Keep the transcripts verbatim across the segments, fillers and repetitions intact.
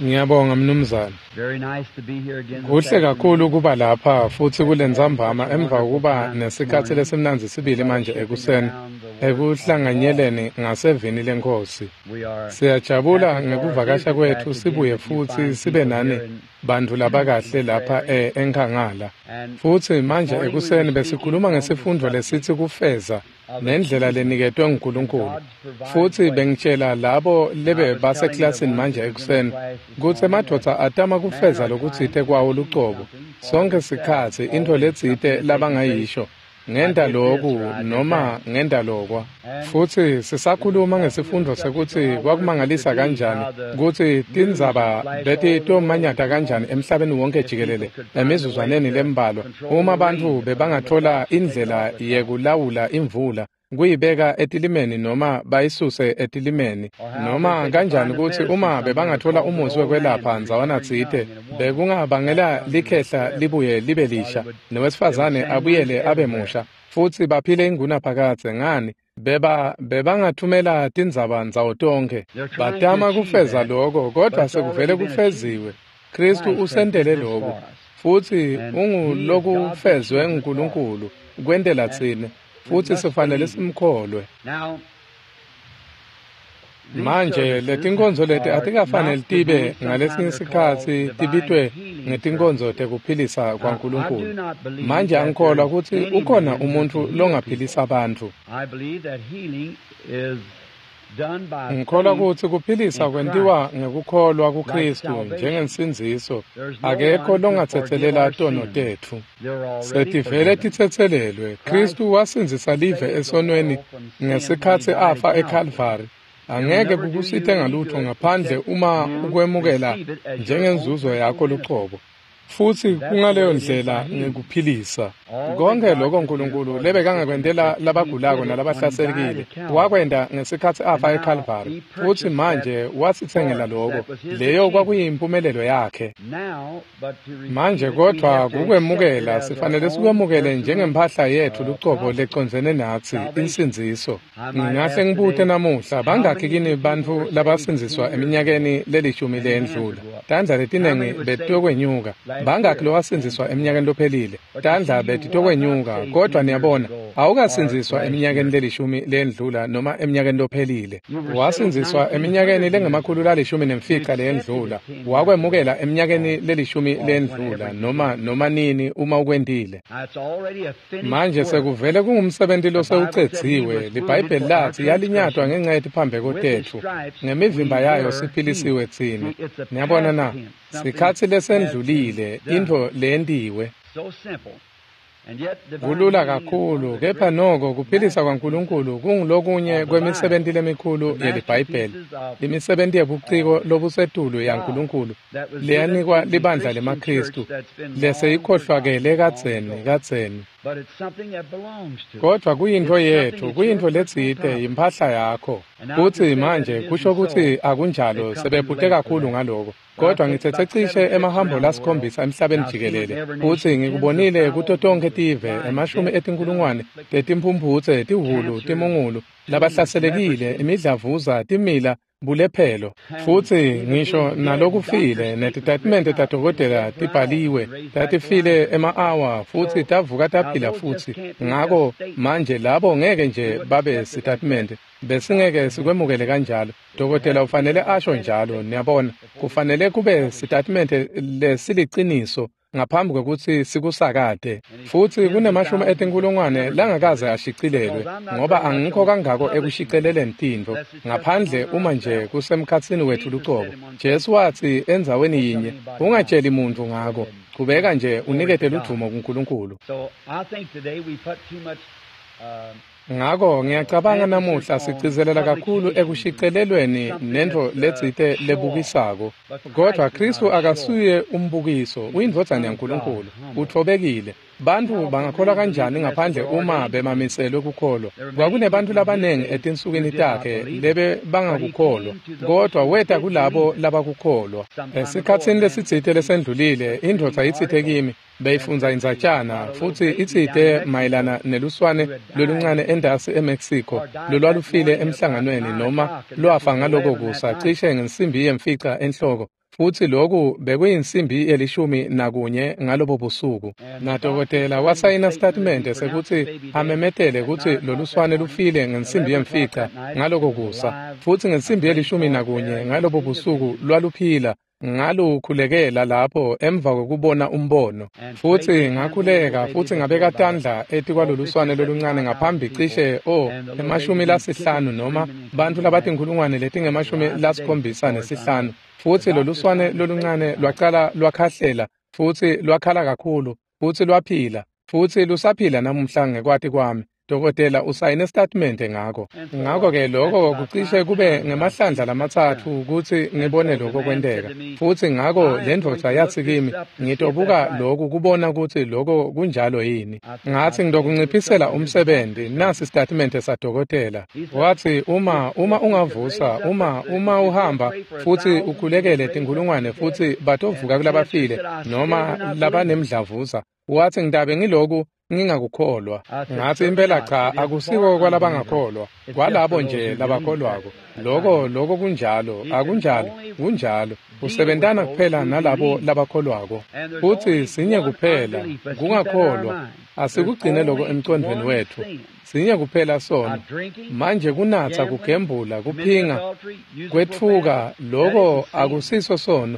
Ngiyabonga mnumzane. Kuhle kakhulu kuba lapha futsi kulentsambama emva kokuba nesikhatsi lesimnandzi sibili manje ekuseni ekuhlanganyeleni ngasevini leNkhosi. Siyajabula ngekuvakasha kwetfu sibuye futsi sibe nani bantfu labakahle lapha eNkhangala. Futsi manje ekuseni besikhuluma ngesifundvo lesitsi kufeza nendlela leniketwe nguNkulunkulu. Futsi bengitshela labo lebe baseklasini manje ekuseni kutsi emadvodza atama kufeza lokutsite kwawo lucobo sonkhe sikhatsi intfo letsite labangayisho ngenta loku noma ngenta lokwa. Futsi sisakhuluma ngesifundvo sekutsi kwakumangalisa kanjani kutsi tindzaba betitomanyata kanjani emhlabeni wonke jikelele emizuzwaneni lembalwa uma bantfu bebangathola indlela yekulawula imvula kuyibeka etilimeni noma bayisuse etilimeni noma kanjani kutsi uma bebangathola umusi wekwelapha ndzawana tsite bekungabangela likhehla libuye libe lisha nowesifazane abuyele abe musha futsi baphile ingunaphakadze. Ngani beba bebangathumela tindzaba ndzawo tonkhe batama kufeza loko, kodvwa sekuvele kufeziwe. Kristu usentele loku futsi ungulokufezwe nguNkulunkulu kwentela tsine futsi sifanele simkholwe. Manje letinkonzo leti atikafanele tibe ngalesinye sikhatsi tibitwe ngetinkonzo tekuphilisa kwaNkulunkulu. Manje angikholwa kutsi ukhona umuntfu longaphilisa bantfu. Ngikholwa kutsi kuphilisa kwentiwa ngekukholwa kuKristu njengensindziso. Akekho longatsetselela tono tetfu. Setivele titsetselelwe. Kristu wasindzisa live esonweni ngesikhatsi afa eKalvari. Angeke kukusite ngalutho ngaphandle uma ukwemukela njengenzuzo yakho lucobo. Futsi kungaleyo ndlela ngekuphilisa. Konke lokho uNkulunkulu lebekangakwentela labagulako nalabahlaselekile wakwenta ngesikhatsi afa eKalvari. Futsi manje wasitsengela lokho. Leyo kwakuyimpumelelo yakhe. Manje kodvwa kukwemukela sifanele sikwemukele njengempahla yetfu lucobo lecondzene natsi insindziso. Ngingahle ngibute namuhla bangakhi kini bantfu labasindziswa eminyakeni lelishumi leyendlula? Tandla letinengi betiyokwenyuka. Bangakhi lowasindziswa eminyakeni lophelile? Tandla betitokwenyuka, kodvwa niyabona awukasindziswa eminyakeni lelishumi leyendlula noma eminyakeni lophelile. Wasindziswa eminyakeni lengemakhulu lalishumi nemfica leyendlula. Wakwemukela eminyakeni lelishumi leyendlula noma noma nini uma ukwentile. Manje sekuvele kungumsebenti losewucedziwe. LiBhayibheli latsi yalinyatwa ngenca yetiphambeko tetfu, ngemivimba yayo siphilisiwe tsine. Niyabona na? Sikhatsi lesendlulile, intfo leyentiwe. Kulula kakhulu, kepha noko kuphilisa kwaNkulunkulu kungulokunye kwemisebenti lemikhulu yeliBhayibheli, imisebenti yebuciko lobusetulu yaNkulunkulu leyanikwa libandla lemaKristu leseyikhohlwakele kadzeni kadzeni. Kodvwa kuyintfo yetfu, kuyintfo letsite, yimphahla yakho. Futsi manje kusho kutsi akunjalo, sebephute kakhulu ngaloko. Kodvwa ngitsetse cishe emahambo lasikhombisa emhlabeni jikelele futsi ngikubonile kuto tonkhe tive emashumi etinkulungwane tetimphumphutse, tihhulu, timungulu, labahlaselekile, imidlavuza, timila, bulephelo. Futsi ngisho nalokufile netitatimende tadokotela tibhaliwe tatifile ema-awa futsi tavuka taphila futsi. Ngako manje labo ngeke nje babe sitatimende, besingeke sikwemukele kanjalo. Dokotela ufanele asho njalo, niyabona, kufanele kube sitatimende lesiliciniso ngaphambi kwekutsi sikusakate. Futsi kunemashumi etinkulungwane langakaze ashicilelwe, ngoba angikho kangako ekushicileleni tintfo ngaphandle uma nje kusemkhatsini wetfu lucobo. Jesu watsi endzaweni yinye, ungatsheli muntfu ngako, chubeka nje unikete ludvumo kuNkulunkulu. Ngako ngiyacabanga namuhla sigcizelela kakhulu ekushicilelweni nentfo letsite lebukisako. Kodvwa Kristu akasuye umbukiso, uyindvodzana yaNkulunkulu, utfobekile. Bantfu bangakholwa kanjani ngaphandle uma bemamiselwe kukholwa? Kwakunebantu labanengi etinsukwini takhe lebe bangakukholwa, kodwa weta kulabo labakukholwa. Esikhatsini lesitsite lesendlulile, indvodza itsite kimi, beyifundza indzatjana futsi itsite mayelana neluswane loluncane endasi eMexico lolwalufile emhlanganweni noma lwafa ngaloko kusa cishe ngensimbi yemfica enhloko, futsi loku bekuyinsimbi yelishumi nakunye ngalobo busuku. Nadokotela wasayina sitatimende sekutsi amemetele kutsi loluswane lufile ngensimbi yemfica ngaloko kusa, futsi ngensimbi yelishumi nakunye ngalobo busuku lwaluphila. Ngalukhulekela lapho emva kokubona umbono, futsi ngakhuleka futsi ngabeka tandla etikwaloluswane loluncane ngaphambi cishe o emashumi lasihlanu noma bantfu labatinkhulungwane letingemashumi lasikhombisa nesihlanu, futsi loluswane loluncane lwacala lwakhahlela futsi lwakhala kakhulu futsi lwaphila futsi lusaphila namuhla ngekwati kwami. Dokotela usayine statement ngako. Ngako-ke lokho kucishe kube ngemahlandla lamatsatfu kutsi ngibone lokho kwenteka. Futsi ngako le ndvodza yatsi kimi, ngitobuka lokhu kubona kutsi lokho kunjalo yini. Ngatsi ngitokunciphisela umsebenzi, nasi statement sadokotela. Watsi uma uma ungavusa, uma uma uhamba futsi ukhulekele tinkhulungwane futsi batovuka kulabafile noma labanemdlavuza. Watsi ngitabe ngiloku ngingakukholwa. Ngatsi impela cha, akusiko kwalabangakholwa, kwalabo nje labakholwako. Lokho lokho kunjalo, akunjalo, kunjalo. Usebentana kuphela nalabo labakholwako. Futsi sinye kuphela, kungakholwa. Asikugcine lokho emcondvweni wetfu. Sinye kuphela sono. Manje kunatsa, kugembula, kuphinga, kwetfuka, lokho akusiso sono.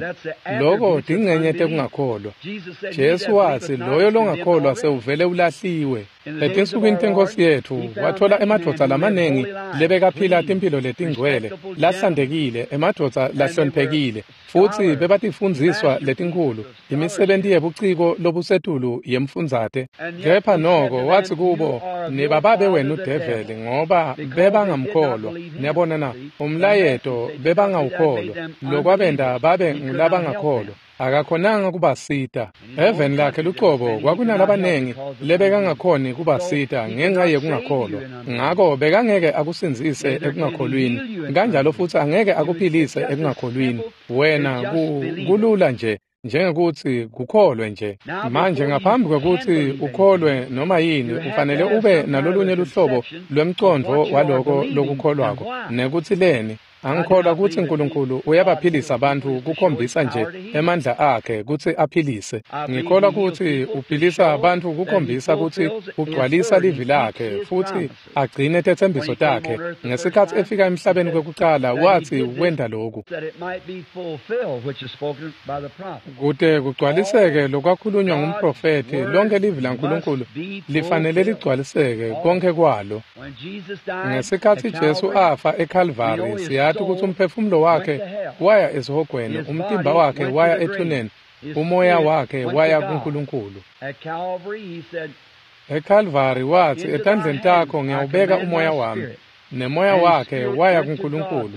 Lokho tingcenye tekungakholwa. Jesu watsi loyo longakholwa sewuvele ulahliwe. Etinsukwini tenkosi yetfu wathola emadvodza lamanengi lebekaphila timphilo letingcwele, lahlantekile, emadvodza lahloniphekile, futsi bebatifundziswa letinkhulu, imisebenti yebuciko lobusetulu yemfundzate. Kepha noko watsi kubo, nibababe wenu develi, ngoba bebangamkholwa. Niyabona na, umlayeto bebangawukholwa, lokwabenta babe ngulabangakholwa. Akakhonanga kubasita. Eveni lakhe lucobo kwakunalabanengi lebekangakhoni kubasita ngenxa yekungakholwa. Ngako bekangeke akusindzise ekungakholwini, kanjalo futsi angeke akuphilise ekungakholwini. Wena kulula nje njengekuthi kukholwe nje. Manje ngaphambi kwekuthi ukholwe noma yini, ufanele ube nalolunye luhlobo lwemcondvo waloko lokukholwako nekuthi leni. Angikholwa kutsi uNkulunkulu uyabaphilisa abantu kukhombisa nje emandla akhe kutsi aphilise. Ngikholwa kutsi uphilisa abantu kukhombisa kutsi ugcwalisa livi lakhe futsi agcine tetsembiso takhe. Ngesikhatsi efika emhlabeni kwekucala watsi wenta lokhu kute kugcwaliseke lokwakhulunywa ngumprofethi. Lonke livi laNkulunkulu lifanele ligcwaliseke konke kwalo. Ngesikhatsi Jesu afa eKalvari, siyati kutsi umphefumulo wakhe waya esihogweni, umtimba wakhe waya ethuneni, umoya wakhe waya kuNkulunkulu. EKalvari watsi, etandleni takho ngiyawubeka umoya wami. Nemoya wakhe waya kuNkulunkulu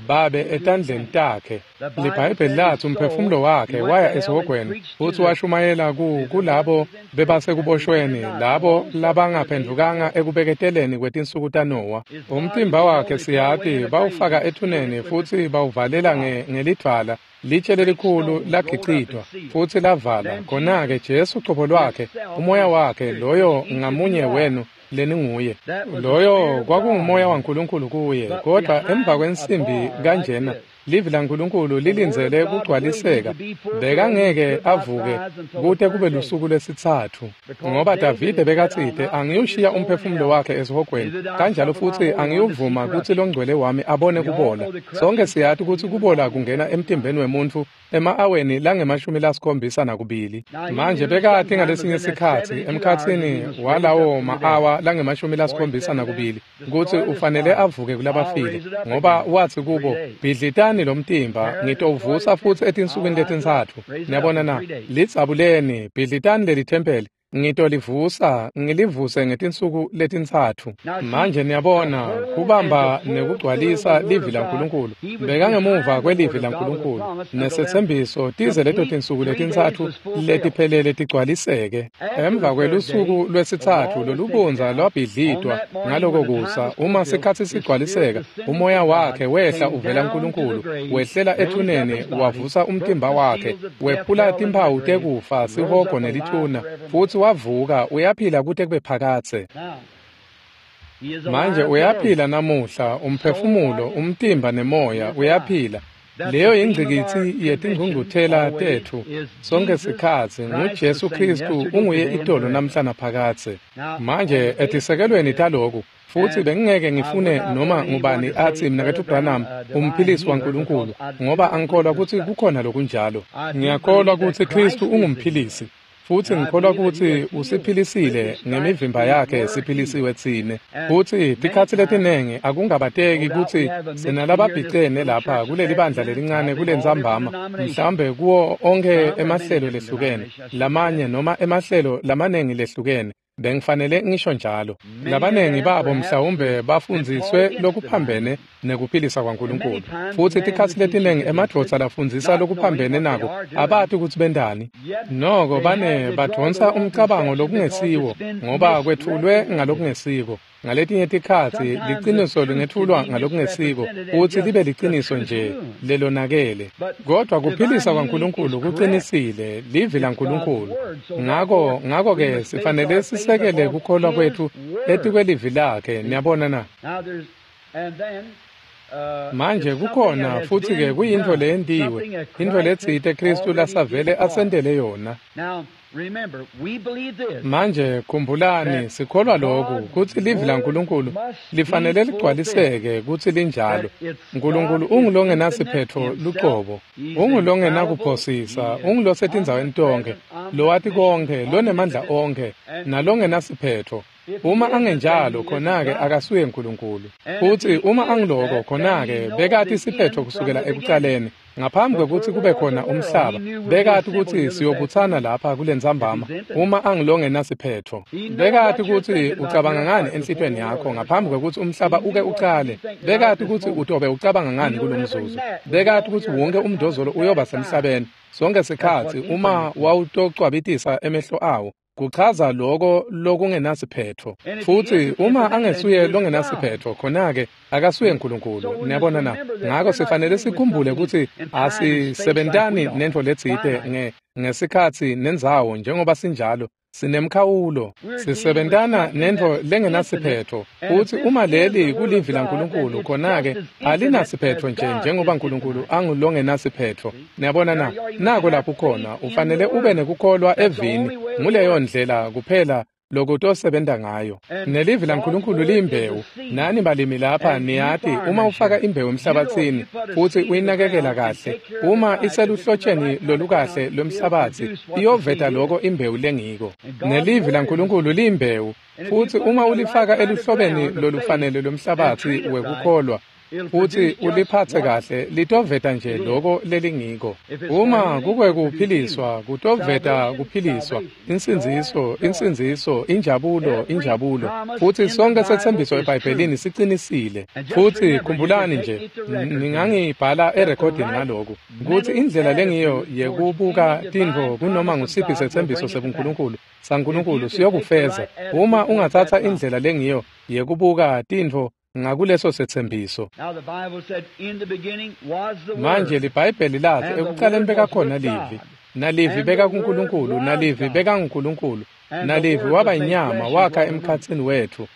Babe etandleni takhe. LiBhayibheli lathi umphefumulo wakhe waya esihogweni futsi washumayela ku kulabo bebasekuboshweni, labo labangaphendvukanga ekubeketeleni kwetinsuku taNowa. Umtimba wakhe siyati bawufaka ethuneni futsi bawuvalela ngelidvwala, litshe lelikhulu lagicitwa futsi lavala. Khona-ke Jesu cobo lwakhe, umoya wakhe, loyo ngamunye wenu leninguye, loyo kwakungumoya waNkulunkulu kuye. Kodwa emva kwensimbi kanjena livi laNkulunkulu lilindzele kugcwaliseka. Bekangeke avuke kute kube lusuku lwesitsatfu, ngoba Davide bekatsite, angiyushiya umphefumulo wakhe esihogweni, kanjalo futsi angiyuvuma kutsi longcwele wami abone kubola. Sonke siyati kutsi kubola kungena emtimbeni wemuntfu ema-aweni langemashumi lasikhombisa nakubili. Manje bekati ngalesinye sikhatsi emkhatsini walawo ma-awa langemashumi lasikhombisa nakubili kutsi ufanele avuke kulabafile, ngoba watsi kubo, bhidlitani lo mtimba, ngitowuvusa futsi etinsukwini letintsatfu. Niyabona na? Lidzabuleni, bhidlitani leli thempeli, Ngitolivusa, ngilivuse ngetinsuku letintsatfu. Manje niyabona, kubamba nekugcwalisa livi laNkulunkulu. Bekangemuva kwelivi laNkulunkulu nesetsembiso tize leto tinsuku letintsatfu letiphelele tigcwaliseke. Emva kwelusuku lwesitsatfu lolubondza lwabhidlitwa ngaloko kusa, uma sikhatsi sigcwaliseka, umoya wakhe wehla uvela kuNkulunkulu, wehlela ethuneni, wavusa umtimba wakhe, wephula timphawu tekufa, sihogo nelithuna, futsi wavuka uyaphila kute kube phakadze. Manje uyaphila namuhla, umphefumulo, umtimba nemoya uyaphila. Leyo ingcikitsi yetingcungcuthela tetfu sonke sikhatsi nguJesu Kristu unguye itolo namhla naphakadze. Manje etisekelweni taloku, futsi bengingeke ngifune noma ngubani atsi Mnaketfu Branham umphilisi waNkulunkulu, ngoba angikholwa kutsi kukhona lokunjalo. Ngiyakholwa kutsi Kristu ungumphilisi, futsi ngikholwa kutsi usiphilisile ngemivimba yakhe siphilisiwe tsine. Futsi tikhatsi letinengi akungabateki kutsi sinalababhicene lapha kuleli bandla lelincane kulentsambama, mhlawumbe kuwo onkhe emahlelo lehlukene, lamanye noma emahlelo lamanengi lehlukene. Bengifanele ngisho njalo. Labanengi babo mhlawumbe bafundziswe lokuphambene nekuphilisa kwaNkulunkulu. Futsi tikhatsi letinengi emadvodza lafundzisa lokuphambene nako abati kutsi bentani. Noko bane badvonsa umcabango lokungesiwo ngoba kwetfulwe ngalokungesiko. Ngaletinye tikhatsi liciniso lingetfulwa ngalokungesiko futsi libe liciniso nje lelonakele. Kodwa kuphilisa kwaNkulunkulu kucinisile, livi laNkulunkulu. Ngako ngako-ke sifanele sisekele kukholwa kwetfu etikwelivi lakhe, niyabona na? Manje kukhona futsi-ke kuyintfo leyentiwe, intfo letsite Kristu lasavele asentele yona. Manje khumbulani, sikholwa loku kutsi livi laNkulunkulu lifanele ligcwaliseke kutsi linjalo. Nkulunkulu ungulongenasiphetfo lucobo, ungulongenakuphosisa, ungulosetindzaweni tonkhe, lowati konkhe, lonemandla onkhe, nalongenasiphetfo. Uma angenjalo, khona-ke akasuye Nkulunkulu. Futsi uma angiloko, khona-ke bekati siphetfo kusukela ekucaleni. Ngaphambi kwekutsi kube khona umhlaba, bekati kutsi siyobutsana lapha kulentsambama uma angilongenasiphetfo. Bekati kutsi ucabanga ngani enhlitiyweni yakho ngaphambi kwekutsi umhlaba uke ucale. Bekati kutsi utobe ucabanga ngani kulomzuzu. Bekati kutsi wonke umdozolo uyoba semhlabeni sonke sikhatsi uma wawutocwabitisa emehlo awo. Kuchaza loko lokungenasiphetfo. Futsi uma angesuye longenasiphetfo, khona-ke akasuye Nkulunkulu. Niyabona na? Ngako sifanele sikhumbule kutsi asisebentani nentfo letsite nge ngesikhatsi nendzawo njengoba sinjalo. Sinemkhawulo, sisebentana nentfo lengenasiphetfo. Futsi uma leli kulivi laNkulunkulu, khona-ke alinasiphetfo nje njengoba Nkulunkulu angulongenasiphetfo. Niyabona na? Nako lapho khona ufanele ube nekukholwa evini. Nguleyo ndlela kuphela lokutosebenta ngayo. Nelivi laNkulunkulu liyimbewu. Nani balimi lapha niyati uma ufaka imbewu emhlabatsini futsi uyinakekela kahle, uma iseluhlotsheni lolukahle lwemhlabatsi, iyoveta loko imbewu lengiko. Nelivi laNkulunkulu liyimbewu, futsi uma ulifaka eluhlobeni lolufanele lwemhlabatsi wekukholwa futsi uliphatse kahle, litoveta nje loko lelingiko. Uma kukwekuphiliswa, kutoveta kuphiliswa, insindziso, insindziso, injabulo, injabulo. Futsi sonke setsembiso eBhayibhelini sicinisile. Futsi khumbulani nje, ningangibhala erekhodini ngaloku, kutsi indlela lengiyo yekubuka tintfo kunoma ngusiphi setsembiso sebuNkulunkulu saNkulunkulu siyokufeza. Uma ungatsatsa indlela lengiyo yekubuka tintfo ngakuleso setsembiso. Manje liBhayibheli lathi ekucaleni bekakhona livi, nalivi bekakuNkulunkulu, nalivi bekanguNkulunkulu, nalivi waba inyama wakha emkhatsini wetfu.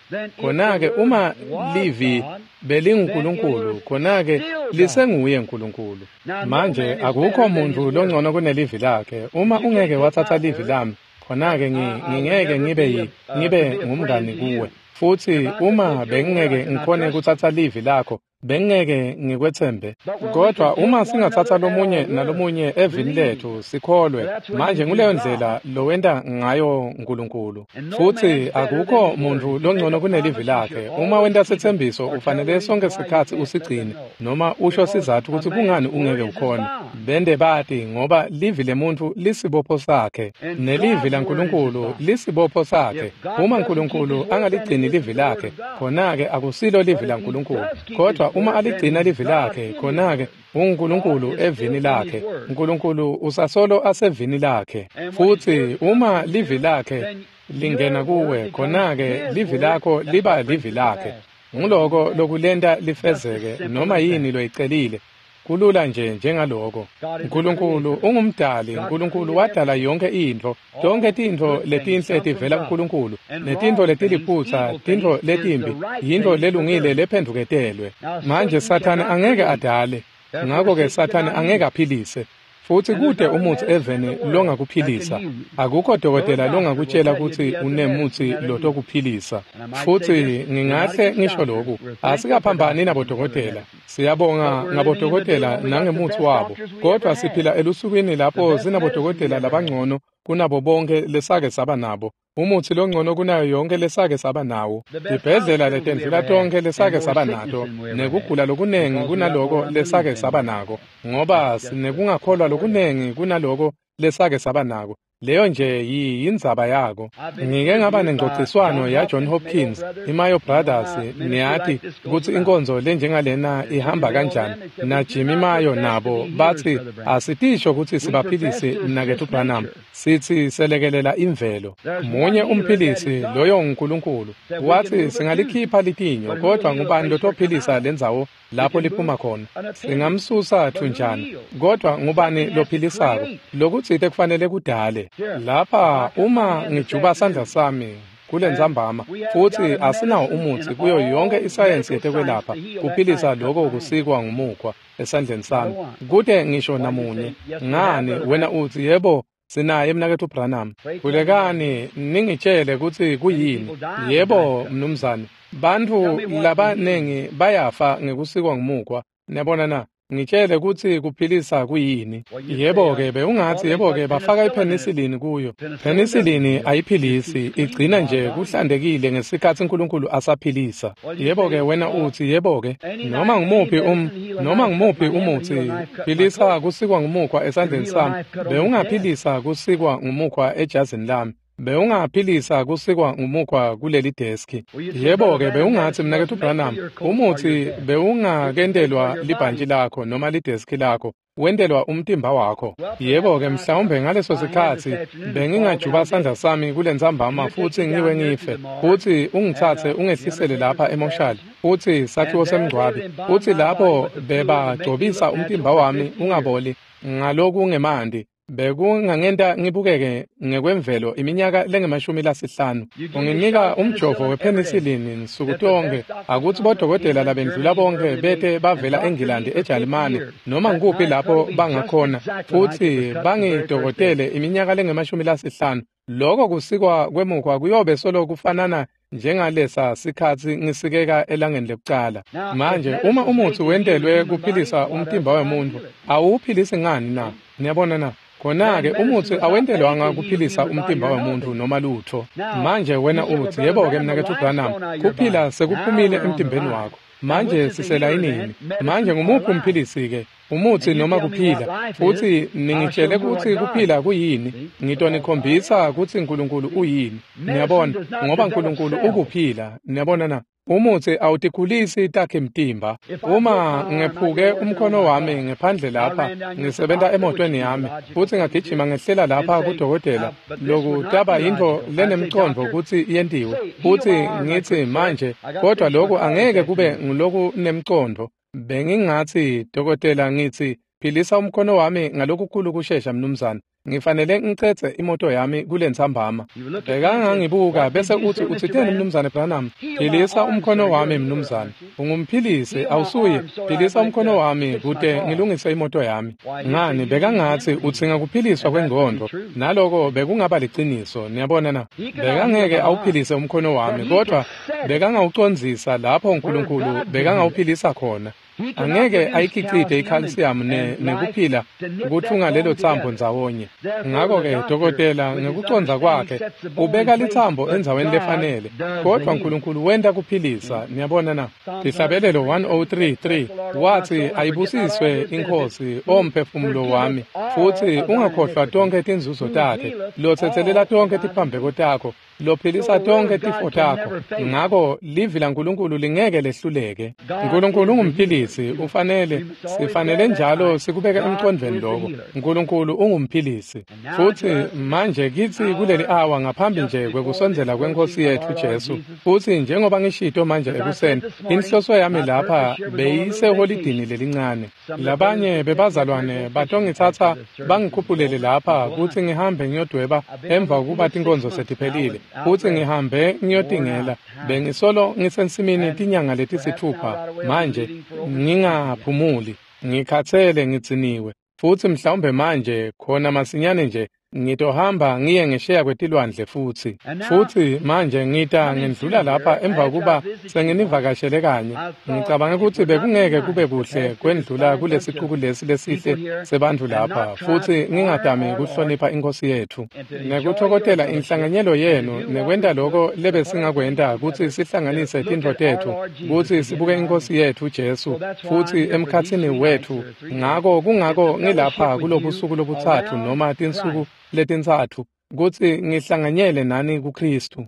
Khona-ke uma livi belinguNkulunkulu, khona-ke lisenguye Nkulunkulu. Manje akukho muntfu longcono kunelivi lakhe. Uma ungeke watsatsa livi lami, khona-ke ngingeke ngibe ngibe ngumngani kuwe. Futsi uma bengingeke ngikhone kutsatsa livi lakho Bengeke ngikwetsembe. Kodwa uma singatsatsa lomunye nalomunye evini letfu sikholwe, manje nguleyo ndlela lowenta ngayo Nkulunkulu. Futsi akukho muntfu longcono kunelivi lakhe. Uma wenta setsembiso ufanele sonke sikhatsi usigcine noma usho sizatfu kutsi kungani ungeke ukhone. Bende bati ngoba livi lemuntfu lisibopho sakhe nelivi laNkulunkulu lisibopho sakhe. Uma Nkulunkulu angaligcini livi lakhe, khona-ke akusilo livi laNkulunkulu. Kodwa uma aligcina livi lakhe, khona-ke unguNkulunkulu evini lakhe. Nkulunkulu usasolo asevini lakhe. Futsi uma livi lakhe lingena kuwe, khona-ke livi lakho liba livi lakhe. Nguloko lokulenta lifezeke noma yini loyicelile. Kulula nje njengaloko. Nkulunkulu ungumdali. Nkulunkulu wadala yonke intfo. Tonke tintfo letinhle tivela kuNkulunkulu, netintfo letiliphutsa, tintfo letimbi, yintfo lelungile lephendvuketelwe. Manje Sathane angeke adale, ngako-ke Sathane angeke aphilise. Futsi kute umutsi eveni longakuphilisa. Akukho dokotela longakutjela kutsi unemutsi lotokuphilisa. Futsi ngingahle ngisho loku, asikaphambani nabodokotela. Siyabonga ngabodokotela nangemutsi wabo, kodwa siphila elusukwini lapho sinabodokotela labangcono kunabo bonke lesake saba nabo. Umutsi longcono kunayo yonke lesake saba nawo, tibhedlela letendlula tonke lesake saba nato, nekugula lokunengi kunaloko lesake saba nako, ngoba sinekungakholwa lokunengi kunaloko lesake saba nako. Leyo nje yindzaba yako. Ngike ngaba nengcociswano ya John Hopkins, iMayo Brothers, niyati kutsi inkonzo lenjengalena ihamba kanjani, na Jimmy Mayo nabo bathi asitisho kutsi sibaphilisi mnaketfu Branham, sithi selekelela imvelo. Munye umphilisi, loyo nguNkulunkulu. Wathi singalikhipha litinyo, kodwa ngubani lotophilisa lendzawo lapho liphuma khona? Singamsusa thunjana, kodwa ngubani lophilisako? Lokutsite kufanele kudale. Lapha uma ngijuba sandla sami kulentsambama, futsi asinawo umutsi kuyo yonke isayensi yetekwelapha kuphilisa loko kusikwa ngumukhwa esandleni sami, kute ngisho namunye. Ngani wena utsi yebo sinaye mnaketfu Branham? Khulekani ningitjele kutsi kuyini. Yebo mnumzane, bantfu labanengi bayafa ngekusikwa ngumukhwa. Niyabona na? Ngitjele kutsi kuphilisa kuyini. Yebo-ke bewungatsi yebo-ke bafaka ipenicillin kuyo. Penicillin ayiphilisi, igcina nje kuhlantekile ngesikhatsi Nkulunkulu asaphilisa. Yebo-ke wena utsi yebo-ke noma ngumuphi um noma ngumuphi umutsi philisa kusikwa ngumukhwa esandleni sami, bewungaphilisa kusikwa ngumukhwa ejazini lami, bewungaphilisa kusikwa ngumukhwa kuleli deski. Yebo-ke bewungatsi mnaketfu Branham, umutsi bewungakentelwa libhantji lakho noma lideski lakho, wentelwa umtimba wakho. Yebo-ke mhlawumbe ngaleso sikhatsi bengingajuba sandla sami kulentsambama futsi ngiwe ngife, futsi ungitsatse ungehlisele lapha emoshali, futsi sakhiwo semngcwabi, futsi lapho bebagcobisa umtimba wami ungaboli ngalokungemanti, bekungangenta ngibukeke ngekwemvelo iminyaka lengemashumi lasihlanu. Unginika umjovo wepenicillin nsuku tonke, akutsi bodokotela labendlula bonke bete bavela eNgilandi, eJalimane, noma ngikuphi lapho bangakhona, futsi bangidokotele iminyaka lengemashumi lasihlanu. Loko kusikwa kwemukhwa kuyobe solo kufanana njengalesa sikhatsi ngisikeka elangeni lekucala. Manje uma umutsi wentelwe kuphilisa umtimba wemuntfu, awuphilisi ngani na? Niyabona na? Khona-ke umutsi awentelwanga kuphilisa umtimba wemuntfu noma lutfo. Manje wena utsi yebo-ke mnaketfu Branham, kuphila sekuphumile emtimbeni wakho. Manje siselayinini. Manje ngumuphi umphilisi-ke? Umutsi noma kuphila? Futsi ningitjele kutsi kuphila kuyini, ngitonikhombisa kutsi Nkulunkulu uyini. Niyabona, ngoba Nkulunkulu ukuphila. Niyabona na? Umutsi awutikhulisi takhe mtimba. Uma ngephuke umkhono wami ngephandle lapha, ngisebenta emotweni yami, futsi ngagijima ngehlela lapha kudokotela, loku taba yintfo lenemcondvo kutsi yentiwe, futsi ngitsi manje, kodwa loku angeke kube ngulokunemcondvo. Bengingatsi dokotela ngitsi Philisa umkhono wami ngalokukhulu kushesha mnumzane. Ngifanele ngicedze imoto yami kulentsambama. Bekangangibuka bese uthi utsiteni mnumzane Branham? Philisa umkhono wami mnumzane. Ungumphilisi awusuye. Philisa umkhono wami kute ngilungise imoto yami. Ngani bekangatsi utsinga kuphiliswa kwengqondo. Naloko bekungaba liciniso, niyabona na? Bekangeke awuphilise umkhono wami, kodwa bekangawucondzisa lapho uNkulunkulu bekangawuphilisa khona. Angeke ayikhicite i-calcium ne nekuphila kutfunga lelo tsambo ndzawonye. Ngakho-ke dokotela ngekucondza kwakhe ubeka litsambo endzaweni lefanele, kodwa uNkulunkulu wenta kuphilisa, niyabona na? Tihlabelelo one oh three three watsi ayibusiswe iNkhosi omphefumulo wami, futsi ungakhohlwa tonkhe tinzuzo takhe, lotsetselela tonkhe tiphambeko takho, lophilisa tonkhe tifo takho. Ngakho livi laNkulunkulu lingeke lehluleke. Nkulunkulu ungumphilisi, ufanele sifanele njalo sikubeke emqondweni lokho. Nkulunkulu ungumphilisi. Futsi manje kitsi kuleli awa ngaphambi nje kwekusondzela kweNkhosi yetfu Jesu, futsi njengoba ngishito manje ekuseni, inhloso yami lapha beyiseholidini lelincane. Labanye bebazalwane batongitsatsa bangikhuphulele lapha kutsi ngihambe ngiyodweba emva kokuba tinkonzo setiphelile. Futsi ngihambe ngiyotingela. Bengisolo ngisensimini tinyanga letisithupha manje ngingaphumuli, ngikhatsele, ngidziniwe. Futsi mhlawumbe manje khona masinyane nje ngitohamba ngiye ngesheya kwetilwandle futsi. Futsi manje ngita ngendlula lapha emva kokuba senginivakashele kanye. Ngicabanga kutsi bekungeke kube kuhle kwendlula kulesicuku lesi lesihle sebantfu lapha, futsi ngingadami kuhlonipha iNkhosi yetfu nekutfokotela inhlanganyelo yenu nekwenta loko lebesingakwenta kutsi sihlanganise tintfo tetfu kutsi sibuke iNkhosi yetfu Jesu futsi emkhatsini wetfu. Ngako kungako ngilapha kulobusuku lobutsatfu noma tinsuku letintsatfu kutsi ngihlanganyele nani kuKristu.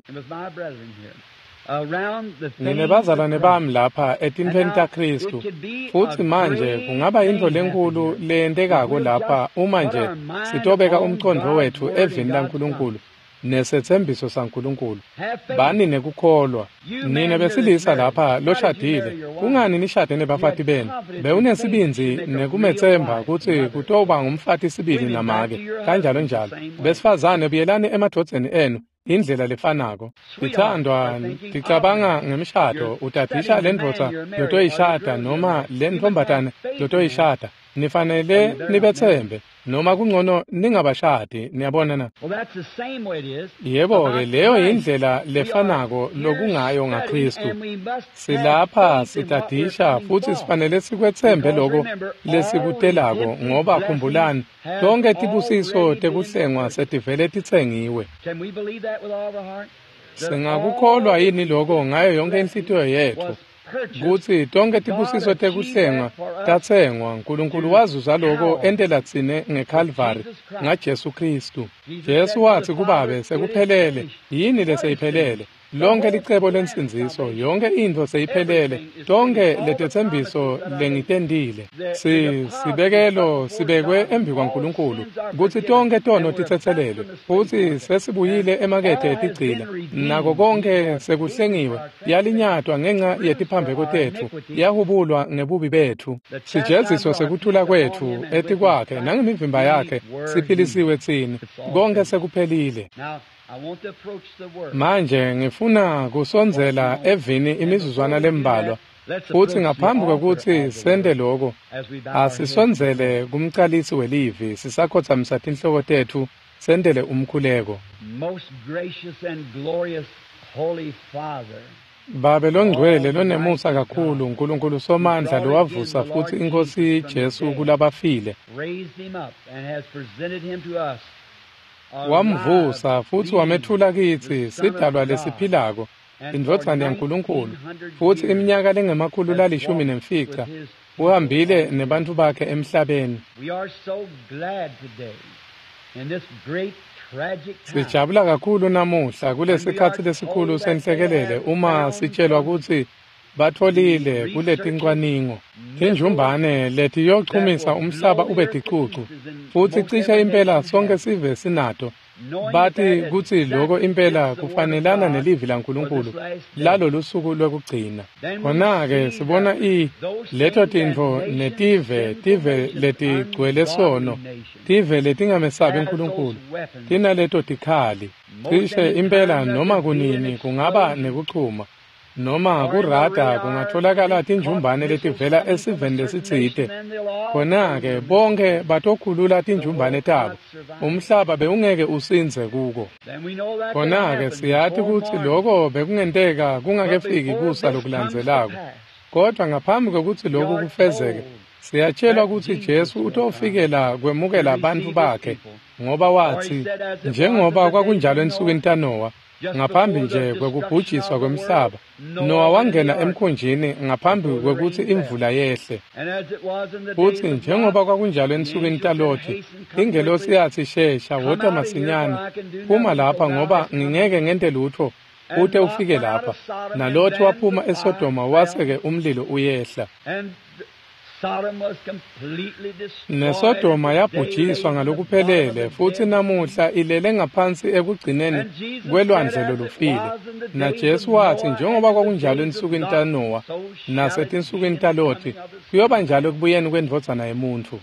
Nginebazalwane bami lapha etintfweni taKristu, futsi manje kungaba yintfo lenkulu leyentekako lapha uma nje sitobeka umcondvo wetfu evini laNkulunkulu nesetsembiso saNkulunkulu. Bani nekukholwa. Nine besilisa lapha loshadile, kungani nishade nebafati benu? Bewunesibindzi nekumetsemba kutsi kutoba ngumfati sibili namake, kanjalo njalo. Besifazane, buyelani emadvodzeni enu indlela lefanako. Tithandwa, ticabanga ngemshado, utadisha lendvodza lotoyishada noma lentfombatane lotoyishada. Nifanele nibetsembe, noma kungcono ningabashadi, niyabona na? Yebo-ke, leyo yindlela lefanako lokungayo ngaKristu. Silapha sitadisha futsi sifanele sikwetsembe loko lesikutelako, ngoba khumbulani, tonkhe tibusiso tekuhlengwa setivele titsengiwe. Singakukholwa yini loko ngayo yonke inhlitiyo yetfu? Kutsi tonkhe tibusiso tekuhlengwa tatsengwa, Nkulunkulu wazuza loko entela tsine ngeKhalvari ngaJesu Kristu. Jesu watsi kuBabe, sekuphelele. Yini leseyiphelele? Lonke licebo lensindziso, yonke intfo seyiphelele, tonke letetsembiso lengitentile. Si sibekelo sibekwe embi kwaNkulunkulu kutsi tonke tono titsetselelwe, futsi sesibuyile emakethe etigcila, nako konke sekuhlengiwe, yalinyatwa ngenca yetiphambeko tetfu, yahubulwa ngebubi betfu. Sijeziso sekuthula kwetfu etikwakhe nangemivimba yakhe siphilisiwe tsine. Konke sekuphelile. Manje ngifuna kusondzela evini imizuzwana lembalwa, futsi ngaphambi kwekutsi sente loko, asisondzele kumcalisi welivi sisakhotsamisa tinhloko tetfu sentele umkhuleko. Babe longcwele lonemusa kakhulu, Nkulunkulu Somandla lowavusa futsi iNkhosi Jesu kulabafile, wamvusa futsi wamethula kitsi sidalwa lesiphilako, indvodzana yaNkulunkulu, futsi iminyaka lengemakhulu lalishumi nemfica uhambile nebantfu bakhe emhlabeni. Sijabula kakhulu namuhla kulesikhatsi lesikhulu senhlekelele uma sitshelwa kutsi batfolile kuletincwaningo tinjumbane letiyochumisa umhlaba ube ticucu, futsi cishe impela sonke sive sinato Bathi kutsi lokho impela kufanelana nelivi laNkulunkulu lalolu suku lwekugcina. Khona-ke sibona i leto tintfo netive, tive letigcwele sono, tive letingamesabi uNkulunkulu, tinaleto tikhali. Cishe impela noma kunini kungaba nekuchuma noma kurada kungatholakala tinjumbane letivela esiveni lesitsite. Khona-ke bonke batokhulula tinjumbane tabo. Umhlaba bewungeke usindze kuko. Khona-ke siyati kutsi loko bekungenteka kungakefiki kusa lokulandzelako. Kodwa ngaphambi kwekutsi loku kufezeke, siyatshelwa kutsi Jesu utofikela kwemukela bantfu bakhe, ngoba watsi, njengoba kwakunjalo ensukwini taNowa, ngaphambi nje kwekubhujiswa kwemhlaba, Nowa wangena emkhunjini ngaphambi kwekutsi imvula yehle. Futsi njengoba kwakunjalo ensukwini taLothi, ingelosi yathi, shesha, wota masinyane, phuma lapha ngoba ngingeke ngente lutho ute ufike lapha. NaLothi waphuma eSodoma wase-ke umlilo uyehla. NeSodoma yabhujiswa ngalokuphelele futsi namuhla ilele ngaphansi ekugcineni kwelwandle lolufile. NaJesu watsi njengoba kwakunjalo ensukwini taNowa nasetinsukwini taLothi, kuyoba njalo ekubuyeni kwendvodzana yemuntfu.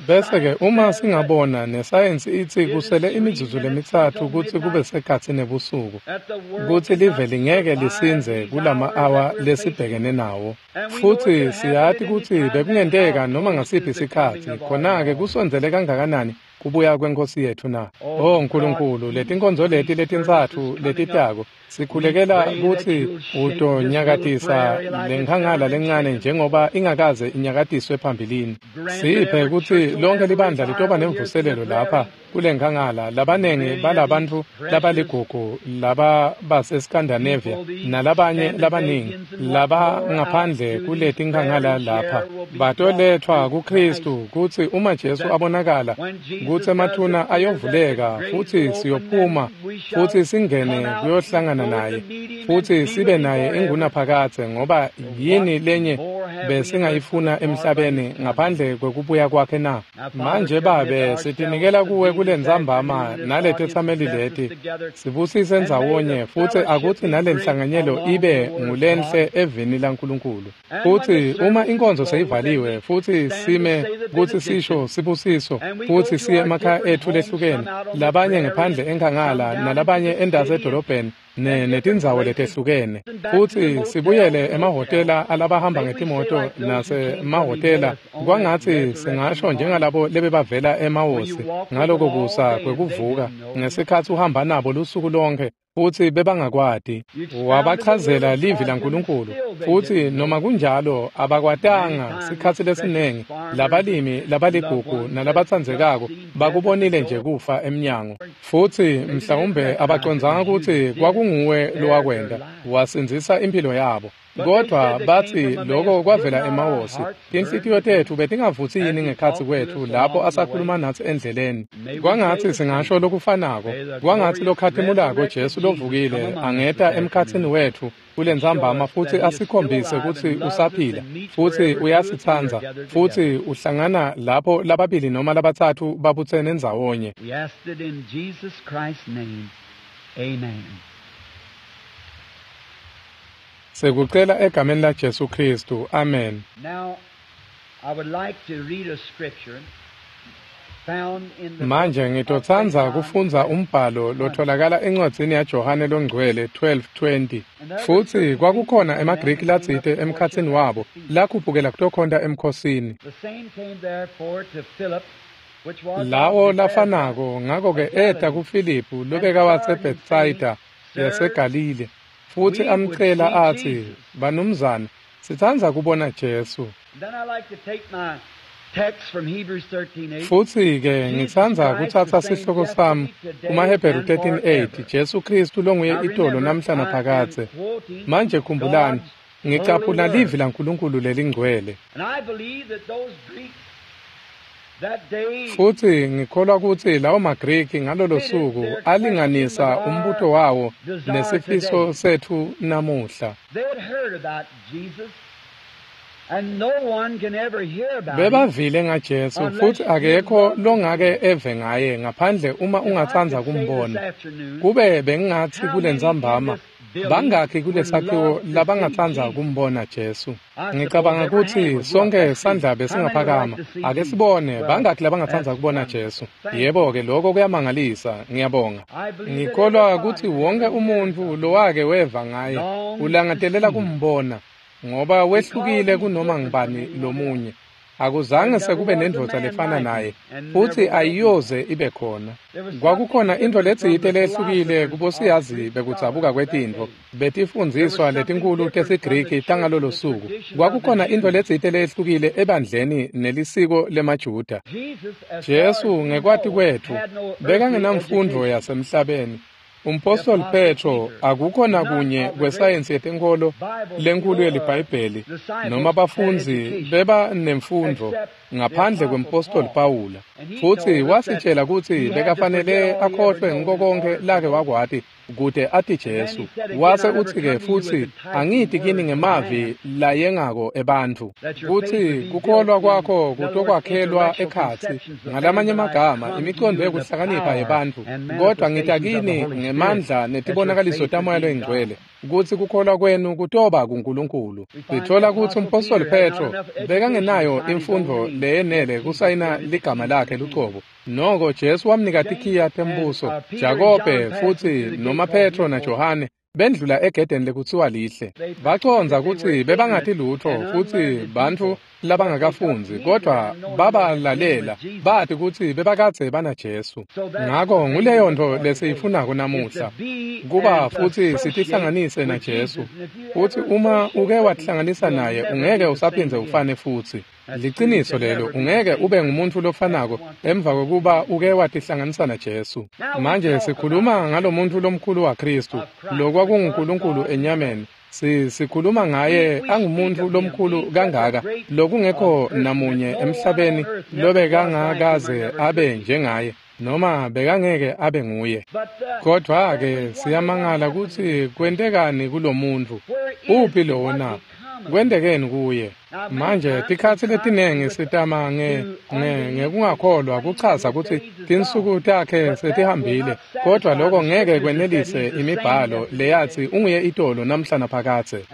Bese-ke uma singabona nesayensi itsi kusele imizuzu lemitsatfu kutsi kube sekhatsi nebusuku, kutsi live lingeke lisindze kulama-awa lesibhekene nawo. Futsi siyati kutsi bekungenteka noma ngasiphi sikhatsi, khona-ke kusondzele kangakanani kubuya kwenkosi yetfu na? Oh Nkulunkulu, letinkonzo leti letintsatfu letitako, sikhulekela kutsi utonyakatisa lenkhangala lencane njengoba ingakaze inyakatiswe phambilini. Siphe kutsi lonke libandla litoba nemvuselelo lapha kulenkhangala, labanengi balabantfu labaligugu laba baseScandinavia nalabanye labaningi labangaphandle kuletinkhangala lapha batolethwa kuKristu, kutsi uma Jesu abonakala kutsi emathuna ayovuleka futsi siyophuma futsi singene kuyohlangana naye futsi sibe naye ingunaphakadze, ngoba yini lenye besingayifuna emhlabeni ngaphandle kwekubuya kwakhe na? Manje Babe, sitinikela kuwe kulentsambama naletetsameli leti, sibusise ndzawonye futsi akutsi nalenhlanganyelo ibe ngulenhle evini laNkulunkulu. Futsi uma inkonzo seyivaliwe futsi sime kutsi sisho sibusiso futsi siye emakhaya etfu lehlukene, labanye ngephandle enkhangala nalabanye endasi edolobheni netindzawo letehlukene, futsi sibuyele emahhotela alabahamba ngetimoto nasemahhotela, kwangatsi singasho njengalabo lebebavela eMawosi ngaloko kusa kwekuvuka ngesikhatsi uhamba nabo lusuku lonke futsi bebangakwati. Wabachazela livi laNkulunkulu futsi noma kunjalo abakwatanga. Sikhatsi lesinengi labalimi labaligugu nalabatsandzekako bakubonile nje kufa emnyango, futsi mhlawumbe abacondzanga kutsi kwakunguwe lowakwenta wasindzisa impilo yabo. Kodwa batsi lokho kwavela eMawosi. Tinhlitiyo tetfu betingavutsi yini ngekhatsi kwetfu lapho asakhuluma natsi endleleni? Kwangatsi singasho lokufanako. Kwangatsi lokhatimulako Jesu lovukile angeta emkhatsini wetfu kulentsambama futsi asikhombise kutsi usaphila futsi uyasitsandza futsi uhlangana lapho lababili noma labatsatfu babutsene ndzawonye. Sekucela egameni la Jesu Kristu. Amen. Manje ngitotsandza kufundza umbhalo lotholakala encwadzini yaJohane loNgcwele twelve twenty. Futsi kwakukhona emaGriki latsite emkhatsini wabo lakhuphukela kutokhonta emkhosini. Lawo lafanako ngako-ke eta kuFiliphu lobeka waseBethsaida yaseGalile, futsi amcela atsi, "Banumzane, sitsandza kubona Jesu." Futsi-ke ngitsandza kutsatsa sihloko sami kumaHebheru thirteen eight, Jesu Kristu longuye itolo namhla naphakadze. Manje khumbulani, ngicaphuna livi laNkulunkulu lelingcwele. Futsi ngikholwa kutsi lawo maGriki ngalolo suku alinganisa umbuto wawo nesifiso setfu namuhla. Bebavile ngaJesu futhi akekho longake eve ngaye ngaphandle uma ungatsandza kumbona. Kube bengingathi kulentsambama bangakhi kulesakhiwo labangatsandza kumbona Jesu. Ngicabanga ukuthi sonke sandla besingaphakama. Ake sibone bangakhi labangatsandza kubona Jesu. Yebo-ke lokho kuyamangalisa, ngiyabonga. Ngikholwa ukuthi wonke umuntu lowake weva ngaye ulangatelela kumbona ngoba wehlukile kunoma ngibani lomunye. Akuzange sekube nendvodza lefana naye futhi ayiyoze ibe khona. Kwakukhona into letsite lehlukile kubosiyazi bekudzabuka kwetintfo betifundziswa letinkulu tesiGriki tangalolo suku. Kwakukhona into letsite lehlukile ebandleni nelisiko lemaJuda. Jesu ngekwati kwetfu bekangenamfundvo yasemhlabeni. Umpostoli Petro akukho nakunye kwesayensi yetenkholo lenkulu yeliBhayibheli noma bafundzi beba nemfundvo ngaphandle kwempostoli Pawula, futsi wasitshela kutsi bekafanele akhohlwe ngiko konkhe lake wakwati kute ati Jesu. Wase utsi-ke futsi angiti kini ngemavi layengako ebantfu kutsi kukholwa kwakho kutokwakhelwa ekhatsi, ngalamanye amagama imicondvo yekuhlakanipha yebantfu, kodwa ngita kini ngemandla netibonakaliso taMoya loyiNgcwele kutsi kukholwa kwenu kutoba kuNkulunkulu. Sithola kutsi umpostoli Petro bekangenayo imfundvo leyenele kusayina ligama lakhe lucobo. Noko Jesu wamnika tikhiya tembuso. Jakobe futsi noma Petro naJohane bendlula egedeni lekutsiwa lihle. Bacondza kutsi bebangati lutfo futsi bantfu labangakafundzi, kodwa babalalela bati kutsi bebakadze banaJesu. Ngako nguleyo ntfo lesiyifunako namuhla, kuba futsi sitihlanganise naJesu. Futsi uma uke watihlanganisa naye ungeke usaphindze ufane futsi. Liciniso lelo, ungeke ube ngumuntu lofanako emva kokuba uke watihlanganisa naJesu. Manje sikhuluma ngalomuntu lomkhulu waKhristu, lokwakunguNkulunkulu enyameni. Si sikhuluma ngaye angumuntu lomkhulu kangaka lokungekho namunye emhlabeni lobekangakaze abe njengaye noma bekangeke abe nguye. Kodwa-ke siyamangala kutsi kwentekani kulomuntu. Uphi lowo na? Kwentekeni kuye? Manje tikhatsi letinengi sitama nge ngekungakholwa kuchaza kutsi tinsuku takhe setihambile, kodwa lokho ngeke kwenelise imibhalo leyatsi unguye itolo namhla naphakadze.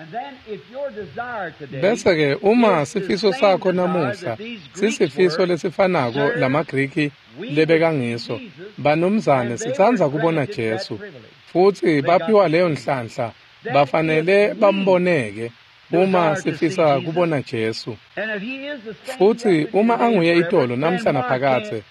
Bese-ke uma sifiso sakho namuhla sisifiso lesifanako lamaGriki lebekangiso, banumzane sitsandza kubona Jesu, futsi baphiwa leyo nhlanhla, bafanele bamboneke uma sifisa kubona Jesu. Futsi uma anguye itolo namhla naphakadze,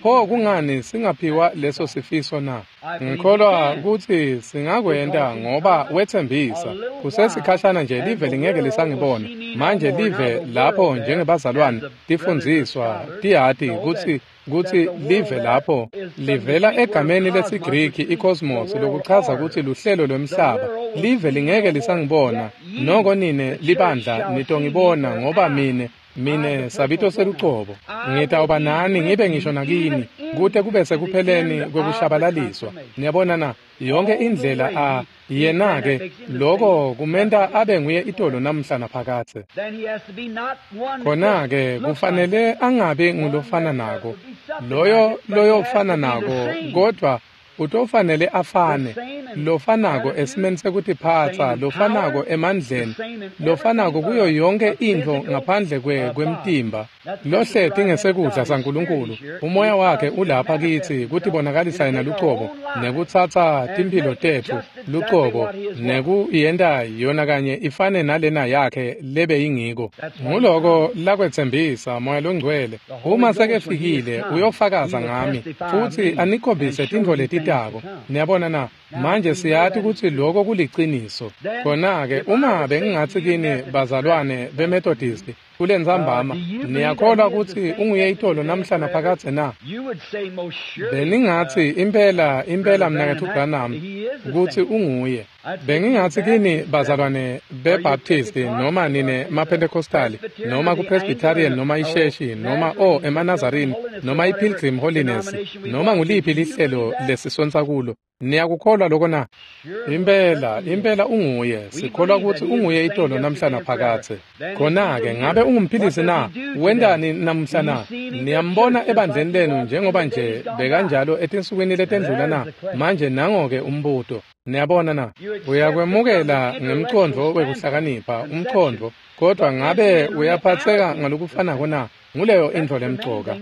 pho kungani singaphiwa leso sifiso na? Ngikholwa kutsi singakwenta ngoba wetsembisa. Kusesikhashana nje live lingeke lisangibona. Manje live lapho njengebazalwane tifundziswa tiyati kutsi kutsi live lapho livela egameni lesiGriki i-cosmos, lokuchaza kutsi luhlelo lwemhlaba. Live lingeke lisangibona, noko nine libandla nitongibona ngoba mine mine sabito selucobo ngitawuba nani ngibe ngisho nakini kute kube sekupheleni kwekushabalaliswa. Niyabona na? Yonke indlela a yena-ke loko kumenta abe nguye itolo namhla naphakadze. Khona-ke kufanele angabi ngulofana nako loyo loyofana nako, kodwa utofanele afane lofanako esimeni sekutiphatsa, lofanako emandleni, lofanako kuyo yonke intfo ngaphandle kwemtimba. Lohleti ngesekudla saNkulunkulu, umoya wakhe ulapha kitsi kutibonakalisa yena lucobo nekutsatsa timphilo tetfu lucobo nekuyenta yona kanye ifane nalena yakhe lebeyingiko. Nguloko lakwetsembisa Moya loNgcwele. Uma sekefikile uyofakaza ngami futsi anikhombise tintfo letitako. Niyabona na? Manje siyati kutsi lokho kuliciniso. Khona-ke uma bengingatsi kini bazalwane beMethodist kulentsambama, niyakholwa kutsi unguye itolo namhla naphakadze na? Beningatsi impela impela mnaketfu Branham kutsi unguye. Bengingatsi kini bazalwane beBaptist noma nine maPentecostali noma kuPresbyterian noma iSheshi noma o emaNazarini noma iPilgrim Holiness noma nguliphi lihlelo lesisonsa kulo, Niyakukholwa lokho na? Impela, impela unguye. Sikholwa ukuthi unguye itolo namhla naphakadze. Khona-ke ngabe ungumphilisi na? Wentani namhla na? Niyambona ebandleni lenu njengoba nje bekanjalo etinsukwini letendlula na? Manje nango-ke umbuto. Niyabona na? Uyakwemukela ngemcondvo wekuhlakanipha, umcondvo, kodwa ngabe uyaphatseka ngalokufanako na? Nguleyo intfo lemcoka.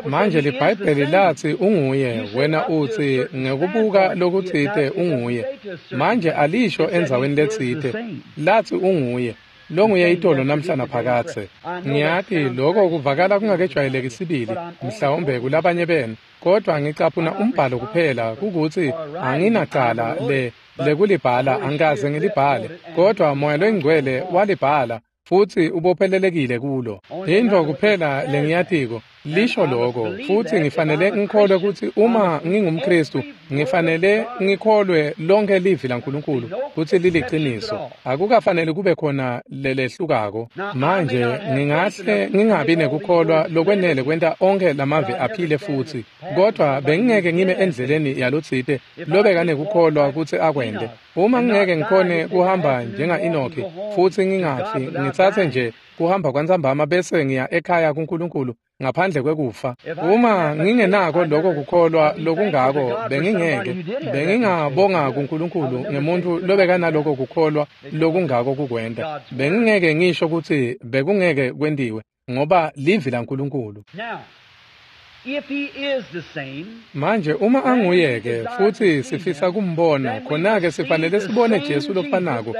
Manje liBhayibheli latsi unguye, wena utsi ngekubuka lokutsite unguye. Manje alisho endzaweni letsite, latsi unguye. Longuye itolo namhla naphakadze. Ngiyati lokho kuvakala kungakejwayeleki sibili, mhlawumbe kulabanye benu, kodwa ngicaphuna umbhalo kuphela kukuthi anginacala le lekulibhala, angikaze ngilibhale, kodwa Moya loyiNgcwele walibhala futsi ubophelelekile kulo. Intfo kuphela lengiyatiko lisho lokho, futsi ngifanele ngikholwe kutsi uma ngingumKhristu ngifanele ngikholwe lonke livi laNkulunkulu kutsi liliqiniso. Akukafanele kube khona lelehlukako. Manje ngingahle ngingabi nekukholwa lokwenele kwenta onkhe lamavi aphile futsi, kodwa bengingeke ngime endleleni yalotsite lobekanekukholwa kutsi akwente. Uma ngingeke ngikhone kuhamba njenga-Enoki futsi ngingafi, ngitsatse nje kuhamba kwantsambama bese ngiya ekhaya kuNkulunkulu ngaphandle kwekufa. Uma ngingenako lokho kukholwa lokungako, bengingeke bengingabonga kuNkulunkulu ngemuntfu lobekanaloko kukholwa lokungako kukwenta. Bengingeke ngisho kutsi bekungeke kwentiwe, ngoba livi laNkulunkulu. Manje uma anguye-ke futsi sifisa kumbona, khona-ke sifanele sibone Jesu lofanako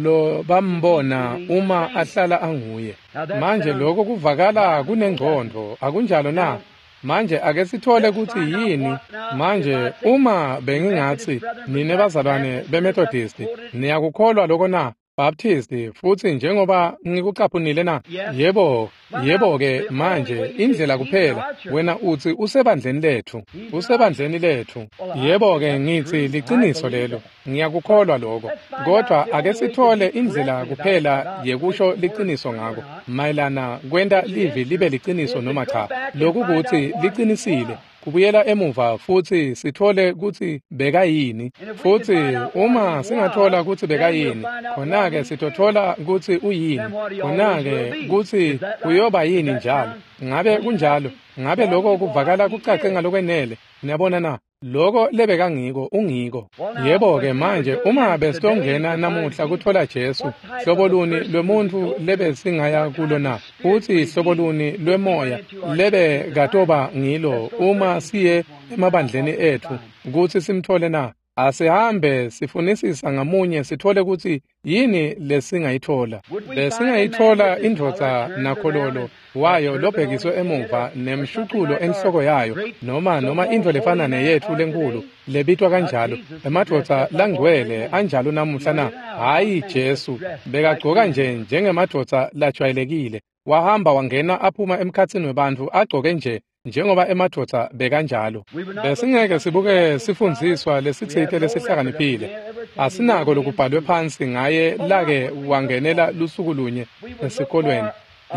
lo bambona uma ahlala anguye. Manje lokho kuvakala kunengcondvo, akunjalo na? Manje ake sithole kutsi yini. Manje uma bengingatsi nine bazalwane beMethodist, niyakukholwa lokho na? Baptist, futsi njengoba ngikucaphunile na? Yebo, yebo-ke manje indlela kuphela wena utsi usebandleni letfu, usebandleni letfu. Yebo-ke ngitsi liciniso lelo, ngiyakukholwa lokho, kodwa ake sithole indlela kuphela yekusho liciniso ngako mayelana kwenta livi libe liciniso noma cha. Lokhu kutsi liqinisile, kubuyela emuva futsi sithole kutsi bekayini. Futsi uma singathola kutsi bekayini, khona-ke sitothola kutsi uyini, khona-ke kutsi uyoba yini njalo. Ngabe kunjalo? Ngabe lokho kuvakala kucace ngalokwenele? Niyabona na? Lokho lebekangiko ungiko. Yebo-ke manje uma besitongena namuhla kuthola Jesu, hlobo luni lwemuntfu lebesingaya kulo na? Futsi hlobo luni lwemoya lebekatoba ngilo uma siye emabandleni etfu kutsi simthole na? Asihambe sifunisisa ngamunye sithole kutsi yini lesingayithola. Besingayithola indvodza nakhololo wayo lobhekiswe emuva nemshuculo enhloko yayo, noma noma intfo lefana neyetfu lenkulu lebitwa kanjalo, emadvodza langcwele anjalo namuhla na? Hhayi Jesu, bekagcoka nje njengemadvodza lajwayelekile. Wahamba wangena aphuma emkhatsini webantfu agcoke nje njengoba emadvodza bekanjalo. Besingeke sibuke sifundziswa lesitsite lesihlakaniphile. Asinako lokubhalwe phansi ngaye lake wangenela lusuku lunye esikolweni.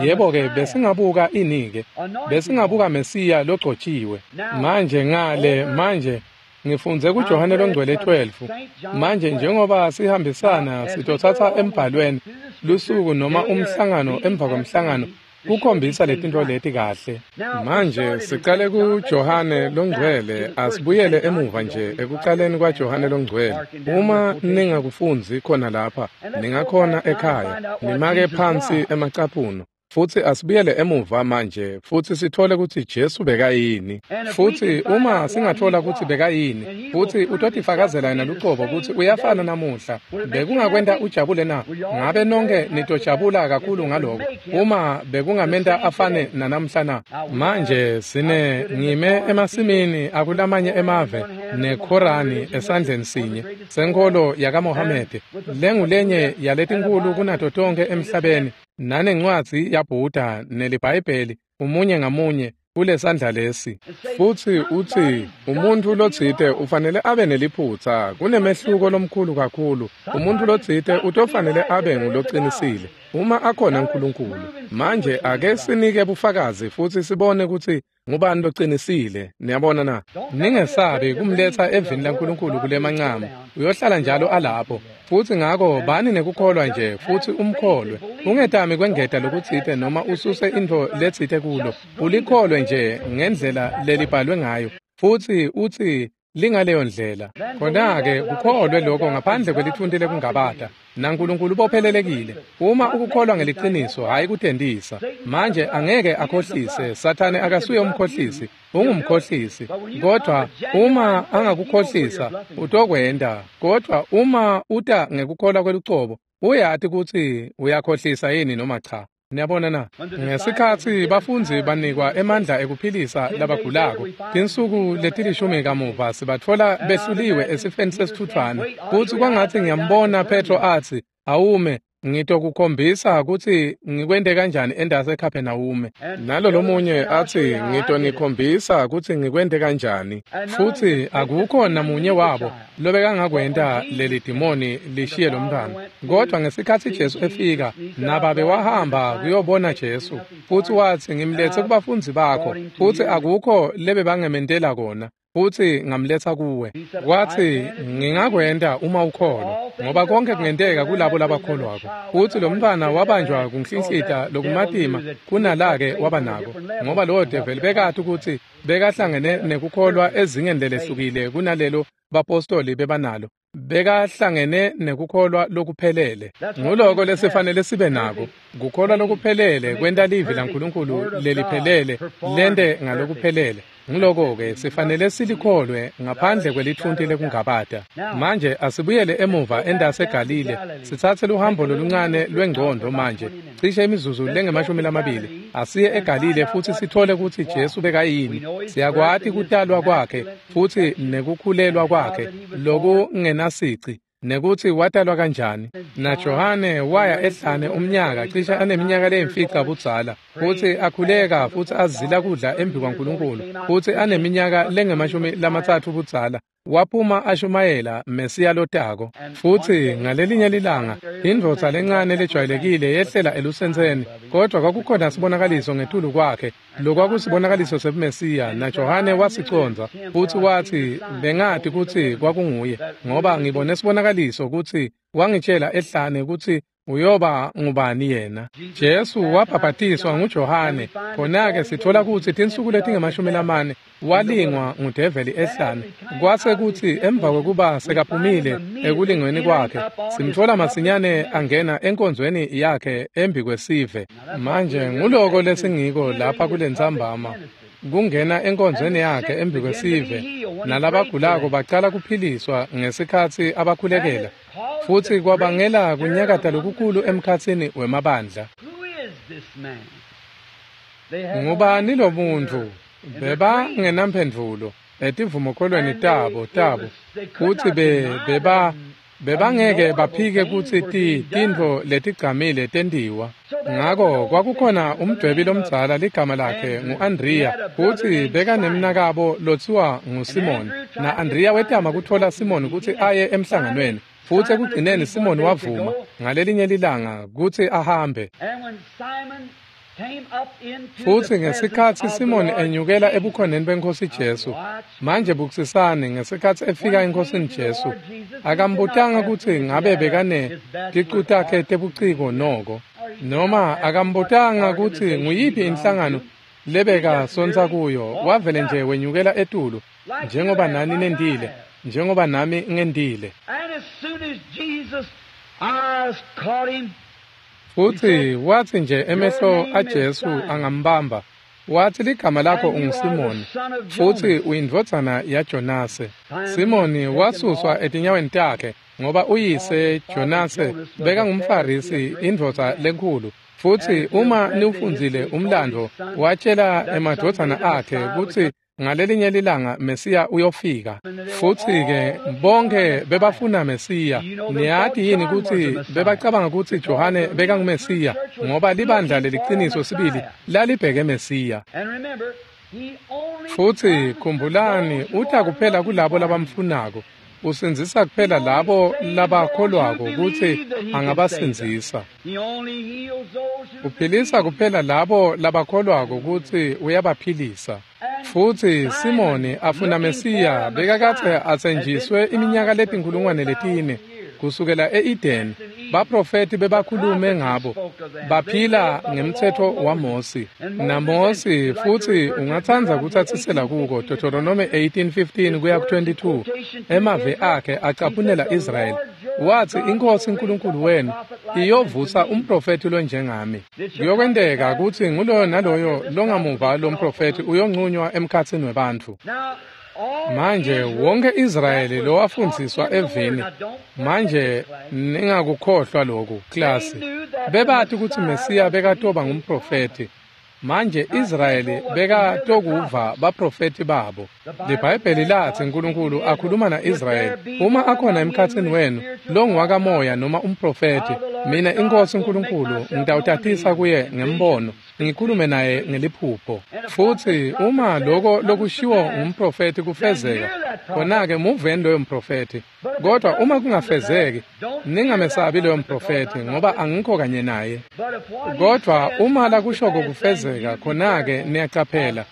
Yebo-ke besingabuka ini-ke? Besingabuka Mesiya logcotshiwe. Manje ngale manje ngifundze kuJohane loNgcwele twelve. Manje njengoba sihambisana sitothatha embhalweni lusuku noma umhlangano emva kwemhlangano kukhombisa letintfo leti kahle. Manje sicale kuJohane loNgcwele, asibuyele emuva nje ekucaleni kwaJohane loNgcwele. Uma ningakufundzi khona lapha, ningakhona ekhaya, nimake phansi emacaphuno. Futsi asibuyele emuva manje futsi sithole kutsi Jesu bekayini. Futsi uma singathola kutsi bekayini, futsi utotifakazela yena lucobo kutsi uyafana namuhla, bekungakwenta ujabule na? Ngabe nonke nitojabula kakhulu ngaloko uma bekungamenta afane nanamhla na? Manje sine ngime emasimini akulamanye emave neKhorani esandleni sinye senkholo yakaMohamede, lengulenye yaletinkulu kunato tonkhe emhlabeni, nanencwadzi yaBuddha neliBhayibheli umunye ngamunye kulesandla lesi. Futsi utsi umuntfu lotsite ufanele abe neliphutsa, kunemehluko lomkhulu kakhulu. Umuntfu lotsite utofanele abe ngulocinisile uma akhona uNkulunkulu. Manje ake sinike bufakazi futsi sibone kutsi Ngubani locinisile? Niyabona na? Ningesabi kumletsa evini laNkulunkulu kulemancama. Uyohlala njalo alapho. Futsi ngako bani nekukholwa nje futsi umkholwe. Ungetami kwengeta lokutsite noma ususe intfo letsite kulo. Ulikholwe nje ngendlela lelibhalwe ngayo. Futsi utsi lingaleyo ndlela. Khona-ke kukholwe lokho ngaphandle kwelithunti lekungabata. NaNkulunkulu ubophelelekile. Uma ukukholwa ngeliciniso, hhayi kutentisa. Manje angeke akhohlise. Sathane akasuye umkhohlisi, ungumkhohlisi. Kodwa uma angakukhohlisa, utokwenta. Kodwa uma uta ngekukholwa kwelucobo, uyati kutsi uyakhohlisa yini noma cha. Niyabona na? Ngesikhatsi bafundzi banikwa emandla ekuphilisa labagulako, tinsuku letilishumi kamuva sibatfola behluliwe esifeni sesitfutfwane. Futsi kwangatsi ngiyambona Petro atsi, awume, ngitokukhombisa kutsi ngikwente kanjani endase eKhaphenawume. Nalo lomunye atsi, ngitonikhombisa kutsi ngikwente kanjani. Futsi akukho namunye wabo lobekangakwenta leli dimoni lishiye lomntwana. Kodwa ngesikhatsi Jesu efika, nababe wahamba kuyobona Jesu. Futsi watsi, ngimletse kubafundzi bakho, futsi akukho lebebangementela kona. Futsi ngamletsa kuwe. Watsi, ngingakwenta uma ukholwa, ngoba konke kungenteka kulabo labakholwako. Futsi lo mntwana wabanjwa kunhlinhlita lokumatima kunalake waba nako, ngoba lowo develi bekati kutsi bekahlangene nekukholwa ezingeni lelehlukile kunalelo bapostoli bebanalo. Bekahlangene nekukholwa lokuphelele. Nguloko lesifanele sibe nako. Kukholwa lokuphelele kwenta livi laNkulunkulu leliphelele lente ngalokuphelele. Nguloko-ke sifanele silikholwe ngaphandle kwelithunti lekungabata. Manje asibuyele emuva endase eGalile, sitsatse luhambo loluncane lwengcondvo manje, cishe imizuzu lengemashumi lamabili. Asiye eGalile futsi sithole kutsi Jesu bekayini. Siyakwati kutalwa kwakhe futsi nekukhulelwa kwakhe lokungenasici, nekutsi watalwa kanjani. NaJohane waya ehlane umnyaka cishe aneminyaka leyimfica budzala, futsi akhuleka futsi azila kudla embi kwaNkulunkulu, futsi aneminyaka lengemashumi lamatsatfu budzala waphuma ashumayela Mesiya lotako. Futsi ngalelinye lilanga indvodza lencane lejwayelekile yehlela elusentseni, kodwa kwakukhona sibonakaliso ngetulu kwakhe, lokwakusibonakaliso sebuMesiya, naJohane wasicondza futsi watsi, bengati kutsi kwakunguye, ngoba ngibone sibonakaliso kutsi wangitshela ehlane kutsi uyoba ngubani yena. Jesu wabhabhatiswa nguJohane. Khona-ke sithola kutsi tinsuku letingemashumi lamane walingwa ngudeveli ehlane. Kwase kutsi emva kwekuba sekaphumile ekulingweni kwakhe, simtfola masinyane angena enkonzweni yakhe embi kwesive. Manje nguloko lesingiko lapha kulentsambama, kungena enkonzweni yakhe embi kwesive, nalabagulako bacala kuphiliswa ngesikhatsi abakhulekela, futsi kwabangela kunyakata lokukhulu emkhatsini wemabandla. Ngubani lo muntfu? Bebangenamphendvulo etivumokholweni tabo tabo kutsi be beba bebangeke baphike kutsi ti tintfo letigcamile tentiwa. Ngako kwakukhona umdwebi lomdzala ligama lakhe ngu-Andriya, futsi bekanemnakabo lotsiwa nguSimoni. Na-Andriya wetama kutfola Simoni kutsi aye emhlanganweni, futsi ekugcineni Simoni wavuma ngalelinye lilanga kutsi ahambe. Futsi ngesikhatsi Simoni enyukela ebukhoneni beNkhosi Jesu, manje bukisisani, ngesikhatsi efika eNkhosini Jesu, akambutanga kutsi ngabe bekane ticu takhe tebuciko noko, noma akambutanga kutsi nguyiphi inhlangano lebekasontsa kuyo. Wavele nje wenyukela etulu, njengoba nani nendile, njengoba nami ngendile. Futsi watsi nje emehlo aJesu angambamba, watsi, ligama lakho unguSimoni, futsi uyindvodzana yaJonase. Simoni wasuswa etinyaweni takhe, ngoba uyise Jonase bekangumFarisi, indvodza lenkhulu. Futsi uma niwufundzile umlando, watshela emadvodzana akhe kutsi ngalelinye lilanga Mesiya uyofika. Futsi-ke bonke bebafuna Mesiya. Niyati yini kutsi bebacabanga kutsi Johane bekanguMesiya, ngoba libandla leliciniso sibili lalibheke Mesiya. Futsi khumbulani, uta kuphela kulabo labamfunako. Usindzisa kuphela labo labakholwako kutsi angabasindzisa. Uphilisa kuphela labo labakholwako kutsi uyabaphilisa. Futsi Simoni afuna Mesiya bekakadze atsenjiswe iminyaka letinkhulungwane letine kusukela e-Edeni. Baprofeti bebakhulume ngabo, baphila ngemtsetfo waMosi. NaMosi futsi ungatsandza kutsatsisela kuko Deuteronomy eighteen fifteen kuya ku twenty-two. Emave akhe acaphunela Israyeli. Watsi iNkhosi uNkulunkulu wenu iyovusa umprofeti lonjengami. Kuyokwenteka kutsi nguloyo naloyo longamuva lomprofeti uyonqunywa emkhatsini webantfu. Manje wonke Israyeli lowafundziswa evini, manje ningakukhohlwa lokhu klasi, bebati kutsi Mesiya bekatoba ngumprofeti. Manje Israyeli bekatokuva baprofeti babo. LiBhayibheli latsi uNkulunkulu akhuluma na-Israyeli, uma akhona emkhatsini wenu longuwakamoya noma umprofeti, mina iNkhosi uNkulunkulu ngitawutatisa kuye ngembono, ngikhulume naye ngeliphupho. Futsi uma loko lokushiwo ngumprofeti kufezeka, khona-ke muveni loyo mprofeti. Kodwa uma kungafezeki, ningamesabi loyo mprofeti, ngoba angikho kanye naye. Kodwa uma lakushoko kufezeka, khona-ke niyacaphela,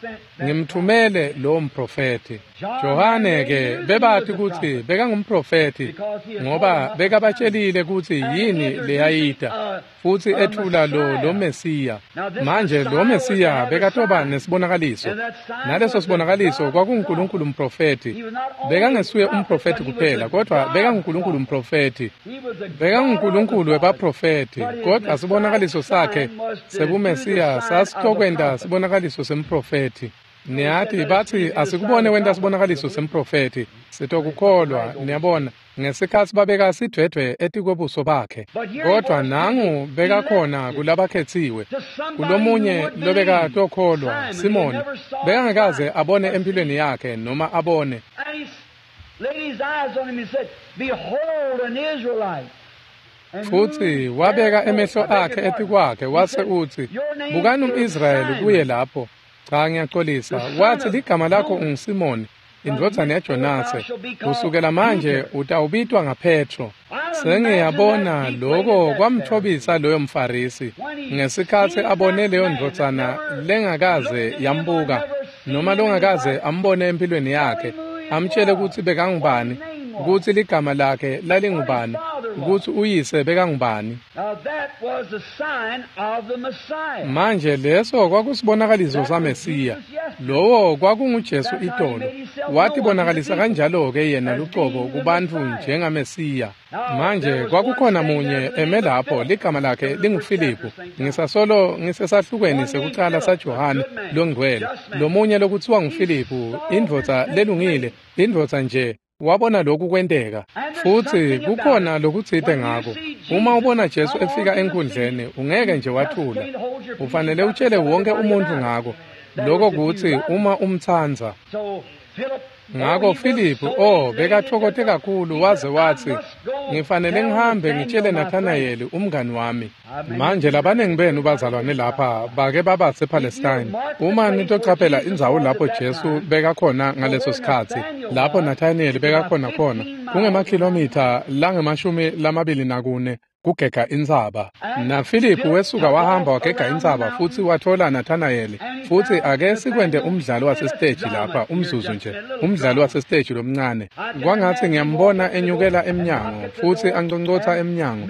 ngimthumele lowo mprofeti. Johane-ke bebati kutsi bekangumprofeti, ngoba bekabatshelile kutsi yini leyayita, futsi ethula lo lo Mesiya. Manje lo Mesiya bekatoba nesibonakaliso, naleso sibonakaliso kwakunguNkulunkulu umprofeti. Bekangesuye umprofeti kuphela, kodwa bekanguNkulunkulu umprofeti. BekanguNkulunkulu webaprofeti, kodwa sibonakaliso sakhe sebuMesiya sasitokwenta sibonakaliso semprofeti. Niyati batsi asikubone wenta sibonakaliso semprofeti, sitokukholwa. Niyabona, ngesikhatsi babeka sidvwedvwe etikwebuso bakhe. Kodwa nangu bekakhona kulabakhetsiwe, kulomunye lobekatokholwa, Simoni, bekangakaze abone empilweni yakhe noma abone. Futsi wabeka emehlo akhe etikwakhe wase utsi, bukani um-Israyeli kuye lapho. Cha, ngiyaxolisa. Watsi ligama lakho unguSimoni, indvodzana yaJonase. Kusukela manje utawubitwa ngaPetro. Sengiyabona loko kwamthobisa loyo mFarisi ngesikhatsi abone leyo ndvodzana lengakaze yambuka noma longakaze ambone empilweni yakhe, amtshele kutsi bekangubani, kutsi ligama lakhe lalingubani, kutsi uyise bekangubani. Manje leso kwakusibonakaliso saMesiya. Lowo kwakunguJesu itolo. Watibonakalisa kanjalo-ke yena lucobo kubantfu njengaMesiya. Manje kwakukhona munye eme lapho, ligama lakhe linguFiliphu. Ngisasolo ngisesahlukweni sekucala saJohane longcwele. Lomunye lokutsiwa nguFiliphu, indvodza lelungile, indvodza nje. Wabona lokhu kwenteka. Futsi kukhona lokutsite ngako. Uma ubona Jesu efika enkundleni, ungeke nje wathula. Ufanele utshele wonke umuntu ngako. Lokho kutsi uma umtsandza. Ngako Filiphu, oh, bekathokote kakhulu waze watsi, ngifanele ngihambe ngitshele Nathanayeli umngani wami. Manje labaningi benu bazalwane lapha bake baba sePalestine. Uma nitocaphela indzawo lapho Jesu bekakhona ngaleso sikhatsi, lapho Nathanayeli bekakhona khona, kungemakhilomitha langemashumi lamabili nakune kugega intsaba. NaFiliphu wesuka wahamba wagega intsaba futsi wathola Nathanayeli. Futsi ake sikwente umdlalo wasesiteji lapha umzuzu nje, umdlalo wasesiteji lomncane. Kwangatsi ngiyambona enyukela emnyango futsi anconcotsa emnyango.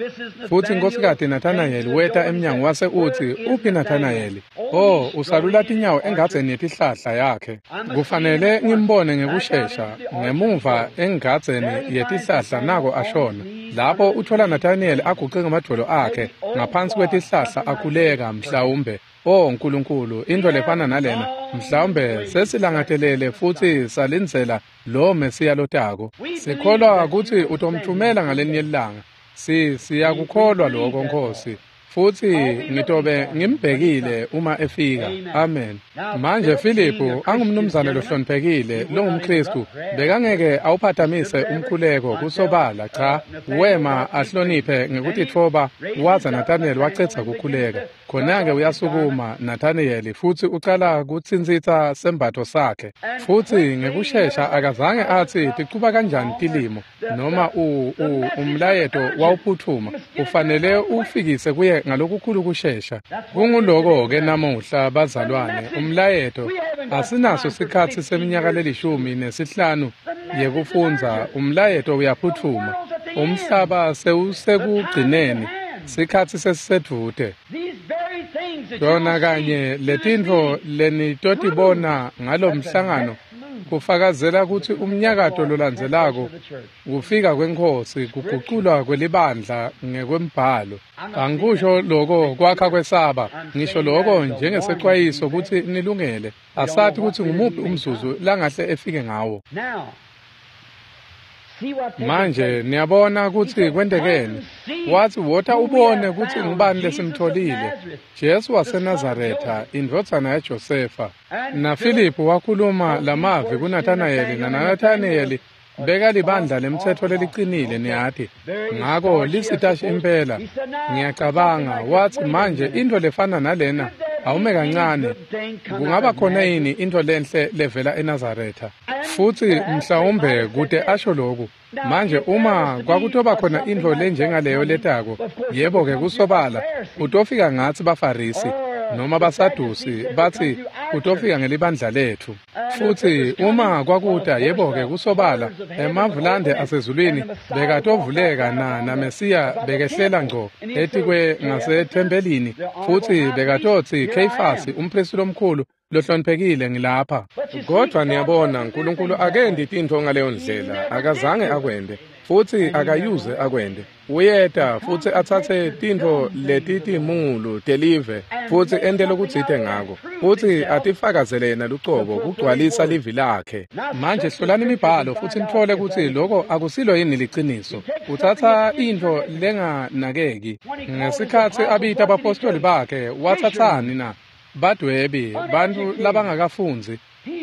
Futsi Nkhosikati Nathanayeli weta emnyango wase utsi, uphi Nathanayeli? Oh, usalula tinyawo engadzeni yetihlahla yakhe. Kufanele ngimbone ngekushesha ngemuva engadzeni yetihlahla nako ashona. Lapho uthola Nathanayeli aguqe ngamadvolo akhe ngaphansi kwetihlahla akhuleka mhlawumbe. Oh Nkulunkulu, into lefana nalena mhlawumbe sesilangatelele futsi salindzela lo Mesiya lotako. Sikholwa kutsi utomthumela ngalenye ilanga. Si siyakukholwa lokho Nkosi. Futsi ngitobe ngimbhekile uma efika. Amen. Manje Filiphu angumnumzane lohloniphekile longumKhristu, bekangeke awuphatamise umkhuleko kusobala, cha, wema ahloniphe ngekutitfoba waza Nathaniel wacedza kukhuleka. Khona-ke uyasukuma Nathaniel futsi ucala kutsintsitsa sembatfo sakhe. Futsi ngekushesha akazange atsi ticuba kanjani tilimo noma u, u umlayeto wawuphutfuma, ufanele ufikise kuye ngalokukhulu kushesha. Kunguloko-ke namuhla bazalwane, umlayeto asinaso sikhatsi seminyaka lelishumi nesihlanu yekufundza, umlayeto uyaphutfuma. Umhlaba sewusekugcineni, sikhatsi sesisedvute. Tona kanye letintfo lenitotibona ngalomhlangano kufakazela kutsi umnyakato lolandzelako kufika kweNkhosi, kuguculwa kwelibandla ngekwembhalo. Angikusho loko kwakha kwesaba, ngisho loko njengesecwayiso kutsi nilungele. Asati kutsi ngumuphi umzuzu langahle efike ngawo. Manje niyabona kutsi kwentekeni. Watsi wota ubone kutsi ngubani lesimtholile, Jesu waseNazaretha, indvodzana yaJosefa. NaFiliphu wakhuluma lamavi kuNathanayeli, naNathanayeli bekalibandla lemtsetfo lelicinile, niyati. Ngako lisitashi impela, ngiyacabanga, watsi manje intfo lefana nalena, awume kancane, kungaba khona yini intfo lenhle levela eNazaretha? Futsi mhlawumbe kute asho loku, manje uma kwakutoba khona intfo lenjengaleyo letako, yebo-ke kusobala, utofika ngatsi baFarisi noma baSadusi, batsi utofika ngelibandla letfu. Futsi uma kwakuta, yebo-ke kusobala, emavulande asezulwini bekatovuleka na naMesiya bekehlela ngco etikwe ngasethempelini, futsi bekatotsi Kheyifasi umphristi lomkhulu lohloniphekile ngilapha. Kodvwa niyabona, Nkulunkulu akendi tintfo ngaleyo ndlela, akazange akwente, futsi akayuze akwente. Uyeta futsi atsatse tintfo letitimulu telive futsi ente lokutsite ngako, futsi atifakazele yena lucobo kugcwalisa livi lakhe. Manje hlolani imibhalo futsi nitfole kutsi loko akusilo yini liciniso. Utsatsa intfo lenganakeki. Ngesikhatsi abita abapostoli bakhe, watsatsani na? Badwebi, bantfu labangakafundzi.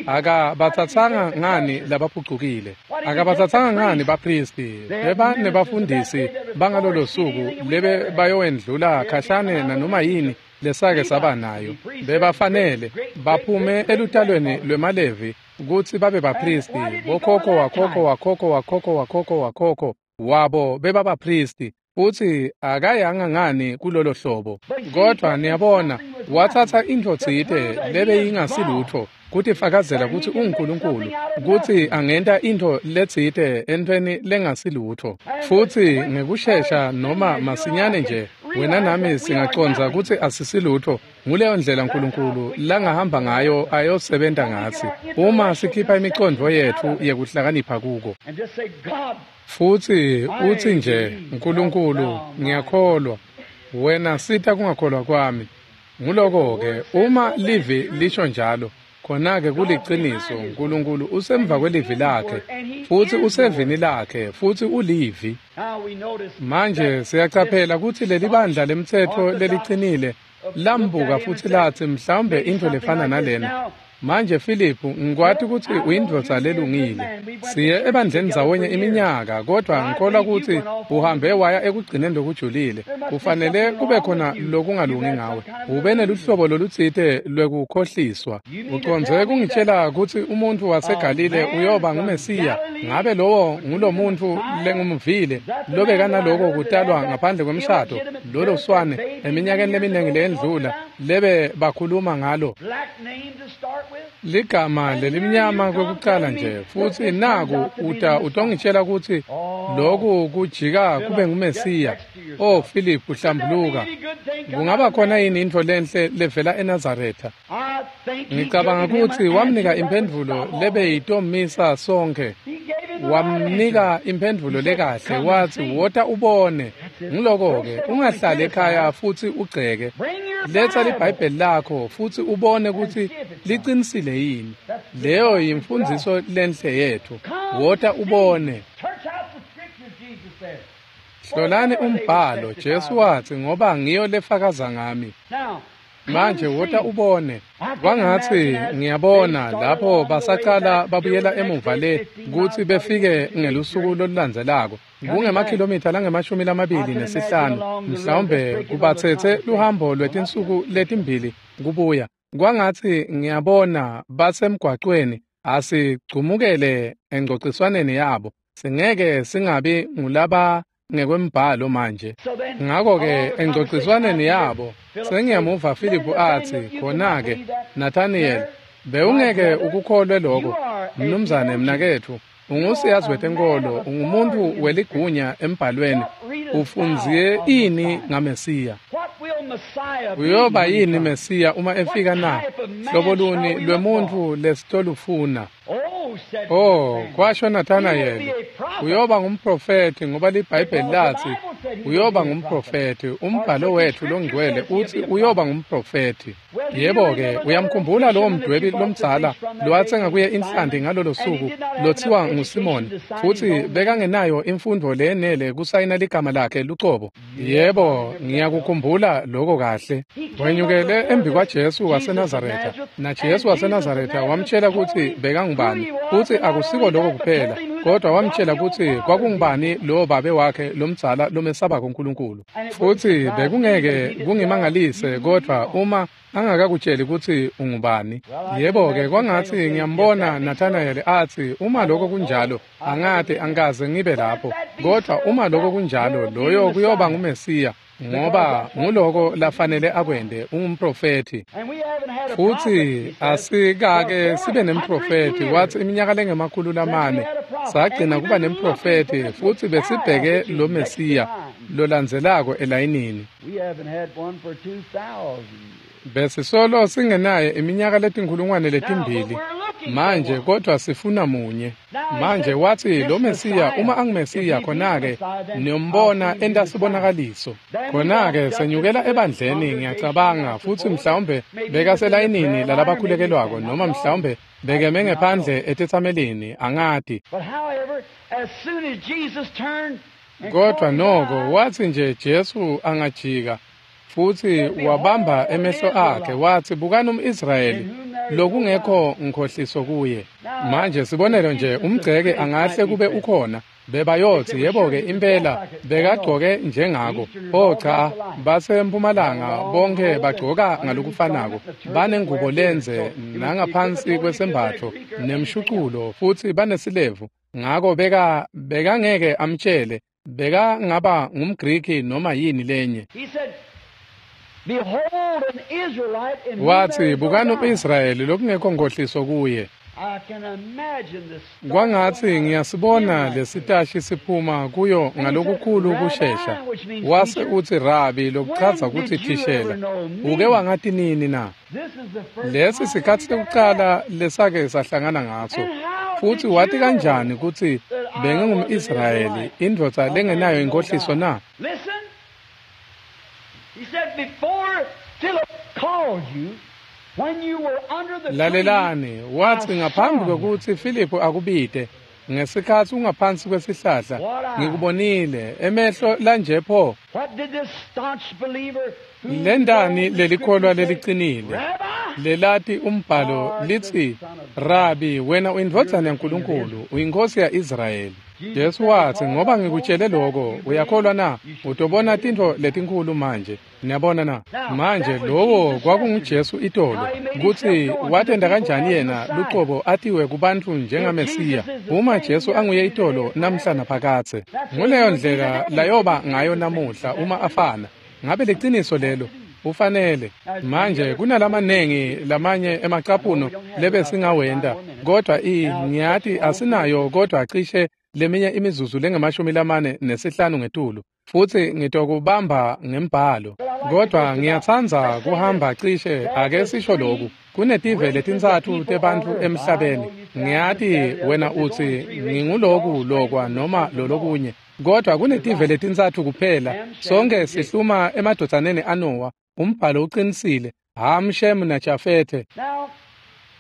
Akabatsatsanga ngani labaphucukile? Akabatsatsanga ngani baphristi? Beba nebafundisi bangalolo suku lebe bayowendlula khashane nanoma yini lesake saba nayo. Bebafanele baphume elutalweni lwemaLevi kutsi babe baphristi. Bokhokho wakhokho wakhokho wakhokho wakhokho wakhokho wabo bebabaphristi. Futsi akayanga ngani kulolo hlobo. Kodvwa niyabona, watsatsa intfo tsite lebeyingasilutfo kutifakazela kutsi unguNkulunkulu, kutsi angenta intfo letsite entfweni lengasilutfo. Futsi ngekushesha noma masinyane nje wena nami singacondza kutsi asisilutfo. Nguleyo ndlela Nkulunkulu langahamba ngayo ayosebenta ngatsi, uma sikhipha imicondvo yetfu yekuhlakanipha kuko. Futsi utsi nje, Nkulunkulu, ngiyakholwa, wena sita kungakholwa kwami. Nguloko-ke, uma livi lisho njalo, khona-ke kuliciniso, Nkulunkulu usemva kwelivi lakhe, futsi usevini lakhe, futsi ulivi. Manje siyacaphela kutsi lelibandla lemtsetfo lelicinile lambuka futsi latsi mhlawumbe intfo lefana nalena. Manje Filiphu, ngikwati kutsi uyindvodza lelungile. Siye ebandleni ndzawonye iminyaka, kodvwa ngikholwa kutsi uhambe waya ekugcineni lokujulile. Kufanele kube khona lokungalungi ngawe. Ube neluhlobo lolutsite lwekukhohliswa. Ucondze kungitjela kutsi umuntfu waseGalile uyoba nguMesiya? Ngabe lowo ngulomuntfu lengumvile lobekanaloko kutalwa ngaphandle kwemshado, lolo swane eminyakeni leminingi leyendlula lebe bakhuluma ngalo? Ligama lelimnyama kwekucala nje, futsi naku uta utongitjela kutsi loku kujika kube nguMesiya. Oh Filiphu, hlambuluka. Kungaba khona yini intfo lenhle levela eNazaretha? Ngicabanga kutsi wamnika imphendvulo lebeyitomisa sonkhe. Wamnika imphendvulo lekahle, watsi wota ubone. Nguloko-ke, ungahlali ekhaya futsi ugceke. Letsa liBhayibheli lakho futsi ubone kutsi liqinisile yini. Leyo yimfundziso lenhle yetfu. Wota ubone. Hlolani umbhalo, Jesu watsi, ngoba ngiyo lefakaza ngami. Manje wota ubone. Kwangatsi ngiyabona lapho basacala babuyela emuva le kutsi befike ngelusuku lolulandzelako. Kungemakhilomitha langemashumi lamabili nesihlanu, mhlawumbe kubatsetse luhambo lwetinsuku letimbili kubuya. Kwangatsi ngiyabona basemgwacweni, asigcumukele engcociswaneni yabo. Singeke singabi ngulaba ngekwembhalo manje. Ngakho-ke engcociswaneni yabo sengiyamuva Filiphu atsi, khona-ke Nathaniel, bewungeke ukukholwe lokho, mnumzane mnaketfu, ungusiyazi wetenkolo, ungumuntu weligunya embhalweni, ufunzie ini ngaMesiya? Uyoba yini Mesiya uma efika na? Hlobo luni lwemuntfu lesitolufuna? Oh, kwasho Nathanael, uyoba ngumprofethi ngoba liBhayibheli latsi uyoba ngumprofethi. Umbhalo wethu longcwele utsi uyoba ngumprofethi. Yebo-ke, uyamkhumbula lowo mdwebi lomdzala lowatsenga kuye inhlanti ngalolo suku lothiwa nguSimoni, futsi bekangenayo imfundvo leyenele kusayina ligama lakhe lucobo. Yebo, ngiyakukhumbula lokho kahle. Wenyukele embi kwaJesu waseNazaretha, naJesu waseNazaretha wamtshela kutsi bekangubani, futsi akusiko lokho kuphela, kodwa wamtshela kutsi kwakungubani lowo babe wakhe lomdzala lomesabako uNkulunkulu. Futsi bekungeke kungimangalise kodwa uma angakakutsheli kutsi ungubani. Yebo-ke, kwangatsi ngiyambona Nathanael atsi, uma lokho kunjalo, angati angikaze ngibe lapho, kodwa uma lokho kunjalo, loyo kuyoba nguMesiya, ngoba nguloko lafanele akwente, ungumprofethi. Futsi asikake sibe nemprofethi, watsi iminyaka lengemakhulu lamane sagcina kuba nemprofethi, futsi besibheke lo Mesiya lolandzelako elayinini. Besisolo singenaye iminyaka letinkhulungwane letimbili manje, kodwa sifuna munye. Manje watsi lo Mesiya, uma anguMesiya, khona-ke niyombona enta sibonakaliso. Khona-ke senyukela ebandleni, ngiyacabanga, futsi mhlawumbe bekaselayinini lalabakhulekelwako, noma mhlawumbe bekeme ngephandle etetsamelini, angati. Kodwa noko watsi nje Jesu angajika, futsi wabamba emehlo akhe, watsi, bukani umIsrayeli lokungekho nkhohliso kuye. Manje sibonelo nje, umgceke angahle kube ukhona, bebayotsi, yebo-ke impela bekagcoke njengako. Oh cha, basempumalanga bonke bagcoka ngalokufanako, banengubo lenze nangaphansi kwesembatfo nemshuculo, futsi banesilevu. Ngako beka bekangeke amtshele, bekangaba ngumGriki noma yini lenye. Watsi, bukani umIsrayeli lokungekho nkhohliso kuye. Kwangatsi ngiyasibona lesitashi siphuma kuyo ngalokukhulu kushesha. Wase utsi, Rabi, lokuchaza kutsi thishela, uke wangati nini na? Lesi sikhatsi sekucala lesake sahlangana ngaso. Futsi wati kanjani kutsi bengingumIsrayeli, indvodza lengenayo inkhohliso na? Lalelani, watsi ngaphambi kwekutsi Filiphu akubite, ngesikhatsi ungaphansi kwesihlahla, ngikubonile, emehlo lanje pho. Lendani lelikholwa lelicinile, lelati umbhalo litsi, Rabi, wena uyindvodzana yaNkulunkulu, uyinkosi ya-Israyeli. Jesu watsi, ngoba ngikutshele lokho, uyakholwa na? Utobona tintfo letinkhulu manje. Niyabona na? Manje lowo kwakunguJesu itolo, kutsi watenda kanjani yena lucobo atiwe kubantfu njengaMesiya. Uma Jesu anguye itolo namhla naphakadze, nguleyo ndlela layoba ngayo namuhla uma afana. Ngabe liciniso lelo? Ufanele. Manje kunalamanengi lamanye emacaphuno lebesingawenta, kodwa i ngiyati asinayo, kodwa cishe leminye imizuzu lengemashumi lamane nesihlanu ngetulu, futsi ngitokubamba ngembhalo. Kodwa ngiyatsandza kuhamba cishe, ake sisho loku, kunetive letintsatfu tebantfu emhlabeni. Ngiyati wena utsi nginguloku lokwa noma lolokunye, kodwa kunetive letintsatfu kuphela. Sonke sihluma emadvodzaneni aNowa. Umbhalo uqinisile, Ham, Shem naJafethe.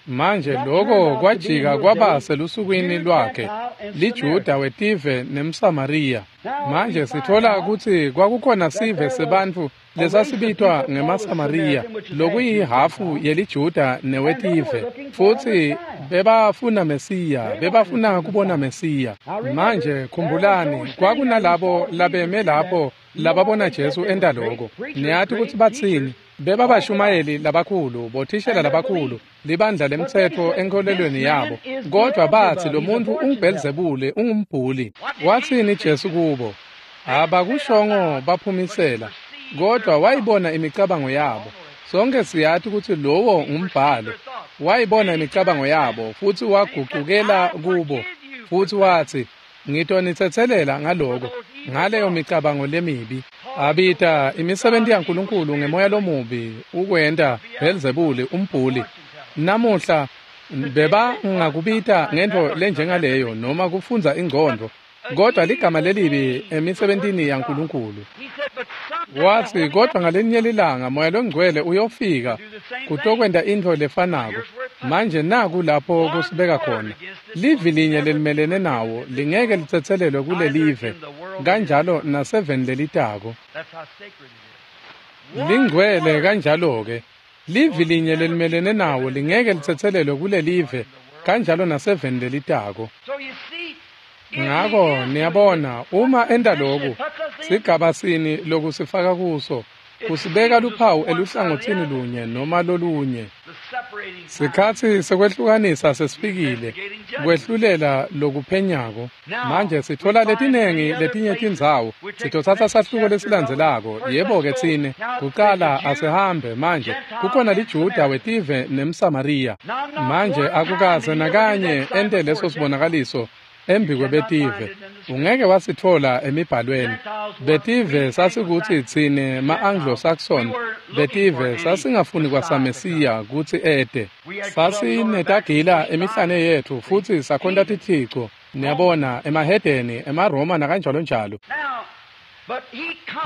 Manje lokho kwajika kwaba selusukwini lwakhe, liJuda wetive nemSamariya. Manje sithola ukuthi kwakukhona sive sebantfu lesasibitwa ngemaSamariya, lokuyihhafu yeliJuda newetive, futsi bebafuna Mesiya, bebafuna kubona Mesiya. Manje khumbulani, kwakunalabo labeme lapho lababona Jesu enta lokho. Niyati kutsi batsini? Bebabashumayeli labakhulu, bothishela labakhulu, libandla lemtsetfo enkholelweni yabo, kodwa batsi lo muntfu unguBhelzebule, ungumbhuli. Watsini Jesu kubo? Abakushongo baphumisela, kodwa wayibona imicabango yabo. Sonke siyati kutsi lowo ngumbhalo. Wayibona imicabango yabo futsi wagucukela kubo futsi watsi, "Ngitonitsetselela ngaloko, ngaleyo micabango lemibi." Abita imisebenti yaNkulunkulu ngemoya lomubi ukwenta Bhelzebule umbhuli. Namuhla bebangakubita ngentfo lenjengaleyo noma kufundza ingcondvo, kodwa ligama lelibi emisebentini yaNkulunkulu. Watsi, kodwa ngalinye lilanga Moya Longcwele uyofika kutokwenta intfo lefanako. Manje naku lapho kusibeka khona. Livi linye lelimelene nawo lingeke litsetselelwe kulelive, kanjalo naseveni lelitako. Lingcwele kanjalo-ke. Livi linye lelimelene nawo lingeke litsetselelwe kulelive, kanjalo naseveni lelitako. Ngako niyabona, uma enta loku, sigaba sini lokusifaka kuso, kusibeka luphawu eluhlangotsini lunye noma lolunye. Sikhatsi sekwehlukanisa sesifikile, kwehlulela lokuphenyako. Manje sithola letinengi letinye tindzawo. Sitotsatsa sahluko lesilandzelako. Yebo-ke tsine, kuqala asihambe manje. Kukhona liJuda wetive nemSamariya. Manje akukaze nakanye ente leso sibonakaliso embikwebetive. Ungeke wasithola emibhalweni. Betive sasikuthi tsine ma-Anglo-Saxon, betive sasingafuni kwasaMesiya kutsi ete. Sasinetagila emihlane yetfu futsi sakhonta tithico, niyabona, emahedeni, emaRoma nakanjalo njalo.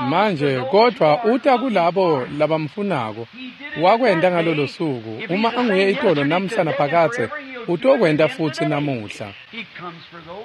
Manje kodwa uta kulabo labamfunako. Wakwenta ngalolo suku. Uma anguye itolo namhla naphakadze, utokwenta futsi namuhla.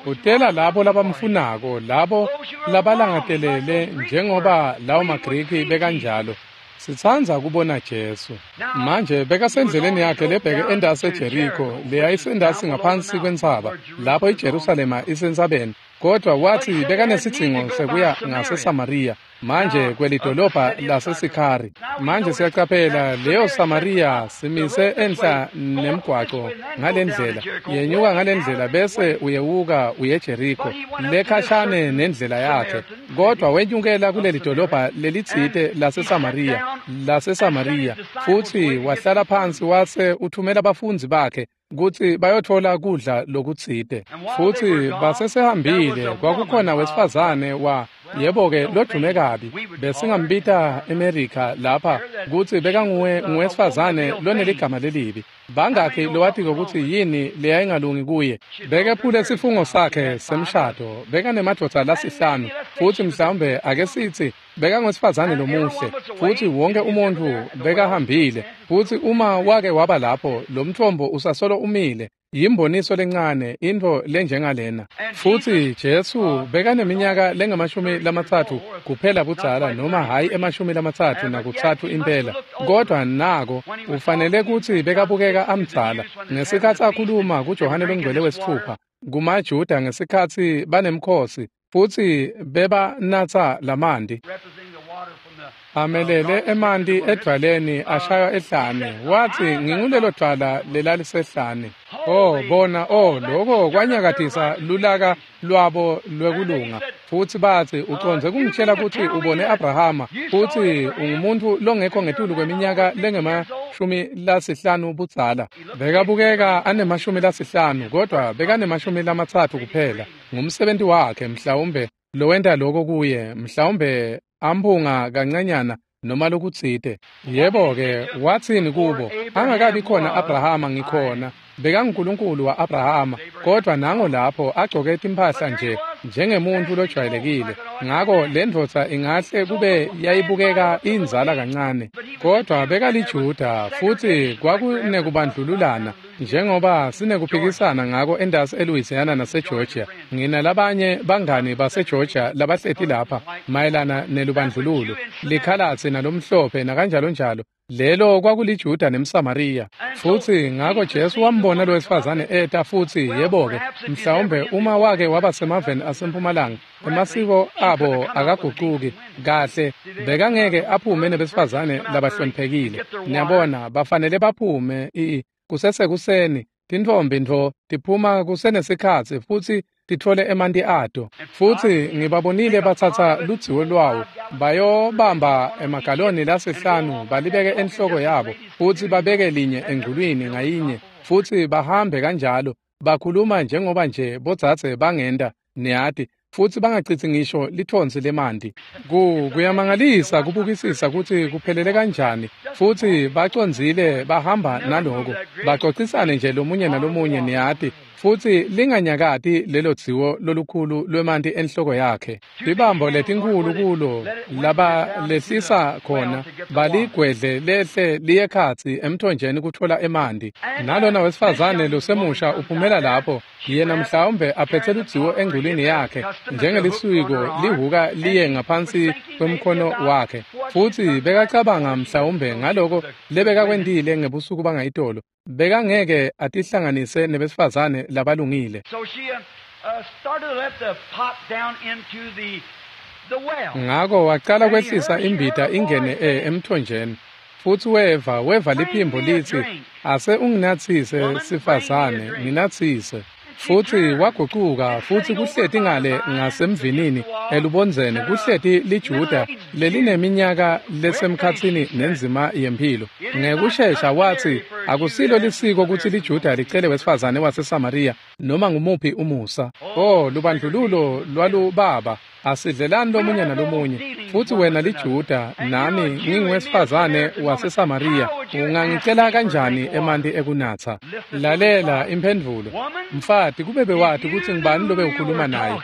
Utela labo labamfunako, labo labalangatelele njengoba lawo maGriki bekanjalo. Sitsandza kubona Jesu. Manje bekasendleleni yakhe lebheke endasi eJeriko, leyayisendasi ngaphansi kwentsaba, lapho iJerusalema isentsabeni. Kodwa watsi bekanesidzingo sekuya ngaseSamariya, manje kwelidolobha laseSikhari. Manje siyacaphela leyo Samariya simise enhla nemgwaco ngalendlela, yenyuka ngalendlela bese uyewuka uye Jeriko, lekhashane nendlela yakhe. Kodwa wenyukela kuleli dolobha lelitsite laseSamariya, laseSamariya, futsi wahlala phansi wase uthumela bafundzi bakhe kutsi bayotfola kudla lokutsite. Futsi basesehambile, kwakukhona wesifazane wa yebo-ke lodume kabi, besingambita eMerica lapha kutsi bekanguwe nguwesifazane loneligama lelibi. Bangakhi lowatiko kutsi yini leyayingalungi kuye? Bekephule sifungo sakhe semshado, bekanemadvodza lasihlanu, futsi mhlawumbe ake sitsi bekangwesifazane lomuhle, futsi wonke umuntfu bekahambile. Futsi uma wake waba lapho, lo mtfombo usasolo umile, yimboniso lencane, intfo lenjengalena. Futsi Jesu bekaneminyaka lengamashumi lamatsatfu kuphela budzala, noma hhayi emashumi lamatsatfu nakutsatfu impela, kodwa nako ufanele kutsi bekabukeka amdzala ngesikhatsi akhuluma kuJohane Longcwele wesitfupha kumaJuda ngesikhatsi banemkhosi futsi bebanatsa lamanti. Amelele emanti edvwaleni ashaywa ehlane. Watsi, "Ngingulelo dvwala lelalisehlane." Oh bona, oh lokho kwanyakatisa lulaka lwabo lwekulunga. Futsi batsi, "Ucondze kungitshela kutsi ubone Abrahama futsi ungumuntu longekho ngetulu kweminyaka lengemashumi lasihlanu budzala." Bekabukeka anemashumi lasihlanu, kodwa bekanemashumi lamatsatfu kuphela. Ngumsebenti wakhe mhlawumbe lowenta lokho kuye, mhlawumbe amphunga kancanyana noma lokutsite. Yebo-ke, watsini kubo? Angakabi khona Abrahama ngikhona. BekanguNkulunkulu wa-Abrahama, kodwa nango lapho agcoke timphahla nje njengemuntfu lojwayelekile. Ngako le ndvodza ingahle kube yayibukeka inzala kancane, kodwa bekaliJuda futsi kwakunekubandlululana. Njengoba sinekuphikisana ngako endasi eLouisiana naseGeorgia, nginalabanye bangani baseGeorgia labahleti lapha mayelana nelubandlululo, likhalatsi nalomhlophe nakanjalonjalo. Lelo kwakuliJuda nemSamariya. Futsi ngako Jesu wambona lo wesifazane eta futsi yebo-ke, mhlawumbe uma wake waba semaveni asempumalanga, emasiko abo akagucuki kahle, bekangeke aphume nebesifazane labahloniphekile. Niyabona, bafanele baphume i kusesekuseni, tintfombi ntfo tiphuma kusenesikhatsi futsi titfole emanti ato. Futsi ngibabonile batsatsa ludziwo lwawo bayobamba emagaloni lasihlanu balibeke enhloko yabo futsi babeke linye engculwini ngayinye futsi bahambe kanjalo bakhuluma njengoba nje bodzadze bangenta, niyati, futsi bangacitsi ngisho lithonsi lemanti. Ku kuyamangalisa kubukisisa kutsi kuphelele kanjani, futsi bacondzile bahamba naloko, bacocisane nje lomunye nalomunye, niyati, futsi linganyakati lelo dziwo lolukhulu lwemanti enhloko yakhe. Tibambo letinkhulu kulo laba lehlisa khona baligwedle lehle liye khatsi emthonjeni kutfola emanti. Nalona wesifazane losemusha uphumela lapho, yena mhlawumbe aphethe ludziwo engculwini yakhe njengelisiko lihuka liye ngaphansi kwemkhono wakhe, futsi bekacabanga mhlawumbe ngaloko lebekakwentile ngebusuku bangayitolo. Bekangeke atihlanganise nebesifazane labalungile. Ngako wacala kwehlisa imbita ingene emthonjeni, futsi weva weva liphimbo litsi, ase unginatsise sifazane, nginatsise. Futsi wagucuka futsi kuhleti ngale ngasemvinini elubondzeni kuhleti liJuda lelineminyaka lesemkhatsini nenzima yemphilo. Ngekushesha watsi, akusilo lisiko kutsi liJuda licele wesifazane waseSamariya noma ngumuphi umusa. Oh, lubandlululo lwalubaba, asidlelani lomunye nalomunye. Futsi wena liJuda nami nginguwesifazane waseSamariya, ungangicela kanjani emanti ekunatsa? Lalela imphendvulo. Mfati, kube bewati kutsi ngubani lobe ukhuluma naye.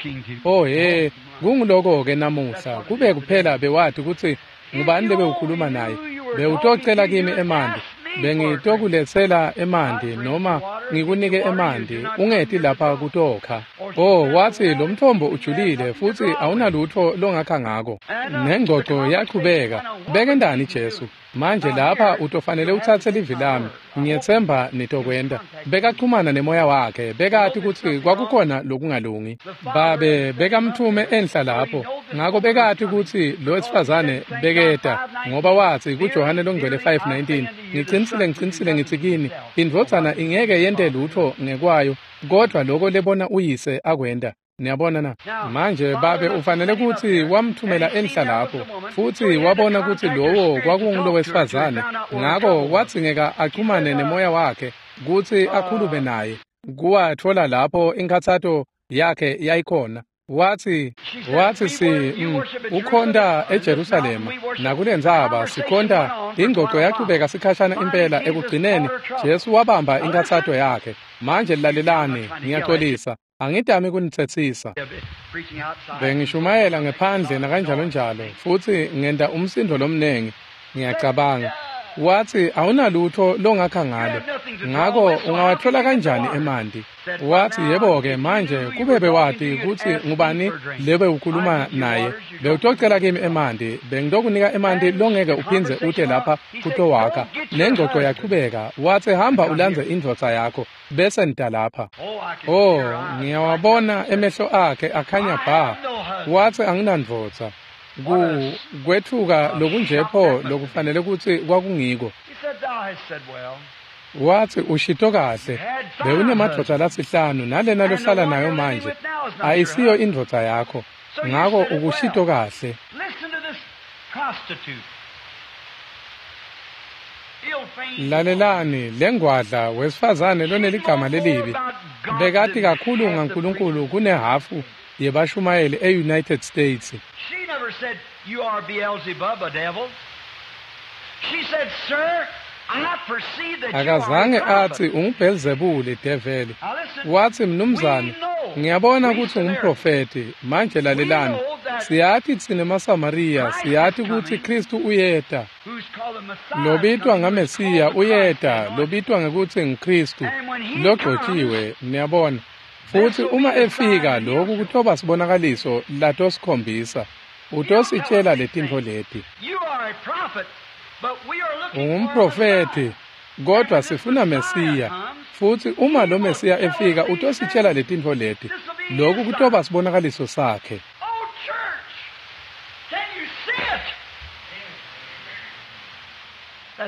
Oh he, kunguloko-ke namuhla, kube kuphela bewati kutsi ngubani lobe ukhuluma naye. Bewutocela kimi emanti, bengitokuletsela emanti noma ngikunike emanti, ungeti lapha kutokha. Oh, watsi lo mthombo ujulile futsi awunalutfo longakha ngako. Nengcoco yachubeka. Bekendani Jesu? Manje lapha utofanele utsatse livi lami, ngiyetsemba nitokwenta. Bekachumana nemoya wakhe, bekati kutsi kwakukhona lokungalungi. Babe bekamthume enhla lapho, ngako bekati kutsi lo wesifazane beketa, ngoba watsi kuJohane longcwele five nineteen, ngicinisile ngicinisile ngitsi kini, indvodzana ingeke yente lutfo ngekwayo, kodvwa loko lebona uyise akwenta. Niyabona na? Manje babe ufanele kutsi wamthumela enhla lapho, futsi wabona kutsi lowo kwakungulo wesifazane, ngako wadzingeka achumane nemoya wakhe kutsi akhulume naye. Kuwatfola lapho inkhatsato yakhe yayikhona. Watsi watsi si mm, ukhonta eJerusalema nakulendzaba sikhonta. Ingcoco yachubeka sikhashana impela. Ekugcineni Jesu wabamba inkhatsato yakhe. Manje lalelani, ngiyaxolisa, angidami kunitsetsisa. Bengishumayela ngephandle nakanjalo njalo, futsi ngenta umsindo lomnengi, ngiyacabanga. Watsi awunalutfo longakha ngalo, ngako ungawatfola kanjani emanti? Watsi yebo-ke manje kube bewati kutsi ngubani lebe ukhuluma naye, bewutocela kimi emanti, bengitokunika emanti longeke uphindze ute lapha kutowakha. Nengcoco yachubeka. Watsi hamba ulandze indvodza yakho bese nita lapha. Oh, ngiyawabona emehlo akhe akhanya bha. Watsi anginandvodza. Ku kwethuka lokunjepho lokufanele kutsi kwakungiko. Watsi ushito kahle, bewunemadvodza lasihlanu nalena lohlala nayo manje ayisiyo indvodza yakho, ngako ukushito kahle. Lalelani lengwadla wesifazane loneligama lelibi bekati kakhulu ngaNkulunkulu kunehafu yebashumayeli e-United States. She never said, you are Beelzebub, a devil. She said, sir, I perceive that you are Akazange a prophet. athi unguBelzebuli develi. Watsi mnumzane, ngiyabona kutsi ungumprofeti. Manje lalelani, siyati tsine maSamariya, siyati kutsi Kristu uyeta, Who's called the Lobitwa ngaMesiya uyeta, lobitwa ngekutsi nguKhristu, logcotjiwe, niyabona. Futsi uma efika lokhu kutoba sibonakaliso latosikhombisa. Utositshela letintfo leti. Ungumprofethi, kodwa sifuna Mesiya. Futsi uma lo Mesiya efika utositshela letintfo leti. Lokhu kutoba sibonakaliso sakhe.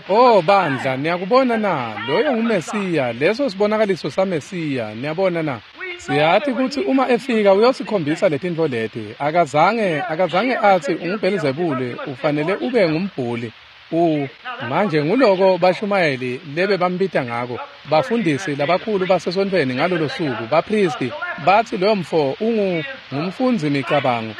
Oh bandla, niyakubona na? Loyo nguMesiya, leso sibonakaliso saMesiya, niyabona na? Siyati kutsi uma efika uyosikhombisa letintfo leti. Akazange akazange atsi unguBhelzebule, ufanele ube ngumbhuli. U manje nguloko bashumayeli lebe bambita ngako, bafundisi labakhulu basesontfweni ngalolo suku, bapristi batsi loyo mfo ungu ngumfundzi micabango,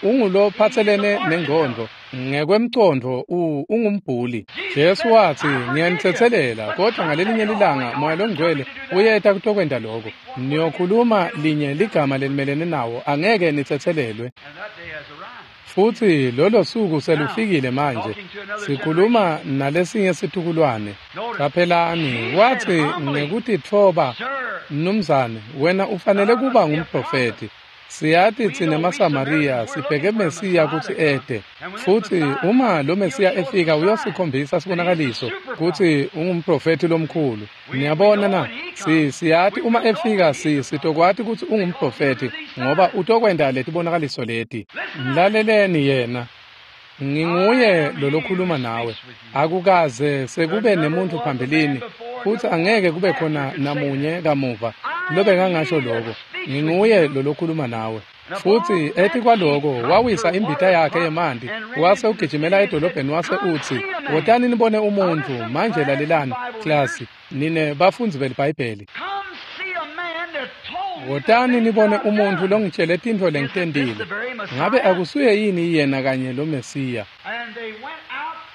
ungulophatselene nengqondo, ngekwemcondvo ungumbhuli. Jesu watsi, ngiyanitsetselela, kodwa ngalelinye lilanga Moya Longcwele uyeta kutokwenta loko. Niyokhuluma linye ligama lelimelene nawo, angeke nitsetselelwe. Futsi lolo suku selufikile manje. Sikhuluma nalesinye situkulwane. Caphelani, watsi ngekutitfoba, mnumzane, wena ufanele kuba ngumprofethi. Siyati tsine maSamariya sibheke Mesiya kutsi ete. Futsi uma lo Mesiya efika uyosikhombisa sibonakaliso kutsi ungumprofethi lomkhulu. Niyabona na? Si siyati uma efika si sitokwati kutsi ungumprofethi ngoba utokwenta letibonakaliso leti. Mlaleleni yena. Nginguye lolokhuluma nawe. Akukaze sekube nemuntu phambilini futsi angeke kube khona namunye kamuva lobekangasho lokho. Nginguye lolokhuluma nawe. Futsi etikwaloko wawisa imbita yakhe yemanti wase ugijimela edolobheni wase utsi, wotani nibone umuntfu. Manje lalelani klasi, nine bafundzi beliBhayibheli. Wotani nibone umuntfu longitshele tintfo lengitentile. Ngabe akusuye yini yena kanye lo Mesiya?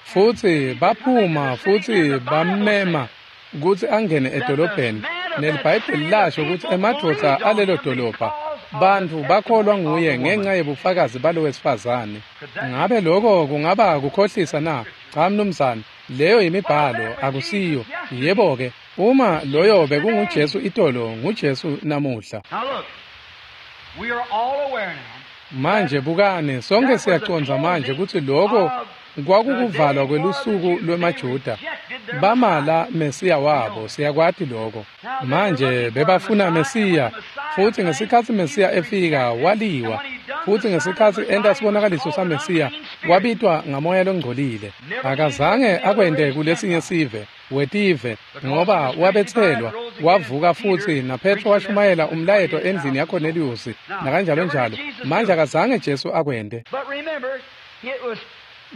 Futsi baphuma futsi bammema kutsi angene edolobheni. NeliBhayibheli lasho kutsi emadvodza alelo dolobha bantfu bakholwa nguye ngenxa yebufakazi balo wesifazane. Ngabe lokho kungaba kukhohlisa na? Cha mnumzane, leyo yimibhalo, akusiyo. Yebo-ke, uma loyo bekunguJesu itolo, nguJesu namuhla. Manje bukani, sonke siyacondza manje kutsi lokho kwakukuvalwa kwelusuku lwemaJuda. Bamala Mesiya wabo, siyakwati lokho. Manje bebafuna Mesiya, futsi ngesikhatsi Mesiya efika waliwa. Futsi ngesikhatsi enta sibonakaliso saMesiya wabitwa ngamoya longcolile. Akazange akwente kulesinye sive wetive, ngoba wabetselwa wavuka futsi naPetro washumayela umlayeto endlini yaKorneliyusi nakanjalo njalo. Manje akazange Jesu akwente.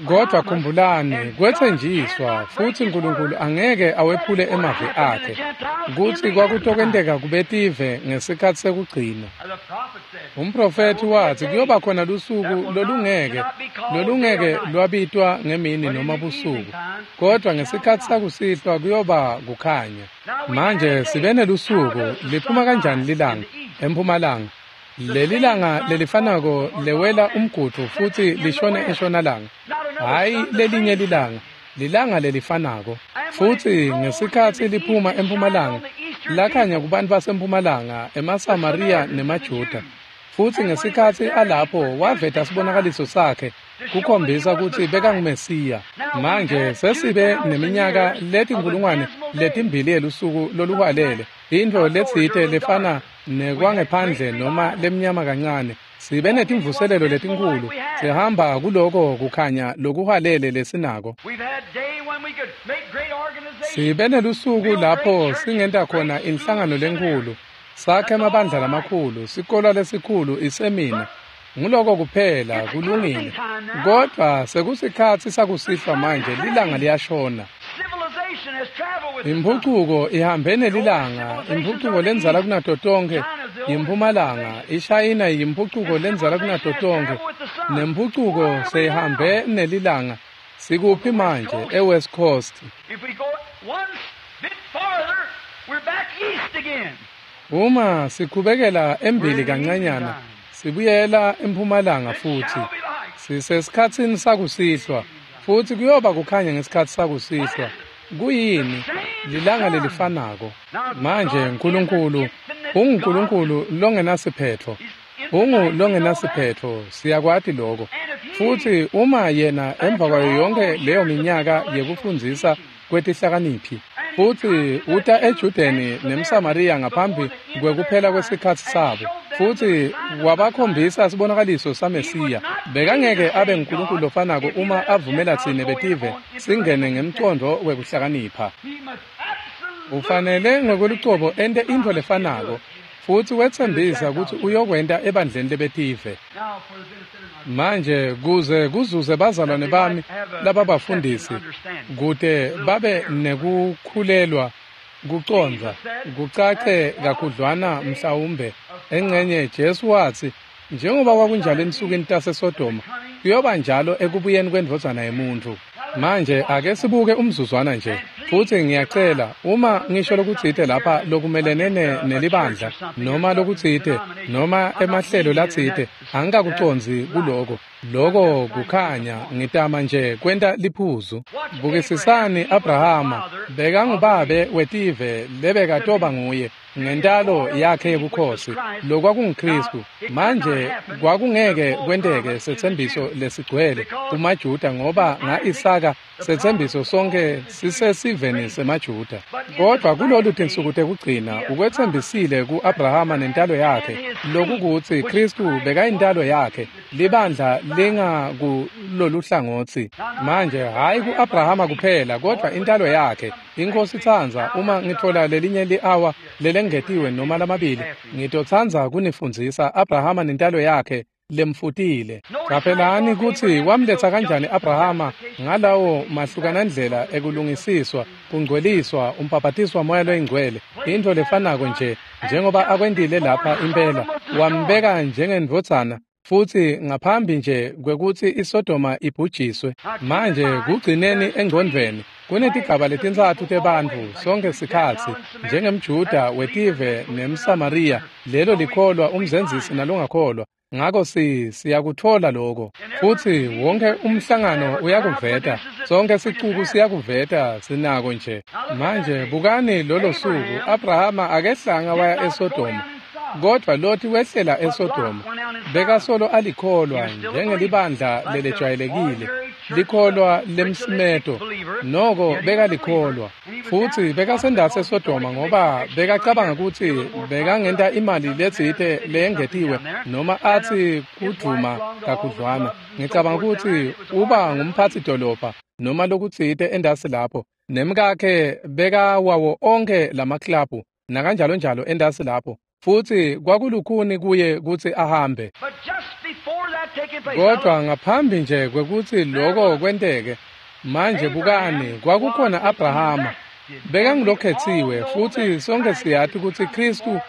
Kodwa khumbulani, kwetsenjiswa futsi Nkulunkulu angeke awephule emavi akhe kutsi kwakutokwenteka kubetive ngesikhatsi sekugcina. Umprofethi watsi kuyoba khona lusuku lolungeke lolungeke lwabitwa ngemini noma busuku, kodwa ngesikhatsi sakusihlwa kuyoba kukhanya. Manje sibe nelusuku, liphuma kanjani lilanga? Empumalanga. Leli langa lelifanako lewela umgudvu futsi lishone eshonalanga. Hhayi lelinye lilanga, lilanga lelifanako. Futsi ngesikhatsi liphuma empumalanga, lakhanya kubantu basempumalanga, emaSamariya nemaJuda. Futsi ngesikhatsi alapho waveta sibonakaliso sakhe kukhombisa kutsi bekanguMesiya. Manje sesibe neminyaka letinkulungwane letimbili yelusuku loluhwalele, intfo letsite lefana nekwangephandle noma lemnyama kancane. Sibe netimvuselelo letinkhulu, sihamba kuloko kukhanya lokuhwalele lesinako. Sibe nelusuku lapho singenta khona inhlangano lenkhulu, sakhe emabandla lamakhulu, sikolo lesikhulu isemina. Nguloko kuphela kulungile. Kodwa sekusikhatsi sakusihlwa manje, lilanga liyashona. Imphucuko ihambe nelilanga, imphucuko lendzala kunato tonkhe yimpumalanga, iShayina yimphucuko lendzala kunato tonkhe, nemphucuko seyihambe nelilanga. Sikuphi manje? E-West Coast. Uma siqhubekela embili kancanyana, sibuyela empumalanga futsi. Sisesikhatsini sakusihlwa. Futsi kuyoba kukhanya ngesikhatsi sakusihlwa. Kuyini? Lilanga lelifanako. Manje Nkulunkulu unguNkulunkulu longenasiphetho. Ungu longenasiphetho, siyakwati lokho. Futsi uma yena emva kwayo yonke leyo minyaka yekufundzisa kwetihlakaniphi, futsi uta eJudeni nemSamariya ngaphambi kwekuphela kwesikhatsi sabo, futsi wabakhombisa sibonakaliso saMesiya, bekangeke abe nguNkulunkulu lofanako uma avumela tsine betive singene ngemcondvo wekuhlakanipha. Ufanele ngokwelucobo ente intfo lefanako, futsi wetsembisa kutsi uyokwenta ebandleni lebetive. Manje kuze kuzuze bazalwane bami lababafundisi, kute babe nekukhulelwa kucondza kucace kakhudlwana mhlawumbe engcenye. Jesu watsi, njengoba kwakunjalo ensukwini taseSodoma, kuyoba njalo ekubuyeni kwendvodzana yemuntfu. Manje ake sibuke umzuzwana nje, futsi ngiyacela uma ngisho lokutsite lapha lokumelene nelibandla noma lokutsite noma emahlelo latsite, angikakucondzi kuloko. Loko kukhanya, ngitama nje kwenta liphuzu. Bukisisani Abrahama, bekangubabe wetive lebekatoba nguye ngentalo yakhe yebukhosi, lokwakunguKristu. Manje kwakungeke kwenteke setsembiso lesigcwele kumaJuda, ngoba nga-Isaka setsembiso sonke sisesiveni semaJuda. Kodwa kulolu tinsuku tekugcina ukwetsembisile ku-Abrahama nentalo yakhe, lokukutsi Kristu bekayintalo yakhe, libandla lingakulolu hlangotsi. Manje hhayi ku-Abrahama kuphela, kodwa intalo yakhe. Inkosi itsandza uma ngitfola lelinye li-awa lelengetiwe noma lamabili, ngitotsandza kunifundzisa Abrahama nentalo yakhe lemfutile. Caphelani kutsi wamletsa kanjani Abrahama ngalawo mahlukanandlela ekulungisiswa, kungcweliswa, umbhabhatiswa Moya loyiNgcwele, intfo lefanako nje njengoba akwentile lapha impela. Wambeka njengendvodzana, futsi ngaphambi nje kwekutsi iSodoma ibhujiswe. Manje kugcineni engcondvweni, kunetigaba letintsatfu tebantfu sonke sikhatsi, njengemJuda wetive nemSamariya, lelo likholwa, umzenzisi nalongakholwa. Ngako si siyakutfola lokho, futsi wonke umhlangano uyakuveta, sonke sicuku siyakuveta, sinako nje. Manje bukani lolo suku, Abrahama akehlanga waya eSodoma, kodvwa Loti wehlela eSodoma. Bekasolo alikholwa njengelibandla lelejwayelekile, likholwa lemsimeto, noko bekalikholwa. Futsi bekasendatsi eSodoma ngoba bekacabanga kutsi bekangenta imali letsite leyengetiwe noma atsi kudvuma kakhudlwana. Ngicabanga kutsi uba ngumphatsi dolobha noma lokutsite endasi lapho, nemkakhe bekawawo onke lamaklabhu nakanjalo njalo endasi lapho, futsi kwakulukhuni kuye kutsi ahambe. Kodwa ngaphambi nje kwekutsi loko kwenteke, manje bukani, kwakukhona Abrahama, bekangulokhetsiwe, futsi sonke siyati kutsi Kristu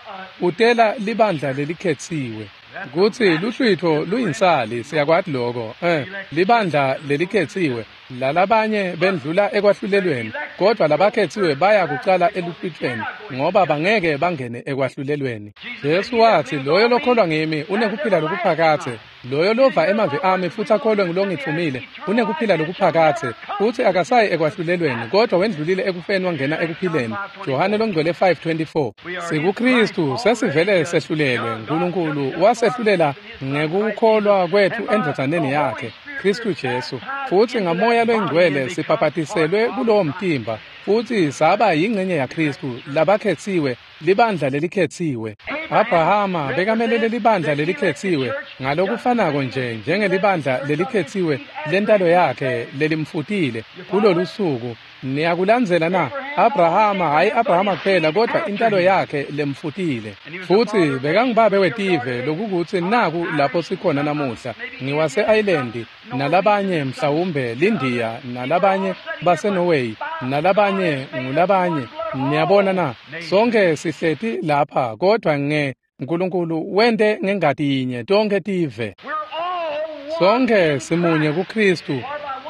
utela libandla lelikhetsiwe. Kutsi luhlwitfo luyinsali, siyakwati loko, eh, libandla lelikhetsiwe, lalabanye bendlula ekwahlulelweni, kodwa labakhetsiwe baya kucala eluhlwitfweni, ngoba bangeke bangene ekwahlulelweni. Jesu watsi, loyo lokholwa ngimi unekuphila lokuphakadze, loyo lova emavi ami futsi akholwe ngulongitfumile unekuphila lokuphakadze, futsi akasayi ekwahlulelweni, kodwa wendlulile ekufeni wangena ekuphileni. Johane longcwele five twenty-four. SikuKristu sesivele sehlulelwe, Nkulunkulu wasehlulela ngekukholwa kwetfu endvodzaneni yakhe, Kristu Jesu, futsi ngaMoya loyiNgcwele sibhabhatiselwe kulowo mtimba, futsi saba yingcenye yaKristu, labakhetsiwe, libandla lelikhetsiwe. Abrahama bekamelele libandla lelikhetsiwe ngalokufanako nje njengelibandla lelikhetsiwe lentalo yakhe lelimfutile kulolu suku. Niyakulandzela na? Abrahama, hhayi Abrahama kuphela, kodwa intalo yakhe lemfutile. Futsi bekangubabe wetive, lokukutsi naku lapho sikhona namuhla. Ngiwase-Ireland, nalabanye mhlawumbe l'Indiya, nalabanye baseNorway, nalabanye ngulabanye. Niyabona na? Sonke sihleti lapha, kodwa nge Nkulunkulu wente ngengati yinye tonke tive. Sonke simunye kuKristu,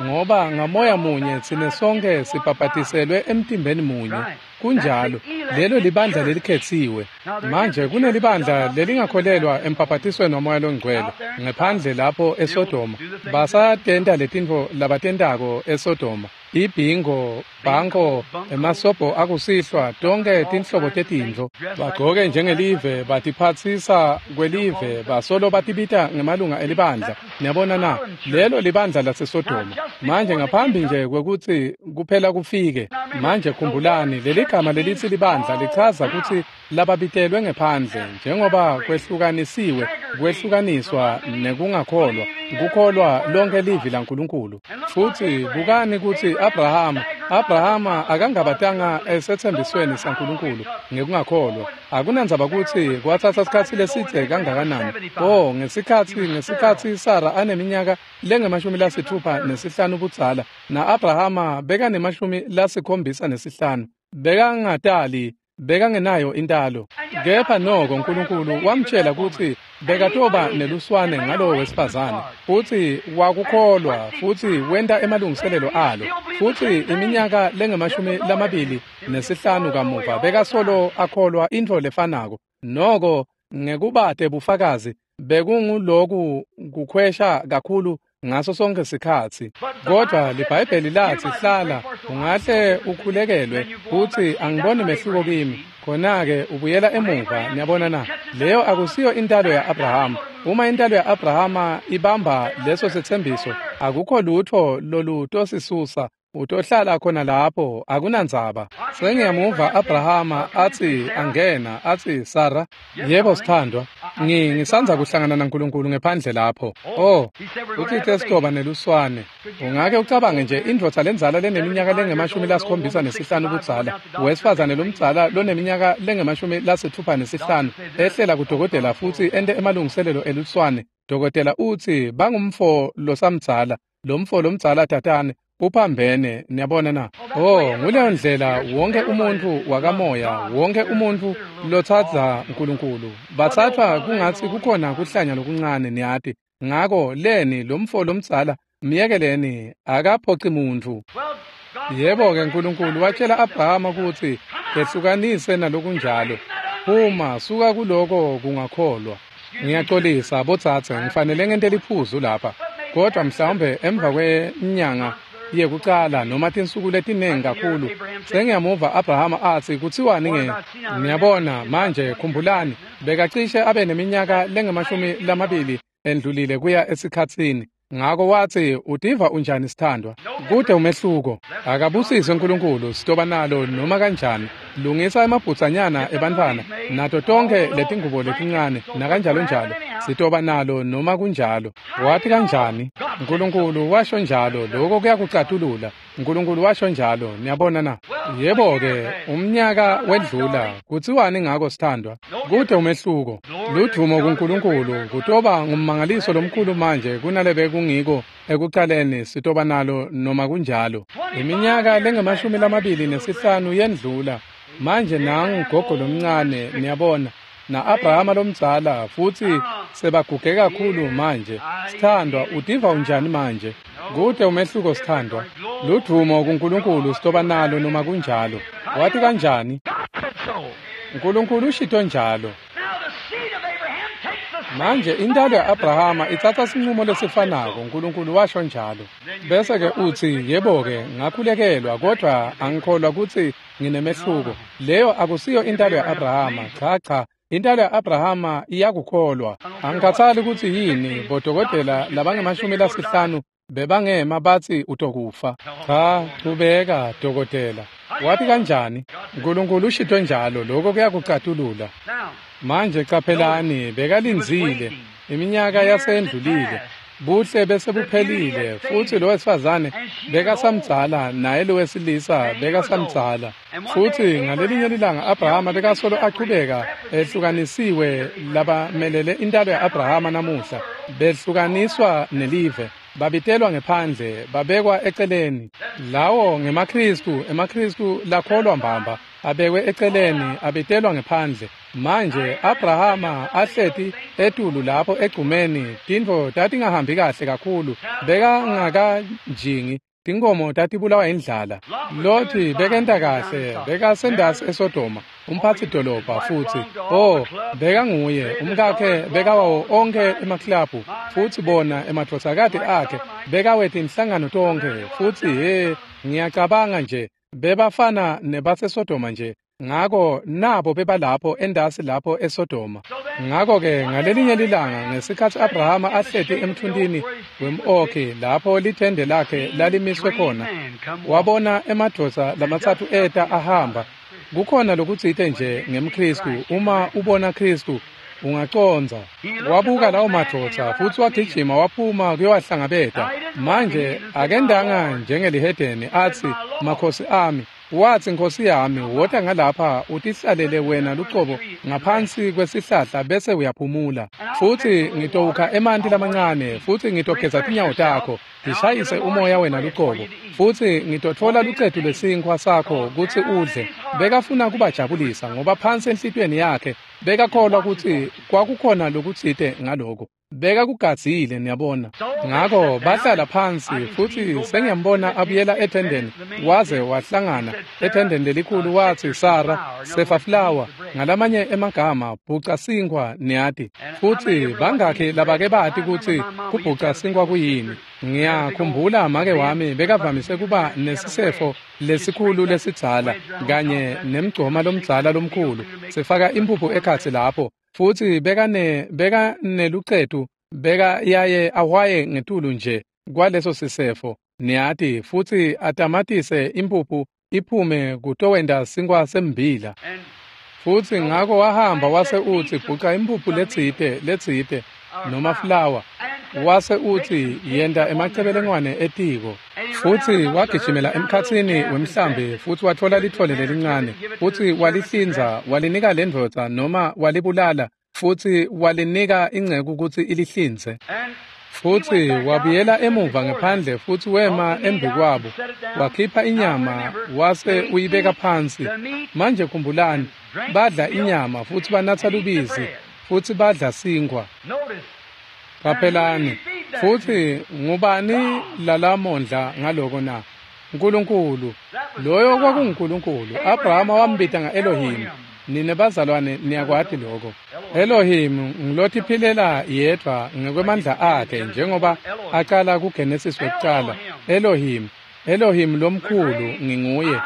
Ngoba ngamoya munye tsine sonke sibhabhatiselwe emtimbeni munye. Kunjalo, lelo libandla lelikhetsiwe. Manje kunelibandla lelingakholelwa embhabhatisweni waMoya loNgcwele ngephandle lapho eSodoma. Basatenta letintfo labatentako eSodoma. Ibhingo, banko, emasobho akusihlwa, tonke tinhlobo tetintfo. Bagcoke njengelive, batiphatsisa kwelive, basolo batibita ngemalunga elibandla. Niyabona na? Lelo libandla laseSodoma. Manje ngaphambi nje kwekutsi kuphela kufike, manje khumbulani, leli gama lelitsi libandla lichaza kutsi lababitelwe ngephandle, njengoba kwehlukanisiwe, kwehlukaniswa nekungakholwa, kukholwa lonke livi laNkulunkulu. Futsi bukani kutsi Abrahama, Abrahama akangabatanga esetsembisweni saNkulunkulu ngekungakholwa. Akunandzaba kutsi kwatsatsa sikhatsi lesidze kangakanani. Oh, ngesikhatsi ngesikhatsi Sara aneminyaka lengemashumi lasitfupha nesihlanu budzala, na-Abrahama bekanemashumi lasikhombisa nesihlanu. Bekangatali, bekangenayo intalo. Kepha noko Nkulunkulu wamtjela kutsi bekatoba neluswane ngalowo wesifazane, futsi wakukholwa, futsi wenta emalungiselelo alo. Futsi iminyaka lengemashumi lamabili nesihlanu kamuva bekasolo akholwa intfo lefanako. Noko ngekubate bufakazi bekunguloku kukhwesha kakhulu ngaso sonke sikhatsi. Kodwa liBhayibheli latsi hlala ungahle ukhulekelwe kutsi angiboni mehluko kimi. Khona-ke ubuyela emuva. Niyabona na? Leyo akusiyo intalo ya-Abrahama. Uma intalo ya-Abrahama ibamba leso setsembiso, akukho lutho lolutosisusa. Utohlala khona lapho, akunandzaba. Sengiyamuva Abrahama atsi angena, atsi Sara, yebo sithandwa, ngi ngisandza kuhlangana naNkulunkulu ngephandle lapho. Oh, utsite sitoba neluswane. Ungake ucabange nje indvodza lendzala leneminyaka lengemashumi lasikhombisa nesihlanu budzala, wesifazane lomdzala loneminyaka lengemashumi lasitfupha nesihlanu, ehlela kudokotela futsi ente emalungiselelo eluswane. Dokotela utsi bangumfo losamdzala, lomfo lomdzala tatane. Uphambene, niyabona na? Oh, nguleyo ndlela wonke umuntfu wakamoya, wonke umuntfu lotsatsa Nkulunkulu. Batsatfwa kungatsi kukhona kuhlanya lokuncane, niyati. Ngako leni lomfo lomdzala, myekeleni, akaphoci muntfu. Yebo-ke Nkulunkulu watjela Abrahama kutsi ehlukanise nalokunjalo. Phuma, suka kuloko kungakholwa. Ngiyaxolisa botsatse, ngifanele ngente liphuzu lapha. Kodwa mhlawumbe emva kwenyanga yekucala noma tinsuku letinengi kakhulu, sengiyamuva Abrahama atsi kutsiwani nge? Niyabona manje khumbulani, bekacishe abe neminyaka lengemashumi lamabili endlulile kuya esikhatsini. Ngako watsi utiva unjani sithandwa? Kude umehluko. Akabusise uNkulunkulu, sitoba nalo noma kanjani. Lungisa emabhutsanyana ebantfwana nato tonke letingubo letincane nakanjalo njalo. Sitoba nalo noma kunjalo. Wathi kanjani? Nkulunkulu washo njalo, lokho kuyakucatulula. Nkulunkulu washo njalo, niyabona na? Yebo-ke, umnyaka wedlula. Kutsiwani ngako sithandwa? Kude umehluko. Ludvumo kuNkulunkulu, kutoba ngummangaliso lomkhulu manje kunalebe kungiko ekucaleni, sitoba nalo noma kunjalo. Iminyaka lengemashumi lamabili nesihlanu yendlula. Manje nangu gogo lomncane, niyabona, na-Abrahama lomdzala, futsi sebaguge kakhulu manje. Sithandwa, utiva unjani manje? Kude umehluko sithandwa. Ludvumo kuNkulunkulu, sitoba nalo noma kunjalo. Wathi kanjani? Nkulunkulu ushito njalo. Manje intalo ya-Abrahama itsatsa sinqumo lesifanako, Nkulunkulu washo njalo. Bese-ke utsi, yebo-ke, ngakhulekelwa, kodwa angikholwa kutsi nginemehluko. Leyo akusiyo intalo ya-Abrahama. Cha cha, intalo ya-Abrahama iyakukholwa. Angikhathali kutsi yini bodokotela labangemashumi lasihlanu bebangema batsi utokufa. Cha, chubeka dokotela. Wathi kanjani? Nkulunkulu ushito njalo, lokho kuyakucatulula. Manje caphelani, bekalindzile. Iminyaka yasendlulile. Buhle bese buphelile, futsi lo wesifazane bekasamdzala, naye lo wesilisa bekasamdzala. Futsi ngalelinye lilanga Abrahama bekasolo achubeka ehlukanisiwe labamelele intalo ya-Abrahama namuhla, behlukaniswa nelive, babitelwa ngephandle, babekwa eceleni. Lawo ngemaKhristu, emaKhristu lakholwa mbamba, abekwe eceleni, abitelwa ngephandle. Manje Abrahama ahleti etulu lapho egcumeni, tintfo tatingahambi kahle kakhulu, bekangakanjingi, tinkomo tatibulawa indlala. Loti bekenta kahle, bekasendasi eSodoma, umphatsi dolobha futsi. Oh, bekanguye, umkakhe bekawawo onkhe emaklabhu, futsi bona emadvodzakati akhe bekawetinhlangano tonkhe, futsi he, ngiyacabanga nje bebafana nebaseSodoma nje. Ngako nabo bebalapho endasi lapho eSodoma. Ngako-ke ngalelinye lilanga ngesikhatsi Abrahama ahleti emthuntini wem-okhi lapho lithende lakhe lalimiswe khona, wabona emadvodza lamatsatfu eta ahamba. Kukhona lokutsite nje ngemKhristu, uma ubona Khristu ungacondza. Wabuka lawo madvodza futsi wagijima waphuma kuyowahlangabeta. Manje akendanga njengelihedeni atsi, makhosi ami. Watsi, Nkosi yami, wota ngalapha utihlalele wena lucobo ngaphansi kwesihlahla bese uyaphumula. Futsi ngitowukha emanti lamancane, futsi ngitogeza tinyawo takho, ngishayise umoya wena lucobo. Futsi ngitotfola lucetu lwesinkhwa sakho kutsi udle. Bekafuna kubajabulisa ngoba phansi enhlitiyweni yakhe bekakholwa kutsi kwakukhona lokutsite ngaloko. Bekakugadzile, niyabona. Ngako bahlala phansi, futsi sengiyambona abuyela ethendeni, waze wahlangana ethendeni lelikhulu, watsi, Sara, sefa flour, ngalamanye emagama bhuca sinkhwa, niyati. Futsi bangakhi labake bati kutsi kubhuca sinkhwa kuyini? Ngiyakhumbula make wami bekavamise kuba nesisefo lesikhulu lesidzala kanye nemgcoma lomdzala lomkhulu, sifaka impuphu ekhatsi lapho, futsi bekane bekanelucetu, beka yaye ahwaye ngetulu nje kwaleso sisefo, niyati, futsi atamatise impuphu iphume kutowenta sinkhwa sembila. Futsi ngako wahamba wase utsi bhuca impuphu letsite letsite noma flour, wase utsi yenta emacebelengwane etiko. Futsi wagijimela emkhatsini wemhlambi futsi watfola litfole lelincane, futsi walihlinza, walinika lendvodza noma walibulala, futsi walinika inceku kutsi ilihlinze. Futsi wabuyela emuva ngephandle futsi wema embikwabo, wakhipha inyama wase uyibeka phansi. Manje khumbulani, badla inyama futsi banatsa lubisi futsi badla sinkhwa. Qaphelani, futsi ngubani lalamondla ngaloko na? Nkulunkulu. Loyo kwakunguNkulunkulu. Abrahama wambita nga-Elohim. Nine bazalwane niyakwati lokho. Elohim ngilotiphilela yedvwa ngekwemandla akhe njengoba aqala kuGenesis wekucala. Elohim, Elohim lomkhulu nginguye.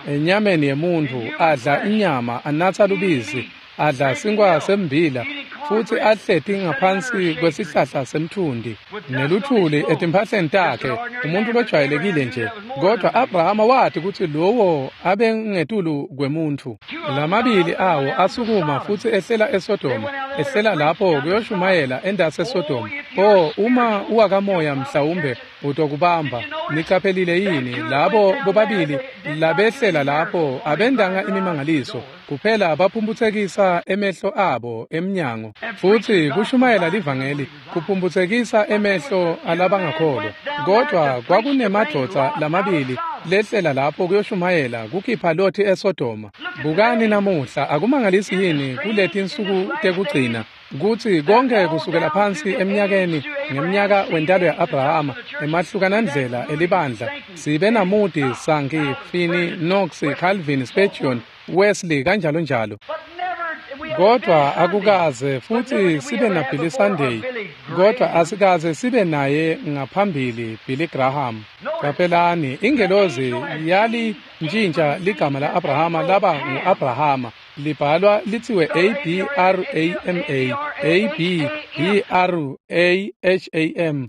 Enyameni yemuntu adla inyama, anatsa lubisi, adla sinkhwa sembila, futsi ahleti ngaphansi kwesihlahla semthundi neluthuli etimphahleni takhe, umuntu lojwayelekile nje. Kodwa Abrahama wati kutsi lowo abengetulu kwemuntfu. Lamabili awo asukuma futsi ehlela eSodoma, ehlela lapho kuyoshumayela endasi eSodoma. Oh, uma uwakamoya mhlawumbe utokubamba. Niqaphelile yini labo bobabili labehlela lapho abendanga imimangaliso kuphela, baphumphutsekisa emehlo abo emnyango. Futsi kushumayela livangeli kuphumphutsekisa emehlo alabangakholwa. Kodwa kwakunemadvodza lamabili lehlela lapho kuyoshumayela kukhipha Loti eSodoma. Bukani namuhla, akumangalisi yini kuletinsuku tekugcina kutsi konke kusukela phansi eminyakeni ngemnyaka wentalo ya-Abrahama emahlukanandlela elibandla sibe naMoody, Sankey, Finney, Knox, Calvin, Spurgeon, Wesley kanjalo njalo. Kodwa akukaze futhi sibe na Billy Sunday, kodwa asikaze sibe naye ngaphambili Billy Graham. Qaphelani, ingelozi yali ntshintsha ligama la-Abrahama laba ngu-Abrahama, libhalwa lithiwe A B R A M A, A B B R A H A M.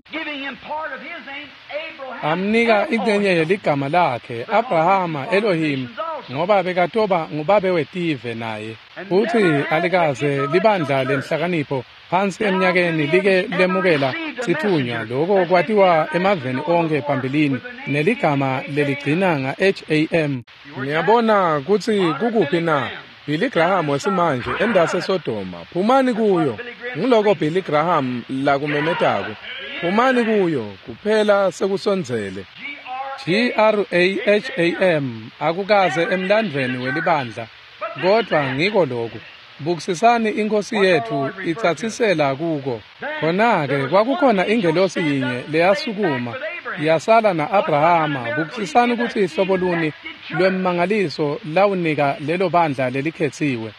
Amnika ingcenye yeligama lakhe Abrahama Elohim, ngoba bekatoba ngubabe wetive naye. Futhi alikaze libandla lenhlakanipho phansi eminyakeni like lemukela sithunywa, lokho kwatiwa emaveni onke phambilini neligama leligcina nga-H A M. Niyabona kutsi kukuphi na? Billy Graham wesimanje endase Sodoma, phumani kuyo. Ngiloko Billy Graham lakumemetako, phumani kuyo, kuphela sekusondzele. G R A H A M akukaze emlandvweni welibandla, kodvwa ngiko loku. Bukisisani inkosi yetfu itsatsisela kuko. Khona-ke kwakukhona ingelosi yinye leyasukuma yasala na-Abrahama. Bukisisani kutsi ihlobo luni lwemmangaliso lawunika lelo bandla lelikhetsiwe.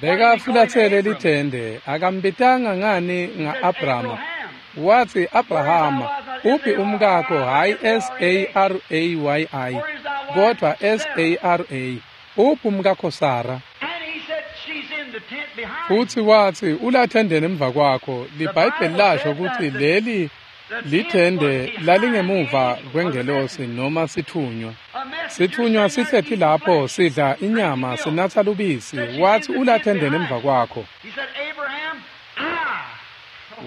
Bekafulathele lithende, akambitanga ngani nga-Abrahama. Wathi Abrahama, uphi umkakho? Hhayi S A R A Y I, kodwa S A R A. Uphi umkakho Sara? Futhi wathi ulathendeni emva kwakho. LiBhayibheli lasho ukuthi leli lithende lalingemuva kwengelosi noma sithunywa. Sithunywa sihlethi lapho sidla inyama sinatsa lubisi. Wathi ulathendeni emva kwakho.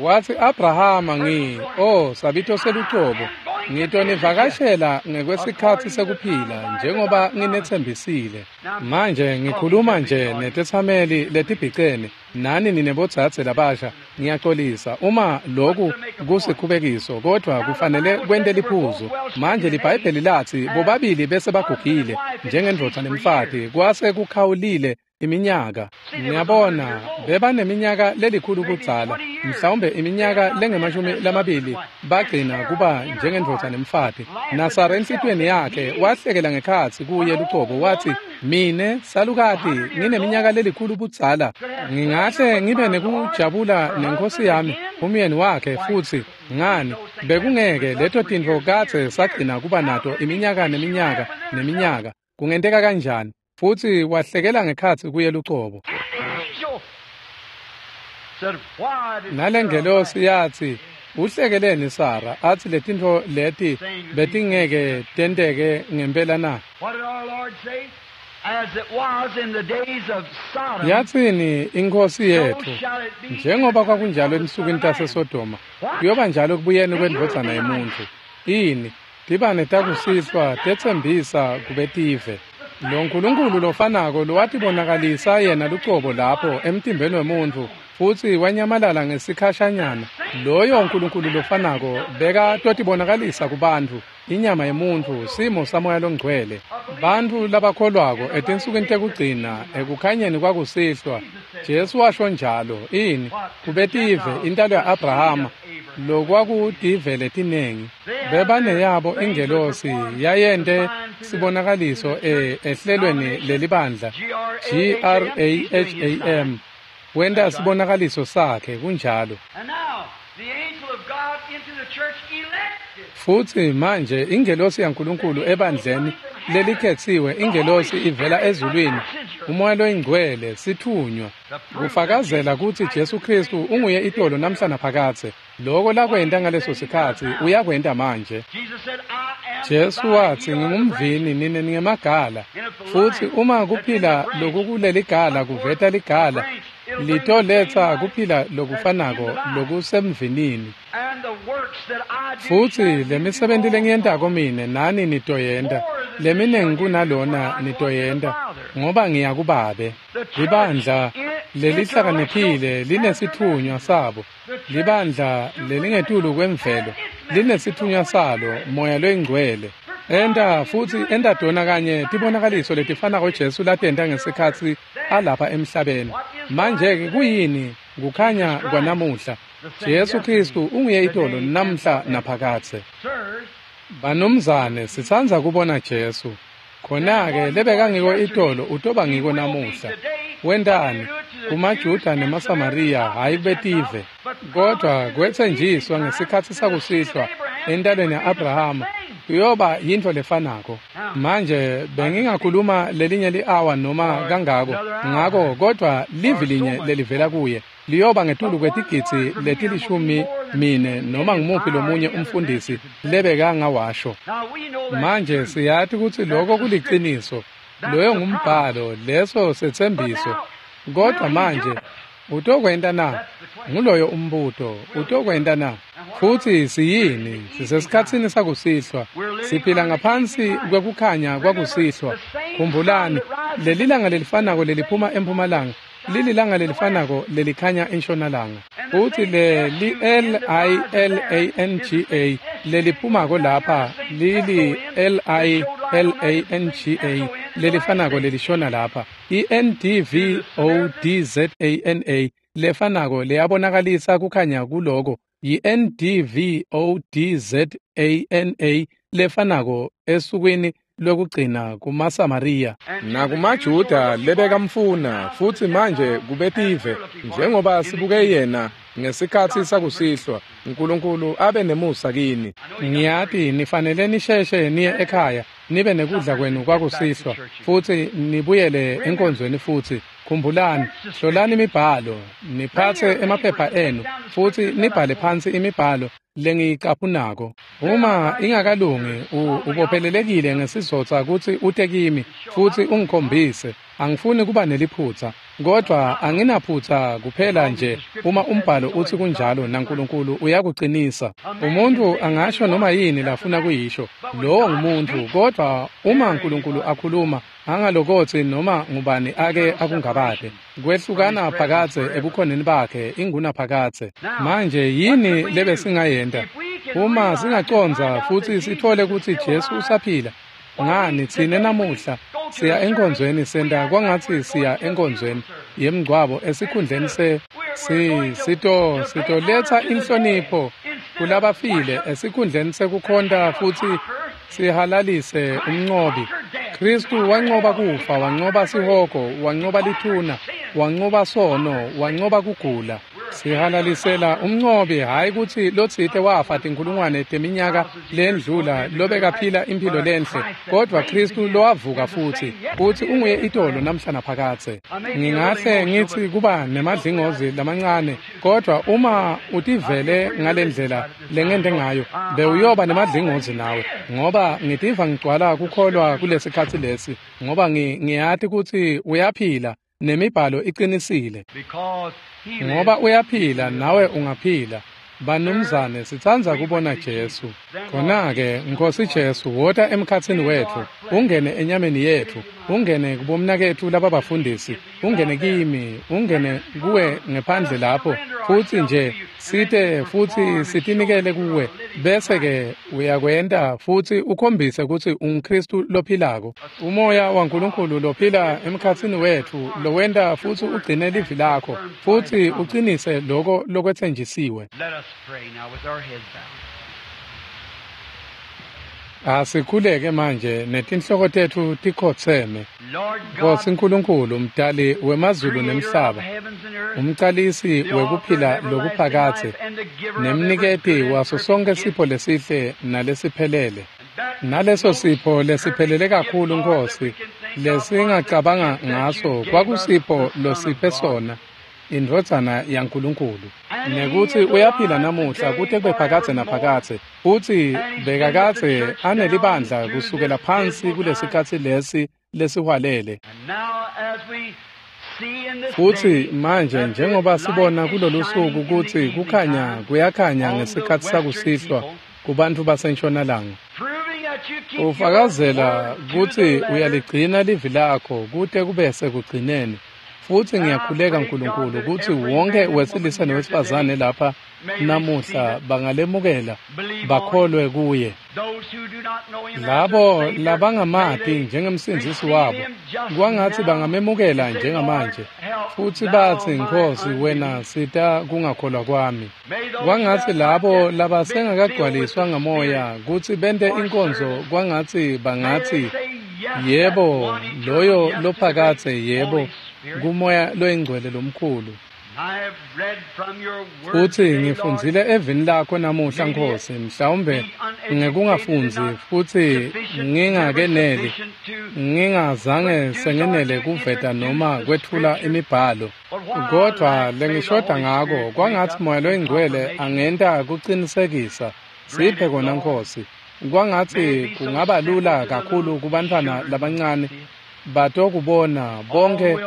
Wathi Abrahama ngi, oh sabito selucobo, ngitonivakashela ngekwesikhatsi sekuphila njengoba nginetsembisile. Manje ngikhuluma nje netetsameli letibhicene nani ninebodzadze labasha. Ngiyaxolisa uma loku kusikhubekiso, kodwa kufanele kwente liphuzu. Manje liBhayibheli lathi bobabili bese bagugile njengendvodza nemfati, kwase kukhawulile iminyaka. Ngiyabona bebaneminyaka lelikhulu kudzala, mhlawumbe iminyaka lengemashumi lamabili bagcina kuba njengendvodza nemfati. NaSara enhlitiyweni yakhe wahlekela ngekhatsi kuye lucobo wathi, mine salukati ngineminyaka lelikhulu budzala, ngingahle ngibe nekujabula nenkosi yami umyeni wakhe futsi. Ngani bekungeke leto tintfo kadze sagcina kuba nato iminyaka neminyaka neminyaka? Kungenteka kanjani? Futhi wahlekela ngekhatsi kuye lucobo. Nalengelosi yathi, uhlekeleni Sara athi letintfo leti betingeke tenteke ngempela na? Yatsini inkosi yethu, njengoba kwakunjalo ensukwini taseSodoma, kuyoba njalo kubuyeni kwendvodzana yemuntfu. Ini tibane takusihlwa tetsembisa kubetive. Lo Nkulunkulu lofanako lowatibonakalisa yena lucobo lapho emtimbeni wemuntfu futsi wanyamalala ngesikhashanyana, loyo Nkulunkulu lofanako beka totibonakalisa kubantfu inyama yemuntfu, simo samoya longcwele. Bantfu labakholwako etinsukwini tekugcina ekukhanyeni kwakusihlwa, Jesu washo njalo. Ini kubetive, intalo ya-Abrahama, lokwakutive letinengi. Bebaneyabo ingelosi yayente sibonakaliso e ehlelweni lelibandla G R A H A M, wenta sibonakaliso sakhe kunjalo. Futhi manje ingelosi yaNkulunkulu ebandleni lelikhetsiwe, ingelosi ivela ezulwini, umoya loyingcwele, sithunywa kufakazela kutsi Jesu Kristu unguye itolo namhla naphakadze. Loko lakwenta ngaleso sikhatsi uyakwenta manje. Jesu wathi, ngingumvini nine ningemagala, futsi uma kuphila lokukuleligala kuveta ligala, litoletsa kuphila lokufanako lokusemvinini. Futsi lemisebenti lengiyentako mine nani nitoyenta, leminengi kunalona nitoyenta, ngoba ngiya kuBabe. Libandla lelihlakaniphile linesithunywa sabo, libandla lelingetulu kwemvelo linesithunywa salo, moya loyingcwele. Enta futsi enta tona kanye tibonakaliso letifanako Jesu latenta ngesikhatsi alapha emhlabeni. Manje-ke kuyini kukhanya kwanamuhla? Jesu Kristu unguye itolo namhla naphakadze. Banumzane, sitsandza kubona Jesu. Khona-ke lebekangiko itolo utoba ngiko namuhla. Wentani kumaJuda nemaSamariya, hhayi betive, kodwa kwetsenjiswa ngesikhatsi sakusihlwa entalweni ya-Abrahama kuyoba yintfo lefanako. Manje bengingakhuluma lelinye li-awa noma kangako ngako, kodwa livi linye lelivela kuye liyoba ngetulu kwetigidzi letilishumi mine noma ngumuphi lomunye umfundisi lebekangawasho. Manje siyati kutsi loko kuliciniso, loyo ngumbhalo, leso setsembiso. Kodwa manje utokwenta na? Nguloyo umbuto, utokwenta na? Futsi siyini? Sisesikhatsini sakusihlwa, siphila ngaphansi kwekukhanya kwakusihlwa. Khumbulani, lelilanga lelifanako leliphuma empumalanga lililanga lelifanako lelikhanya entshonalanga. Futsi le li L I L A N G A leliphumako lapha lili L I L A N G A lelifanako lelishona lapha I N D V O D Z A N A lefanako leyabonakalisa kukhanya kuloko I N D V O D Z A N A lefanako esukwini lokugcina kumaSamariya nakumaJuda lebekamfuna futsi manje kubetive njengoba sibuke yena ngesikhatsi sakusihlwa. uNkulunkulu abe nemusa kini. Ngiyati nifanele nisheshe niye ekhaya nibe nekudla kwenu kwakusihlwa futsi nibuyele enkonzweni futsi. Khumbulani, hlolani imibhalo, niphatse emaphepha enu futsi nibhale phansi imibhalo lengiyicaphunako. Uma ingakalungi ubophelelekile ngesizotsa kutsi ute kimi futsi ungikhombise. Angifuni kuba neliphutsa, kodvwa anginaphutsa kuphela nje uma umbhalo utsi kunjalo naNkulunkulu uyakuqinisa. Umuntu angasho noma yini lafuna kuyisho, lowo ngumuntu, kodvwa uma uNkulunkulu akhuluma angalokotsi noma ngubani ake akungabade. Kwehlukana phakadze ebukhoneni bakhe ingunaphakadze. Manje yini lebesingayenta uma singacondza futsi sitfole kutsi Jesu usaphila? Ngani tsine namuhla siya enkonzweni senta kwangatsi siya enkonzweni yemngcwabo esikhundleni se si sito sitoletsa inhlonipho kulabafile esikhundleni sekukhonta futsi sihalalise umncobi. Kristu wancoba kufa, wancoba sihogo, wancoba lithuna, wancoba sono, wancoba kugula. Sihalalisela umncobi, hhayi kutsi lotsite wafa tinkhulungwane teminyaka lendlula lobekaphila imphilo lenhle, kodvwa Kristu lowavuka futsi futsi unguye itolo namhla naphakadze. Ngingahle ngitsi kuba nemadlingozi lamancane, kodvwa uma utivele ngalendlela lengente ngayo bewuyoba nemadlingozi nawe, ngoba ngitiva ngigcwala kukholwa kulesikhatsi lesi, ngoba ngiyati kutsi uyaphila nemibhalo iqinisile. Ngoba uyaphila nawe ungaphila. Banumzane, sitsandza kubona Jesu. Khona-ke, Nkosi Jesu, wota emkhatsini wetfu, ungene enyameni yetfu, ungene kubomnaketfu lababafundisi, ungene kimi, ungene kuwe ngephandle lapho, futsi nje site futsi sitinikele kuwe, bese-ke uyakwenta futsi ukhombise kutsi unguKristu lophilako. Umoya waNkulunkulu lophila emkhatsini wetfu, lowenta futsi ugcine livi lakho, futsi ucinise loko lokwetsenjisiwe. Asikhuleke manje netinhloko tetfu tikhotseme. Nkosi Nkulunkulu, mdali wemazulu nemhlaba, umcalisi wekuphila lokuphakadze, nemniketi waso sonke sipho lesihle nalesiphelele. Naleso sipho lesiphelele kakhulu, Nkosi, lesingacabanga ngaso kwakusipho losiphe sona, indvodzana yaNkulunkulu, nekutsi uyaphila namuhla kute kube phakadze naphakadze, futsi bekakadze anelibandla kusukela phansi kulesikhatsi lesi lesihwalele. Futsi manje njengoba sibona kulolu suku kutsi kukhanya kuyakhanya ngesikhatsi sakusihlwa kubantfu basentshonalanga, ufakazela kutsi uyaligcina livi lakho kute kube sekugcineni. Futsi ngiyakhuleka Nkulunkulu kutsi wonke wesilisa newesifazane lapha namuhla bangalemukela bakholwe kuye. Labo labangamati njengemsindzisi wabo kwangatsi bangamemukela njengamanje futsi batsi, Nkosi, wena sita kungakholwa kwami. Kwangatsi labo labasengakagcwaliswa ngamoya kutsi bente inkonzo kwangatsi bangatsi, yebo, loyo lophakadze, yebo, kumoya loyingcwele lomkhulu. Futsi ngifundzile evini lakho namuhla, Nkosi, mhlawumbe ngekungafundzi futsi ngingakeneli, ngingazange sengenele kuveta noma kwetfula imibhalo, kodvwa lengishoda ngako kwangatsi moya loyingcwele angenta kucinisekisa. Siphe kona, Nkosi. Kwangatsi kungaba lula kakhulu kubantfwana labancane Batokubona bonke,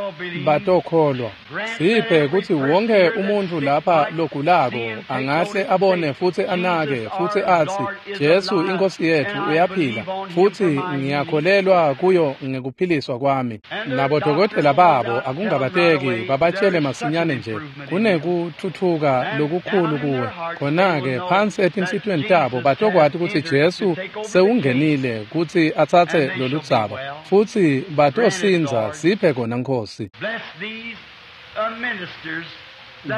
batokholwa. Siphe kutsi wonke umuntfu lapha logulako angahle abone futsi anake futsi atsi, Jesu iNkhosi yetfu uyaphila, futsi ngiyakholelwa kuyo ngekuphiliswa kwami. Nabodokotela babo akungabateki babatjele masinyane nje, kunekuthuthuka lokukhulu kuwe. Khona-ke phansi etinhlitiyweni tabo batokwati kutsi Jesu sewungenile kutsi atsatse loludzaba, futsi batosindza. Siphe kona Nkhosi.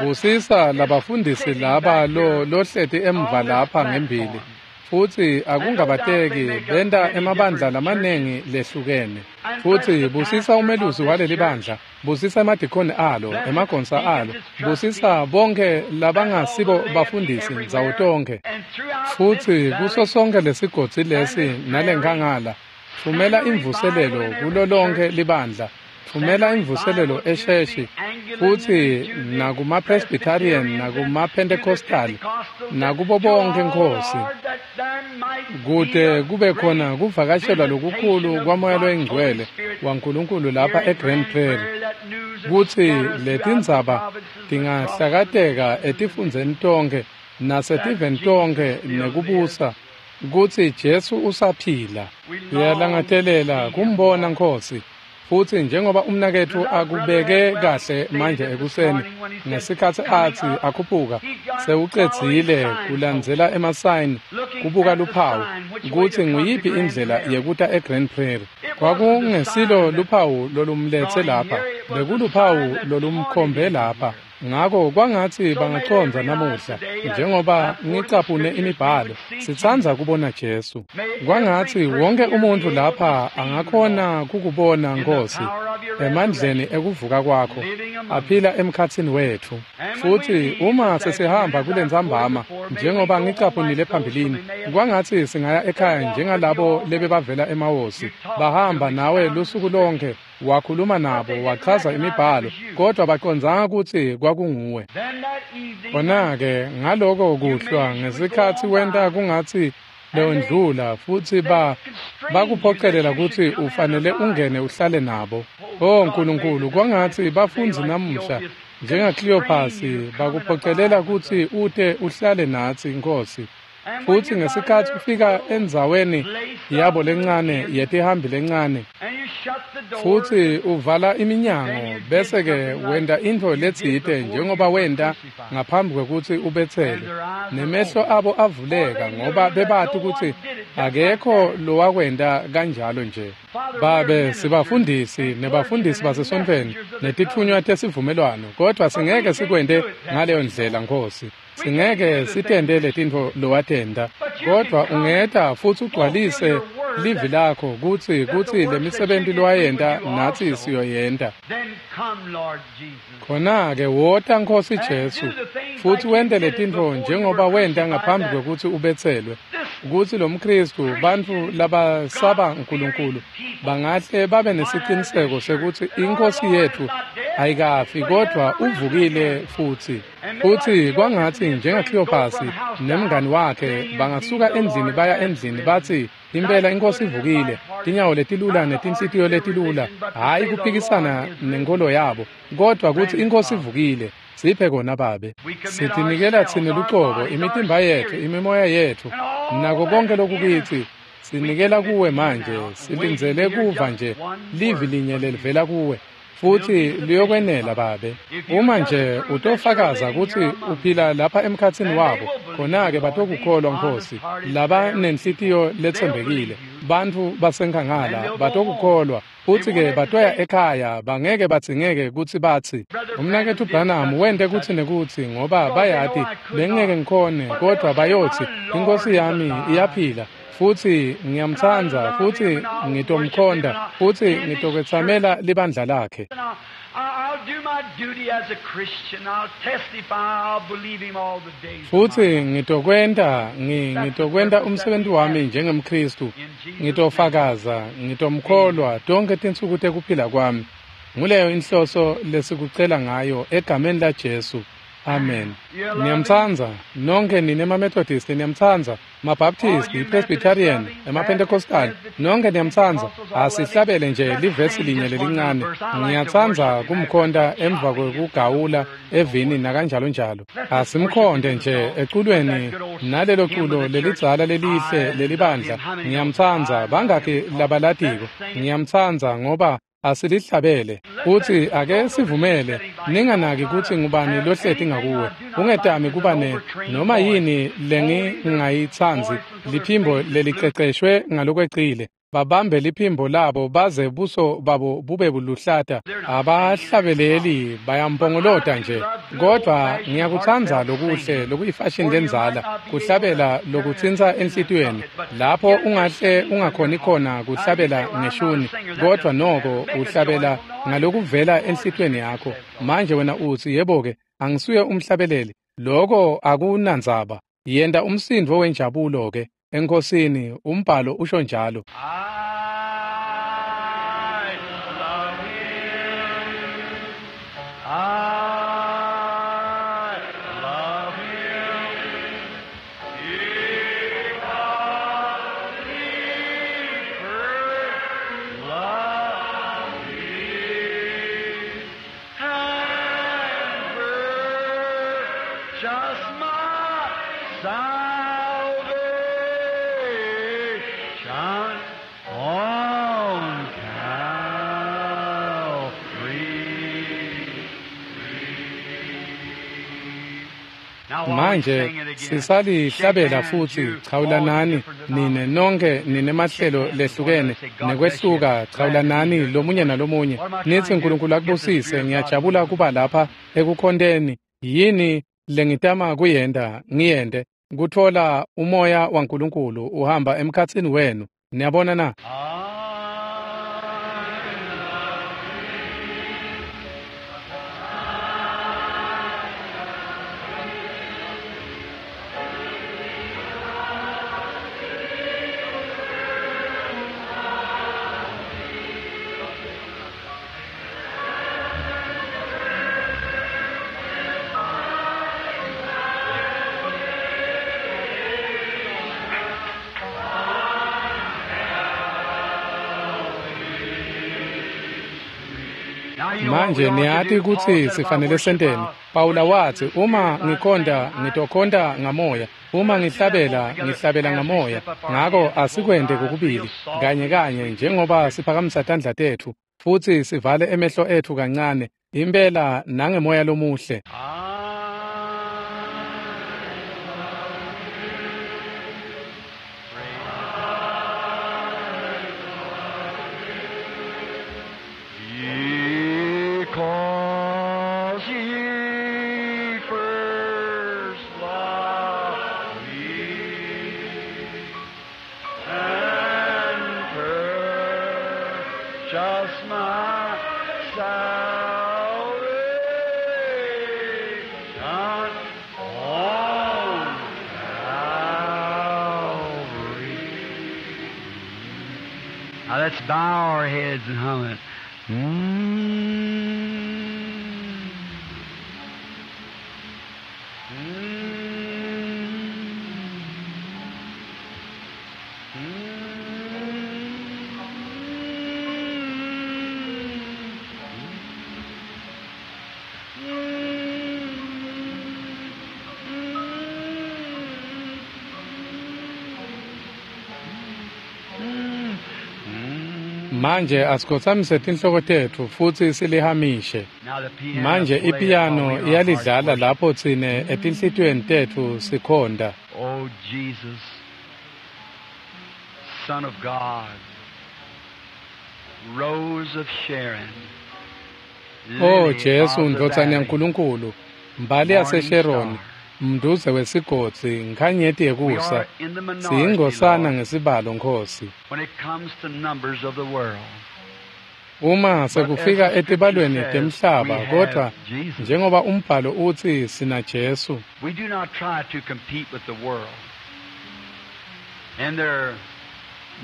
Busisa labafundisi laba lo lohleti emva lapha ngembili, futsi akungabateki benta emabandla lamanengi lehlukene. Futsi busisa umelusi waleli bandla, busisa emadikoni alo, emagonsa alo, busisa bonke labangasibo bafundisi ndzawo tonkhe. Futsi kuso sonke lesigodzi lesi nalenkangala, thumela imvuselelo kulo lonke libandla. Thumela imvuselelo esheshi, futsi nakuma-Presbyterian, nakuma-Pentecostal, nakubo bonke Nkhosi, kute kube khona kuvakashelwa lokukhulu kwaMoya loyiNgcwele waNkulunkulu lapha eGrand Prairie, kutsi letindzaba tingahlakateka etifundzeni tonkhe nasetiveni tonkhe nekubusa, kutsi Jesu usaphila. Siyalangatelela kumbona Nkhosi. Futsi njengoba umnaketfu akubeke kahle manje ekuseni ngesikhatsi atsi akhuphuka, sewucedzile kulandzela emasayini kubuka luphawu kutsi nguyiphi indlela yekuta eGrand Prairie. Kwakungesilo luphawu lolumletse lapha, bekuluphawu lolumkhombe lapha. Ngako kwangatsi bangacondza namuhla, njengoba ngicaphune imibhalo, sitsandza kubona Jesu. Kwangatsi wonke umuntfu lapha angakhona kukubona Nkhosi emandleni ekuvuka kwakho, aphila emkhatsini wetfu. Futsi uma sesihamba kulentsambama, njengoba ngicaphunile phambilini, kwangatsi singaya ekhaya njengalabo lebebavela emawosi, bahamba nawe lusuku lonke, wakhuluma nabo, wachaza imibhalo, kodwa bacondzanga kutsi kwakunguwe. Khona-ke ngaloko kuhlwa ngesikhatsi wenta kungatsi bewundlula, futsi ba bakuphocelela kutsi ufanele ungene uhlale nabo. Oh Nkulunkulu, kwangatsi bafundzi namuhla njengaKleophasi bakuphocelela kutsi ute uhlale natsi Nkhosi. Futsi ngesikhatsi ufika endzaweni yabo lencane yetihambi lencane, futsi uvala iminyango, bese-ke wenta intfo letsite njengoba wenta ngaphambi kwekutsi ubetselwe, nemehlo abo avuleka ngoba bebati kutsi akekho lowakwenta kanjalo nje. Babe, sibafundisi nebafundisi basesontfweni netitfunywa tesivumelwano, kodwa singeke sikwente ngaleyo ndlela Nkhosi. Singeke sitente letintfo lowatenta, kodwa ungeta futsi ugcwalise livi lakho kutsi kutsi lemisebenti lowayenta natsi siyoyenta. Khona-ke wota Nkhosi Jesu, futsi wente letintfo njengoba wenta ngaphambi kwekutsi ubetselwe, kutsi lomKhristu, bantfu labasaba Nkulunkulu bangahle babe nesiciniseko sekuthi iNkhosi yetfu ayikafi kodwa uvukile futsi. Futsi kwangatsi njengaKleophasi nemngani wakhe bangasuka endlini baya endlini batsi, impela iNkhosi ivukile, tinyawo letilula netinhlitiyo letilula, hhayi kuphikisana nenkolo yabo, kodwa kutsi iNkhosi ivukile. Siphe kona Babe. Sitinikela tsine lucobo, imitimba yetfu, imimoya yetfu, nako konke lokukitsi, sinikela kuwe manje, silindzele kuva nje livi linye lelivela kuwe, futsi liyokwenela Babe. Uma nje utofakaza kutsi uphila lapha emkhatsini wabo, khona-ke batokukholwa Nkhosi, labanenhlitiyo letsembekile, bantfu basenkhangala batokukholwa, futsi-ke batoya ekhaya, bangeke badzingeke kutsi batsi, umnaketfu Branham wente kutsi nekutsi, ngoba bayati bengeke ngikhone, kodwa bayotsi, iNkhosi yami iyaphila, futsi ngiyamtsandza, futsi ngitomkhonda, futsi ngitokwetsamela libandla lakhe. Futsi ngitokwenta, ngitokwenta umsebenzi wami njengemKhristu, ngitofakaza, ngitomkholwa tonkhe tinsuku tekuphila kwami. Nguleyo inhloso lesikucela ngayo egameni laJesu. Amen. Niyamtsandza nonkhe nine emaMethodist, niyamtsandza maBaptist, iPresbyterian, emaPentecostal, nonkhe niyamtsandza. Asihlabele nje livesi linye lelincane. Ngiyatsandza kumkhonta emva kwekugawula evini nakanjalo njalo. Asimkhonte nje eculweni nalelo culo lelidzala lelihle lelibandla. Ngiyamtsandza, bangakhi labalatiko? Ngiyamtsandza ngoba asilihlabele. Futsi ake sivumele, ninganaki kutsi ngubani lohleti ngakuwe. Ungetami kuba ne noma yini lengingayitsandzi, liphimbo leliceceshwe ngalokwecile. Babambe liphimbo labo baze buso babo bube buluhlata. Abahlabeleli bayampongolota nje. Kodvwa ngiyakutsandza lokuhle lokuyifashini lendzala, kuhlabela lokutsintsa enhlitiyweni. Lapho ungahle ungakhoni khona kuhlabela ngeshuni, kodvwa noko uhlabela ngalokuvela enhlitiyweni yakho. Manje wena utsi, yebo-ke, angisuye umhlabeleli. Loko akunandzaba. Yenta umsindvo wenjabulo-ke eNkhosini, umbhalo usho njalo. I love him. I love him. Because he first loved me and purchased my salvation on Calvary. Now while we Manje sing it again, sisalihlabela futhi chawulanani nine nonke ninemahlelo lehlukene nekwehluka, chawulanani lomunye nalomunye nithi uNkulunkulu akubusise. Ngiyajabula kuba lapha ekukhonteni. Yini lengitama kuyenta ngiyente kutfola umoya waNkulunkulu uhamba emkhatsini wenu. Niyabona na? Now you know what we Manje ought to niyati do. Paul kutsi said, if I sifanele worship, senteni. I'll Pawula worship watsi, in the uma spirit by ngikhonta singing. ngitokhonta ngamoya, uma Let's do that both ngihlabela together ngihlabela as we ngamoya. slip up our Ngako hands and close asikwente our eyes real kokubili kanye softly, kanye sweetly. njengoba siphakamisa tandla tetfu futsi sivale emehlo etfu kancane impela nangemoya lomuhle. Because he first loved me and purchased my salvation on Calvary. Now let's bow our heads and hum it. Mm. Mm. Mm. Mm. Manje asikhothamise tinhloko tetfu futsi silihamishe. Now the piano Manje play it while ipiyano we in our hearts iyalidlala worship. lapho tsine etinhlitiyweni tetfu sikhonta. Oh Jesus, Son of God, Rose of Sharon, O Lily Jesu of the ndvodzana Valley, yaNkulunkulu, mbali Morning yaseSheroni, Star. mnduze wesigodzi, nkhanyeti We yekusa, are in the minority, siyingosana Lord, ngesibalo Nkhosi. when it comes to numbers of the world. Uma But as sekufika the scripture etibalweni says, we temhlaba, kodvwa have Jesus. njengoba umbhalo utsi sina Jesu, We do not try to compete with the world and their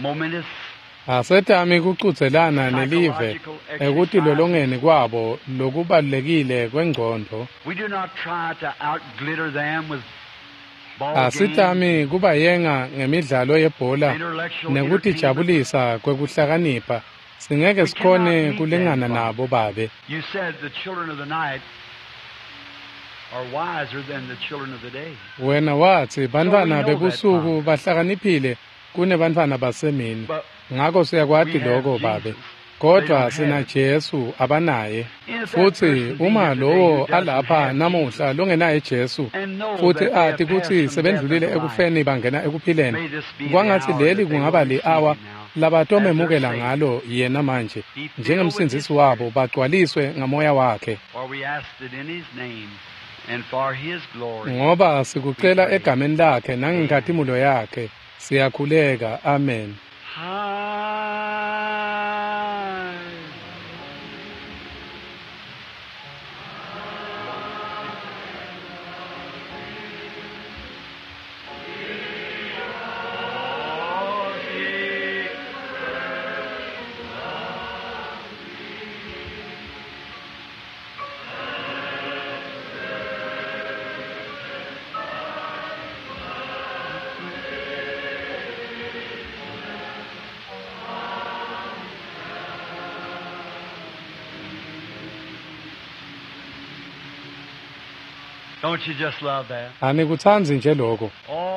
momentous Asetami kucudzelana nelive ekutilolongeni kwabo lokubalulekile kwengcondvo. We do not try to outglitter them with ball games, Asitami kubayenga ngemidlalo yebhola intellectual nekutijabulisa kwekuhlakanipha. Singeke sikhone kulingana nabo babe. You said the children of the night are wiser than the children of the day. Wena watsi bantfwana bebusuku bahlakaniphile kunebantfwana basemini. But Ngako siyakwati lokho babe. Kodwa sina Jesu abanaye. Futhi uma lowo alapha namuhla longenaye Jesu and know futhi that they have ati passed kutsi from death sebendlulile unto life. ekufeni bangena ekuphileni. May this be the Kwangatsi hour leli that they will kungaba receive li-awa him now. labatomemukela As their ngalo yena manje Be filled with njengemsindzisi his wabo bagcwaliswe ngamoya wakhe. For we ask it in his name and for his glory. Ngoba sikucela egameni lakhe nangenkhatimulo yakhe siyakhuleka. Amen. High. Don't you just love that? Anikutsandzi nje lokho.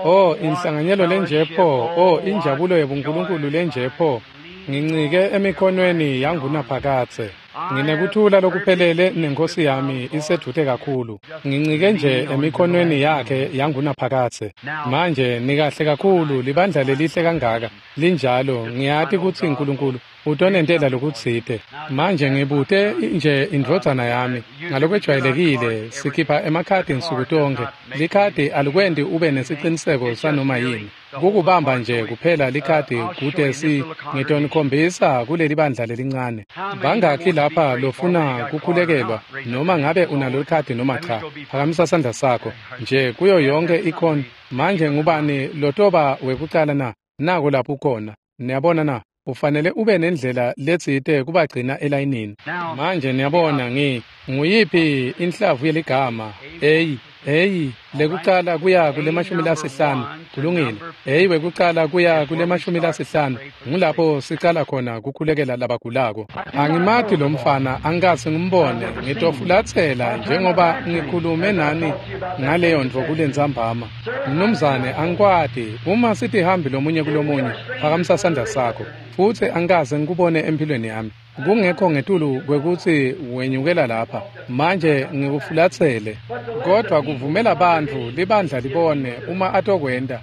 Oh, inhlanganyelo lenje pho, oh, injabulo yebuNkulunkulu lenje pho. Ngincike emikhonweni yangunaphakadze. Nginekuthula lokuphelele nenkosi yami isedvute kakhulu. Ngincike nje emikhonweni yakhe yangunaphakadze. Manje nikahle kakhulu libandla lelihle kangaka. Linjalo ngiyati kutsi uNkulunkulu utonentela lokutsite. Manje ngibute nje indvodzana yami ngalokwejwayelekile sikhipha emakhadi nsuku tonkhe. Likhadi alikwendi ube nesiciniseko sanoma yini. Kukubamba nje kuphela likhadi kude si ngitonikhombisa kuleli bandla lelincane. Bangakhi lapha lofuna kukhulekelwa noma ngabe unalo likhadi noma cha. Phakamisa sandla sakho nje kuyo yonke ikhona. Manje ngubani lotoba wekucala na? Nako lapho ukhona. Niyabona na? Ufanele ube nendlela letsite kubagcina elayinini. Manje niyabona ngi nguyiphi inhlavu yeligama A A lekucala kuya kulemashumi lasihlanu kulungile. A wekucala kuya kulemashumi lasihlanu ngulapho sicala khona kukhulekela labagulako. Angimati lo mfana angikaze ngimbone ngitofulatsela njengoba ngikhulume nani ngaleyo ntfo kulentsambama. Mnumzane angikwati uma sitihambi lomunye kulomunye phakamisa sandla sakho futsi angikaze ngikubone empilweni yami. Kungekho ngetulu kwekutsi wenyukela lapha manje ngikufulatsele kodwa kuvumela bantfu libandla libone uma atokwenta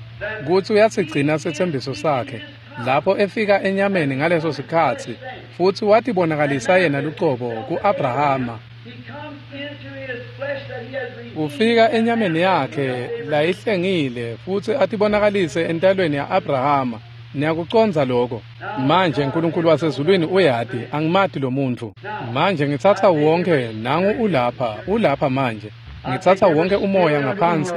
kutsi uyasigcina setsembiso sakhe lapho efika enyameni ngaleso sikhatsi futsi watibonakalisa yena lucobo ku-Abrahama. He comes into his flesh that he has redeemed. Ufika enyameni yakhe layihlengile futsi atibonakalise entalweni ya-Abrahama. Niyakucondza lokho. Manje uNkulunkulu wasezulwini uyati angimati lo muntfu. Manje ngitsatsa wonke nangu ulapha ulapha manje. Ngitsatsa wonke umoya ngaphansi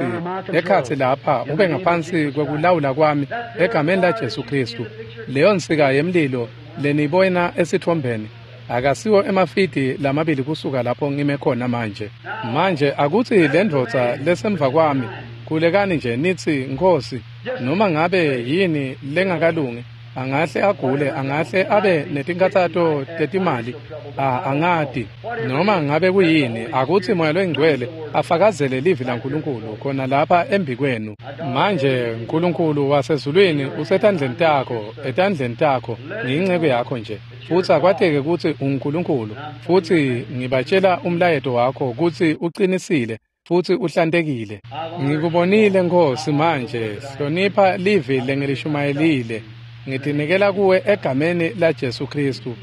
ekhatsi lapha ube ngaphansi kwekulawula kwami egameni la Jesu Kristu. Leyo nsika yemlilo leniyibona esitfombeni akasiwo emafidi lamabili kusuka lapho ngime khona manje. Manje akutsi lendvodza lesemva kwami khulekani nje nitsi Nkhosi noma ngabe yini lengakalungi angahle agule angahle abe netinkhatsato tetimali a angati noma ngabe kuyini akutsi moya loyingcwele afakazele livi laNkulunkulu khona lapha embikwenu. Manje uNkulunkulu wasezulwini usetandleni takho etandleni takho ngiyinceku yakho nje futsi akwateke kutsi unguNkulunkulu futsi ngibatshela umlayeto wakho kutsi uqinisile futsi uhlantekile. Ngikubonile Nkhosi manje hlonipha livi lengilishumayelile. Ngitinikela kuwe egameni la Jesu Kristu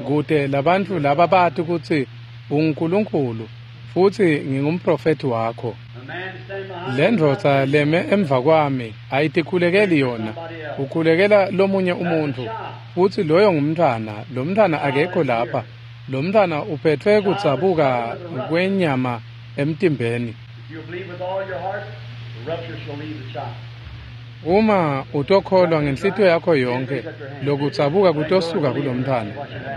kute labantfu laba bati kutsi unguNkulunkulu futsi ngingumprofethi wakho. The man standing behind Le ndvodza leme emva kwami ayitikhulekeli yona ukhulekela lomunye umuntfu futsi loyo ngumntfwana. Lo mntfwana akekho lapha. Lo mntfwana uphethwe kudzabuka kwenyama emtimbeni. If you believe with all your heart, the rupture shall leave the child. Uma utokholwa ngenhlitiyo yakho yonke, lokudzabuka kutosuka kulomntfwana.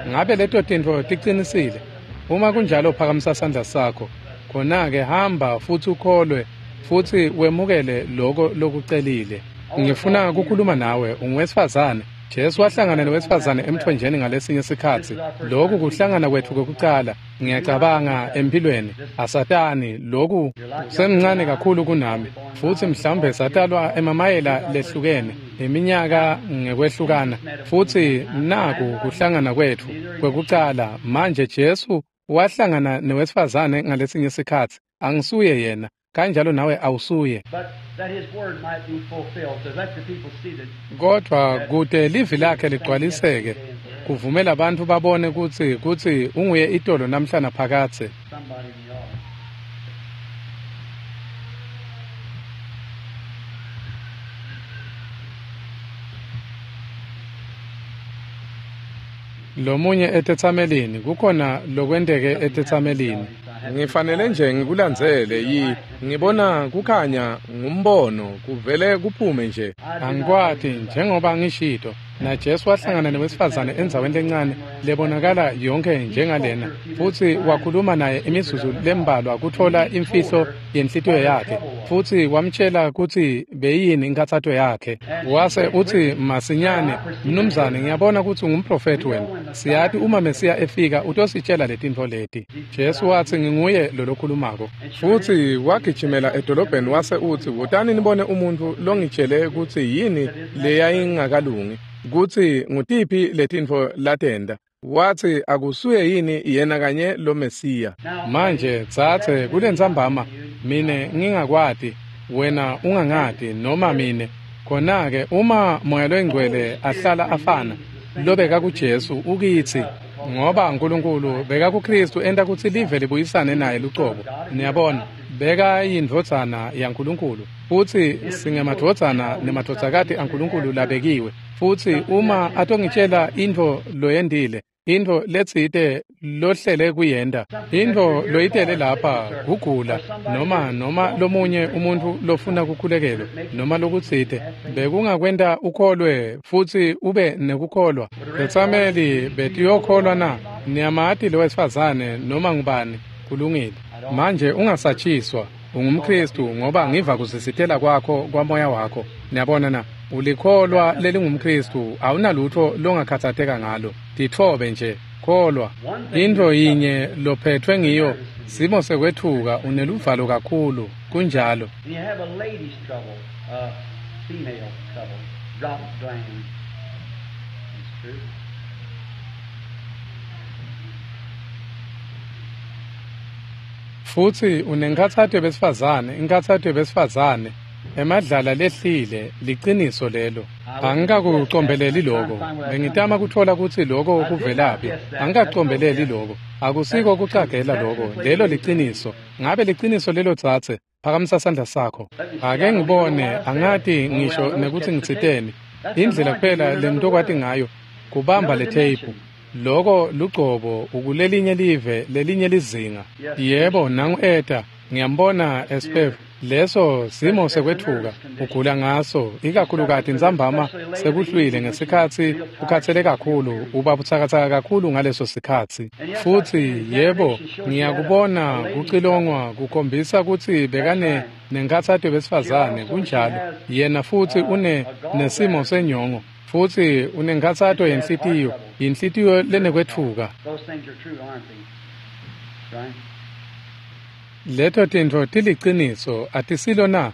Ngabe leto tintfo ticinisile? Uma kunjalo phakamisa sandla sakho. Khona-ke hamba futsi ukholwe futsi wemukele loko lokucelile. Ngifuna kukhuluma nawe, unguwesifazane. Jesu wahlangana nowesifazane emthonjeni ngalesinye sikhatsi. Lokhu kuhlangana kwetfu kokucala, ngiyacabanga empilweni. Asatani, lokhu semncane kakhulu kunami, futsi mhlawumbe satalwa emamayela lehlukene, iminyaka ngekwehlukana, futsi naku kuhlangana kwetfu kwekucala. Manje Jesu wahlangana nowesifazane ngalesinye sikhatsi. Angisuye yena, kanjalo nawe awusuye. Kodwa kute livi lakhe ligcwaliseke, kuvumela bantfu babone kutsi kutsi unguye itolo namhla naphakadze. Lomunye etetsamelini, kukhona lokwenteke etetsamelini. Ngifanele nje ngikulandzele yi ngibona kukhanya ngumbono kuvele kuphume nje. Angikwati njengoba ngishito. Na Jesu wahlangana newesifazane endzaweni lencane lebonakala yonke njengalena, futsi wakhuluma naye imizuzu lembalwa kutfola imfihlo yenhlitiyo yakhe, futsi wamtshela kutsi beyini inkhatsato yakhe. Wase utsi masinyane, mnumzane, ngiyabona kutsi ungumprofethi wena. Siyati uma Mesiya efika utositshela letintfo leti. Jesu watsi nginguye lolokhulumako. Futsi wagijimela edolobheni wase utsi, wotani nibone umuntfu longitshele kutsi yini leyayingakalungi, kutsi ngutiphi letintfo latenda. Watsi akusuye yini yena kanye lo Mesiya. Manje tsatse kulentsambama, mine ngingakwati, wena ungangati, noma mine. Khona-ke uma Moya loyiNgcwele ahlala afana, lobeka kuJesu ukitsi, ngoba uNkulunkulu beka kuKristu enta kutsi live libuyisane naye lucobo. Niyabona, beka yindvodzana yaNkulunkulu, futsi singemadvodzana nemadvodzakati aNkulunkulu labekiwe. Futsi uma atongitshela intfo loyendile, intfo letsite lohlele kuyenta, intfo loyitele lapha kugula, noma noma lomunye umuntfu lofuna kukhulekelwa, noma lokutsite, bekungakwenta ukholwe futsi ube nekukholwa. Tetsameli betiyokholwa na? Niyamati lowesifazane noma ngubani? Kulungile. Manje ungasatshiswa, ungumKristu ngoba ngiva kuzisitela kwakho kwamoya wakho. Niyabona na? Ulikholwa lelingumKristu, awunalutho longakhatsateka ngalo. Titfobe nje, kholwa. Intfo yinye lophethwe ngiyo, simo sekwetfuka, uneluvalo kakhulu. Kunjalo. Futsi unenkhatsato yebesifazane, inkhatsato yebesifazane, emadlala lehlile, liciniso lelo. Angikakucombeleli loko. Bengitama kutfola kutsi loko kuvelaphi. Angikacombeleli loko. Akusiko kucagela loko. Lelo liciniso. Ngabe liciniso lelo tsatse? Phakamisa sandla sakho. Ake ngibone, angati ngisho nekutsi ngitsiteni. Indlela kuphela lengitokwati ngayo kubamba le tape. Loko lugcobo ukulelinye live, lelinye lizinga. Yebo, nangu eta. Ngiyambona Espev. Leso simo sekwetfuka, ugula ngaso, ikakhulukati ntsambama sekuhlwile ngesikhatsi ukhatsele kakhulu, uba butsakatsaka kakhulu ngaleso sikhatsi. Futsi yebo, ngiyakubona kucilongwa kukhombisa kutsi bekane nenkhatsato yebesifazane, kunjalo. Yena futsi une nesimo senyongo, futsi unenkhatsato yenhlitiyo, inhlitiyo lenekwetfuka. Leto tintfo tiliciniso, atisilo na?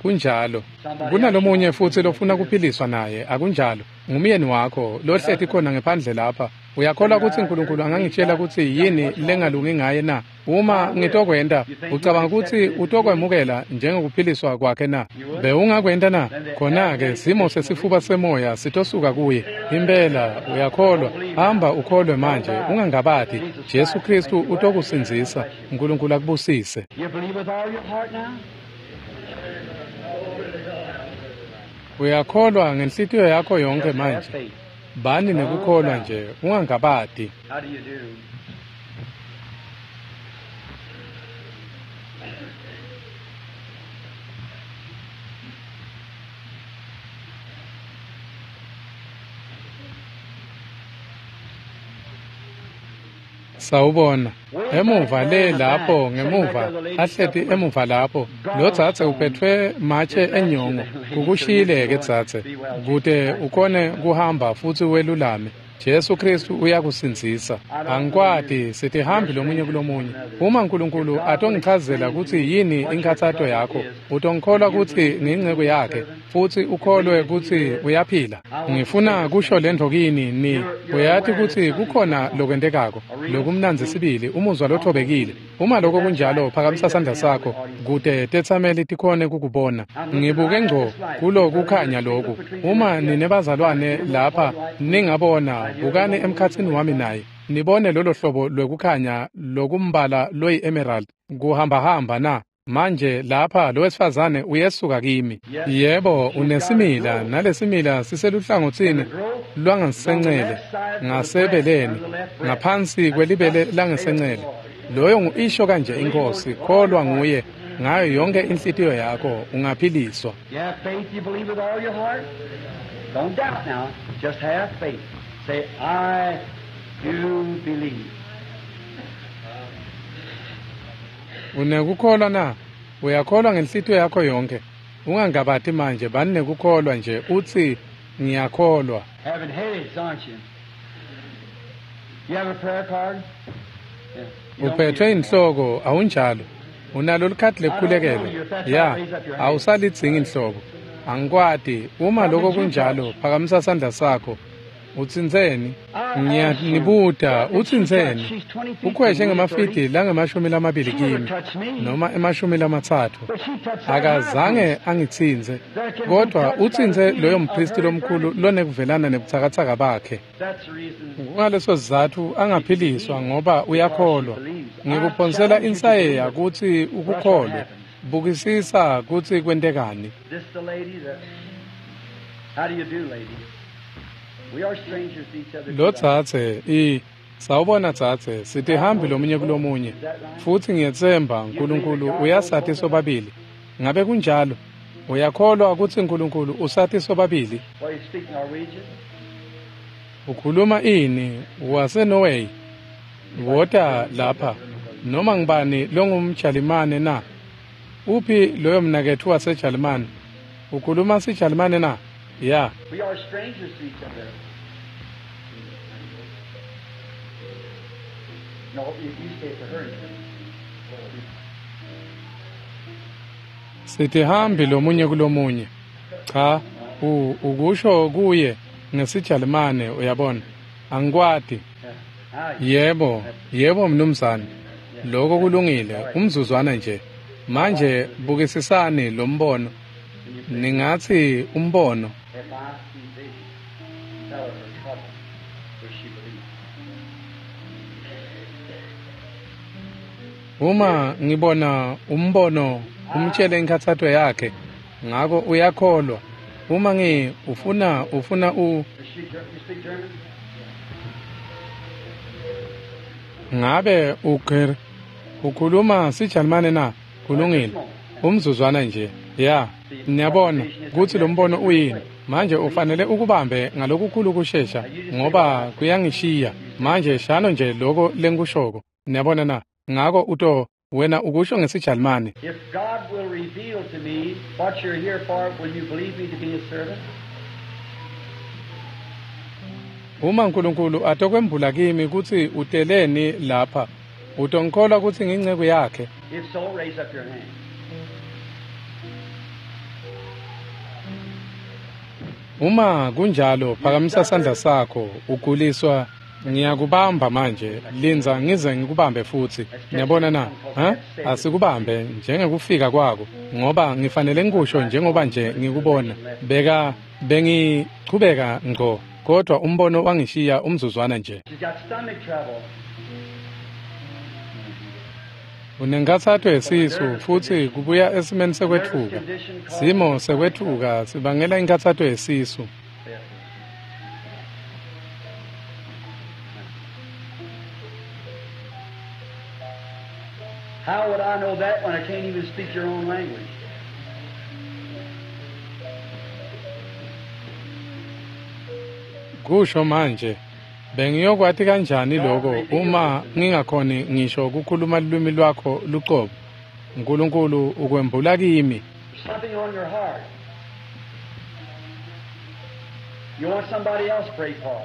Kunjalo. Kunalomunye futsi lofuna kuphiliswa naye, akunjalo? Ngumyeni wakho lohleti khona ngephandle lapha. Uyakholwa kutsi uNkulunkulu angangitshela kutsi yini lengalungi ngaye na? Uma ngitokwenta, ucabanga kutsi utokwemukela njengokuphiliswa kwakhe na? Bewungakwenta na? Khona-ke simo sesifuba semoya sitosuka kuye. Impela uyakholwa. Hamba ukholwe manje, ungangabati. Jesu Kristu utokusindzisa. uNkulunkulu akubusise. Uyakholwa ngenhlitiyo yakho yonke manje. Bani nekukholwa nje, ungangabati. Sawubona. Emuva le lapho ngemuva ahleti emuva lapho lo dzadze uphethwe matshe enyongo kukushiyile-ke dzadze kute ukhone kuhamba futsi welulame. Jesu Kristu uyakusindzisa. Angikwati sitihambi lomunye kulomunye. Uma Nkulunkulu atongichazela kutsi yini inkhatsato yakho, utongikholwa kutsi ngiyinceku yakhe futsi ukholwe kutsi uyaphila. Ngifuna kusho lentfo kini ni uyati kutsi kukhona lokwentekako lokumnandzi sibili, umuzwa lothobekile. Uma lokho kunjalo, phakamisa sandla sakho kute tetsameli tikhone kukubona. Ngibuke ngco kulokukhanya loku. Uma ninebazalwane lapha ningabona, bukani emkhatsini wami naye nibone lolo hlobo lwekukhanya lokumbala loyi-emerald kuhambahamba na. Manje lapha lo wesifazane uyesuka kimi. Yebo, unesimila nalesimila siseluhlangotsini lwangasencele ngasebeleni ngaphansi kwelibele langasencele. Loyo ngu-isho kanje inkosi, kholwa nguye ngayo yonke inhlitiyo yakho ungaphiliswa. You have faith, you believe with all your heart. Don't doubt now. Just have faith. Say, I do believe. Unekukholwa na? Uyakholwa ngenhlitiyo yakho yonke. Ungangabati manje, bani nekukholwa nje utsi ngiyakholwa. Having headaches, aren't you? You have a prayer card? Yeah. You don't Uphethwe need it. inhloko awunjalo? Unalo likhadi lekukhulekela? Ya, awusalidzingi inhloko. Angikwati. Uma lokho kunjalo, phakamisa sandla sakho. Utsintseni? Ngiyanibuta, utsintseni? Ukhweshe ngemafidi langemashumi lamabili kimi noma emashumi lamatsatfu. But she touched that Akazange angitsintse, kodwa utsintse loyo mphristi lomkhulu lonekuvelana nebutsakatsaka bakhe. That's the reason. Kungaleso sizatfu angaphiliswa ngoba uyakholwa. Ngikuphonsela insayeya kutsi ukukholwe. Bukisisa kutsi kwentekani. This the lady that. How do you do, lady? We are strangers to each other. Lo dzadze i sawubona dzadze, sitihambi lomunye kulomunye futsi ngiyetsemba Nkulunkulu uyasati sobabili. Ngabe kunjalo? Uyakholwa kutsi Nkulunkulu usati sobabili? Well, you speak Norwegian? Ukhuluma ini? WaseNorway? Wota lapha. Noma ngibani longumJalimane na? Uphi loyo mnaketfu waseJalimane? Ukhuluma siJalimane na? Ya. We are strangers to each other. No, you, you say it to her. Sitihambi lomunye kulomunye. Cha, u ukusho kuye ngesiJalimane uyabona. Angikwati. Yeah. Yebo, yebo mnumzane. Lokho kulungile, umzuzwana nje. Manje bukisisani lo mbono. Ningathi umbono. If I see vision, tell her her trouble, will she believe? Uma ngibona umbono umtshele inkhathato yakhe, ngako uyakholwa. Uma ngi ufuna ufuna u Does she, you speak German? ngabe uger ukhuluma siJalimane na? Kulungile. Umzuzwana nje. Ya, niyabona kutsi lo mbono uyini. Manje ufanele ukubambe ngalokukhulu kushesha ngoba kuyangishiya. Manje shano nje lokho lengikushoko. Niyabona na? Ngako uto wena ukusho ngesiJalimane. If God will reveal to me what you're here for, will you believe me to be his servant? Uma Nkulunkulu atokwembula kimi kutsi uteleni lapha, utongikholwa kutsi ngiyinceku yakhe? If so, raise up your hand. Uma kunjalo, phakamisa sandla sakho. Uguliswa, ngiyakubamba manje. Lindza ngize ngikubambe futsi. Niyabona na? Ha? Asikubambe njengekufika kwako, ngoba ngifanele ngikusho njengoba nje ngikubona. Beka bengichubeka ngco, kodwa umbono wangishiya umzuzwana nje. She's got stomach trouble. Unenkhatsato yesisu futsi kubuya esimeni sekwetfuka. Simo sekwetfuka sibangela inkhatsato yesisu. How would I know that when I can't even speak your own language? Kusho manje, Bengiyokwati kanjani lokho uma ngingakhoni ngisho ukukhuluma lulwimi lwakho luqobo? uNkulunkulu ukwembula kimi. Something on your heart. You want somebody else pray for.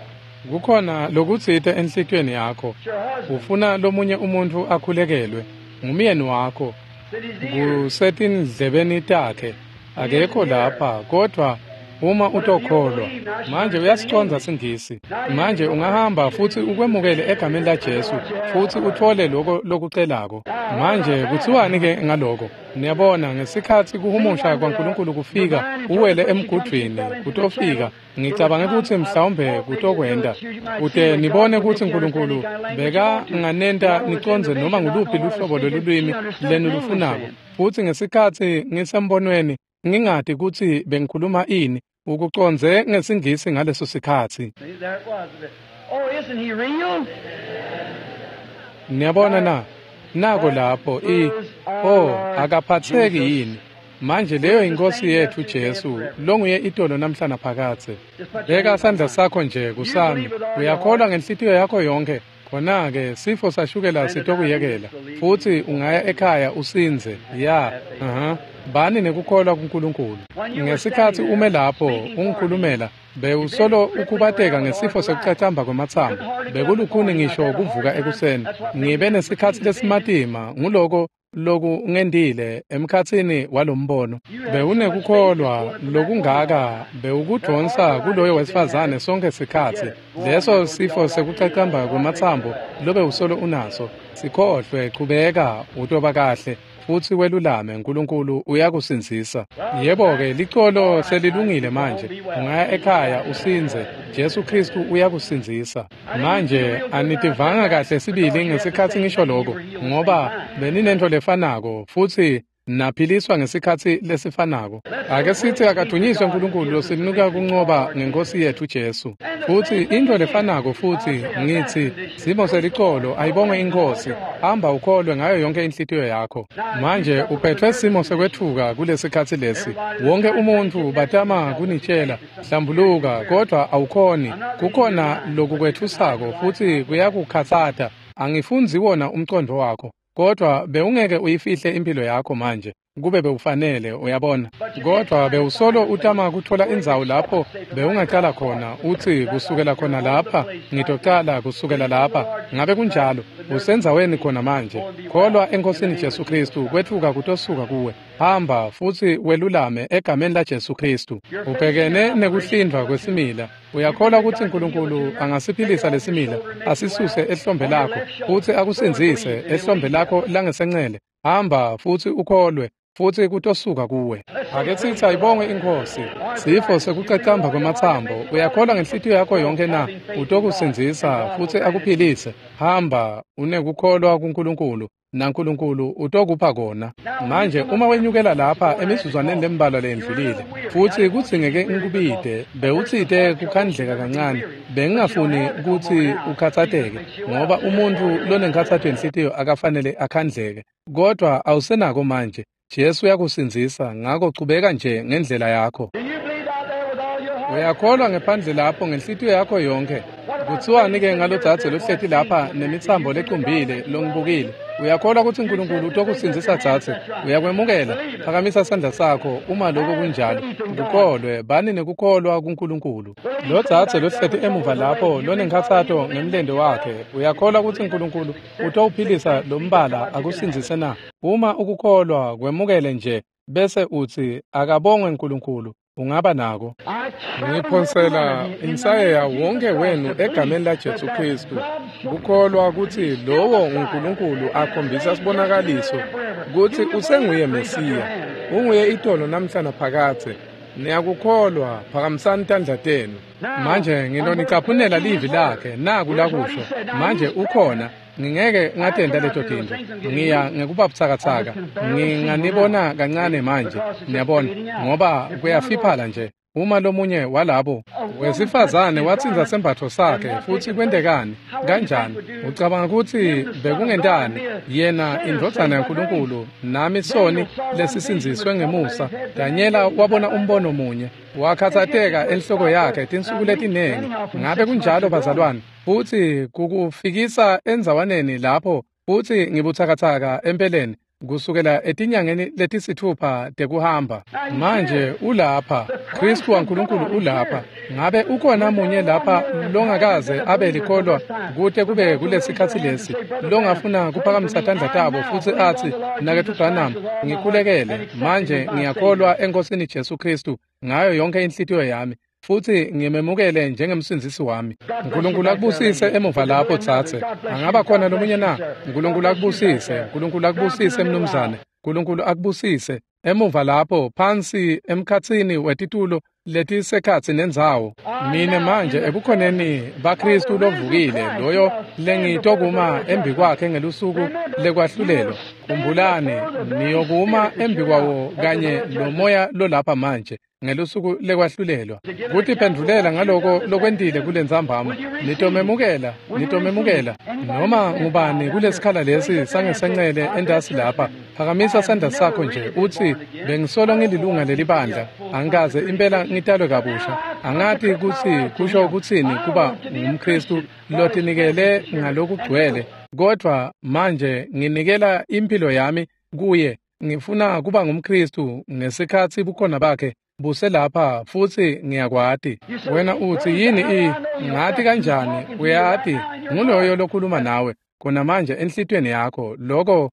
Kukhona lokutsite enhlitiyweni yakho. It's your husband. Ufuna lomunye umuntu akhulekelwe. Ngumyeni wakho. It's in his ear. Kusetindlebeni takhe. Akekho lapha kodwa uma utokholwa. Manje uyasicondza singisi. Manje ungahamba futhi ukwemukele egameni laJesu futhi uthole lokho lokucelako. Manje kuthiwani ke ngaloko? Niyabona ngesikhathi kuhumusha kwaNkulunkulu kufika uwele emgudwini kutofika ngicabange ukuthi mhlawumbe kutokwenda kute nibone ukuthi uNkulunkulu beka nganenta nicondze noma nguluphi luhlobo lolulwimi lenu lufunako. Futhi ngesikhathi ngisembonweni ngingati ukuthi bengikhuluma ini ukucondze ngesingisi ngaleso sikhathi. See, there it was. Oh, isn't he real? Niyabona na? Nako lapho i oh akaphatheki yini? Manje leyo inkosi yethu Jesu longuye itolo namhla naphakathe. Beka sandla sakho nje kusami. Uyakholwa ngenhlitiyo yakho yonke. Khona-ke sifo sashukela sitokuyekela futhi ungaya ekhaya usinze. Ya, aha. Bani nekukholwa kuNkulunkulu. Ngesikhathi ume lapho ungikhulumela bewusolo ukubateka ngesifo sekucacamba kwamathambo. Bekulukhuni ngisho ukuvuka ekuseni. Ngibe nesikhathi lesimatima nguloko loku ngendile emkhathini walombono. Bewunekukholwa lokungaka bewukudonsa kuloyo wesifazane sonke sikhathi. Leso sifo sekucacamba kwamathambo lobe usolo unaso. Sikhohlwe, qhubeka utoba kahle futhi welulame, uNkulunkulu uyakusindzisa. Yebo-ke licolo selilungile manje. Ungaya ekhaya usinze. Jesu Kristu uyakusindzisa. Manje anitivanga kahle sibili ngesikhathi ngisho lokho ngoba beninento lefanako futhi naphiliswa ngesikhathi lesifanako. Ake sithi akadunyiswe uNkulunkulu losinika kunqoba ngenkosi yethu Jesu. Futhi into lefanako futhi ngithi simo selicolo ayibongwe inkosi. Hamba ukholwe ngayo yonke inhlitiyo yakho. Manje uphethwe simo sekwethuka kulesikhathi lesi. Wonke umuntu batama kunitshela hlambuluka kodwa awukhoni. Kukhona lokukwethusako futhi kuyakukhathata. Angifunzi wona umqondo wakho. Kodwa bewungeke uyifihle impilo yakho manje kube bewufanele uyabona. Kodwa bewusolo utama kuthola indzawo lapho bewungaqala khona uthi kusukela khona lapha ngitocala kusukela lapha. Ngabe kunjalo? Usendzaweni khona manje. Kholwa enkosini Jesu Kristu kwethuka kutosuka kuwe. Hamba futhi welulame egameni laJesu Kristu. Ubhekene nekuhlindwa kwesimila. Uyakholwa ukuthi uNkulunkulu angasiphilisa lesimila asisuse ehlombe lakho futhi akusindzise ehlombe lakho langesencele. Hamba futhi ukholwe futhi kutosuka kuwe. Ake sithi ayibongwe inkosi. Sifo sekucacamba kwamathambo. Uyakholwa ngenhlitiyo yakho yonke na? Utokusindzisa futhi akuphilise. Hamba unekukholwa kuNkulunkulu naNkulunkulu utokupha kona. Manje uma wenyukela lapha emizuzwaneni lembalwa lendlulile futhi kudzingeke ngikubide bewutsite kukhandleka kancane. Bengingafuni ukuthi ukhathateke ngoba umuntu lonenkhathato yenhlitiyo akafanele akhandleke. Kodwa awusenako manje. Jesu uyakusindzisa ngakho chubeka nje ngendlela yakho. Do you believe out there with all your heart? Uyakholwa ngephandle lapho ngenhlitiyo yakho yonke. Kuthiwani ke ngalodzadze lohleti lapha nemitsambo lecumbile longibukile? Uyakholwa ukuthi uNkulunkulu utokusindzisa dzadze? Uyakwemukela? Phakamisa sandla sakho uma lokho kunjalo. Kukholwe, bani nekukholwa kuNkulunkulu. Lo dzadze lohleti emuva lapho lonenkhathato ngemlendo wakhe. Uyakholwa ukuthi uNkulunkulu utowuphilisa lo mbala akusindzise na? Uma ukukholwa kwemukele nje bese uthi akabongwe uNkulunkulu. Ungaba nako. Ngiphonsela insayeya wonke wenu egameni laJesu Kristu. Kukholwa ukuthi lowo uNkulunkulu akhombisa sibonakaliso ukuthi usenguye Mesiya. Unguye itolo namhla naphakathe. Niyakukholwa, phakamisani tandla tenu. Manje ngilonicaphunela livi lakhe naku lakusho. Manje ukhona. Ngingeke ngatenda leto tinto. Ngiya ngekuba butsakatsaka. Nginganibona kancane manje. Niyabona ngoba kuyafiphala nje. Uma lomunye walabo wesifazane watsintsa sembatfo sakhe, futsi kwentekani? Kanjani? Ucabanga kutsi bekungentani? Yena indvodzana yaNkulunkulu, nami soni lesisindziswe ngemusa. Danyela wabona umbono munye, wakhatsateka enhloko yakhe tinsuku letinengi. Ngabe kunjalo bazalwane? Futsi kukufikisa endzawaneni lapho futsi ngibutsakatsaka empeleni kusukela etinyangeni letisitfupha tekuhamba. Manje ulapha, Khristu waNkulunkulu ulapha. Ngabe ukhona munye lapha longakaze abe likholwa kute kube kulesikhatsi lesi, longafuna kuphakamisa tandla tabo futsi atsi, Mnaketfu Branham, ngikhulekele, manje ngiyakholwa eNkosini Jesu Khristu ngayo yonke inhlitiyo yami, futsi ngimemukele njengemsindzisi wami. Nkulunkulu akubusise emuva lapho tsatse. Angaba khona lomunye na? Nkulunkulu akubusise, Nkulunkulu akubusise mnumzane. Nkulunkulu akubusise emuva lapho phansi emkhatsini wetitulo letisekhatsi nendzawo. Mine manje ebukhoneni baKhristu lovukile, loyo lengitokuma embikwakhe ngelusuku lekwahlulelwa. Khumbulani, niyokuma embikwawo kanye lomoya lolapha manje ngelusuku lekwahlulelwa. Kutiphendvulela ngaloko lokwentile kulentsambama. Nitomemukela, nitomemukela. Noma ngubani kulesikhala lesi sangesencele entasi lapha, phakamisa sandla sakho nje utsi, bengisolo ngililunga lelibandla, angikaze impela ngitalwe kabusha. Angati kutsi kusho kutsini kuba ngumKhristu lotinikele ngalokugcwele, kodvwa manje nginikela imphilo yami kuye. Ngifuna kuba ngumKhristu ngesikhatsi bukhona bakhe buselapha, futsi ngiyakwati. Wena utsi, yini i ngati kanjani? Uyati, nguloyo lokhuluma nawe khona manje enhlitiyweni yakho. Loko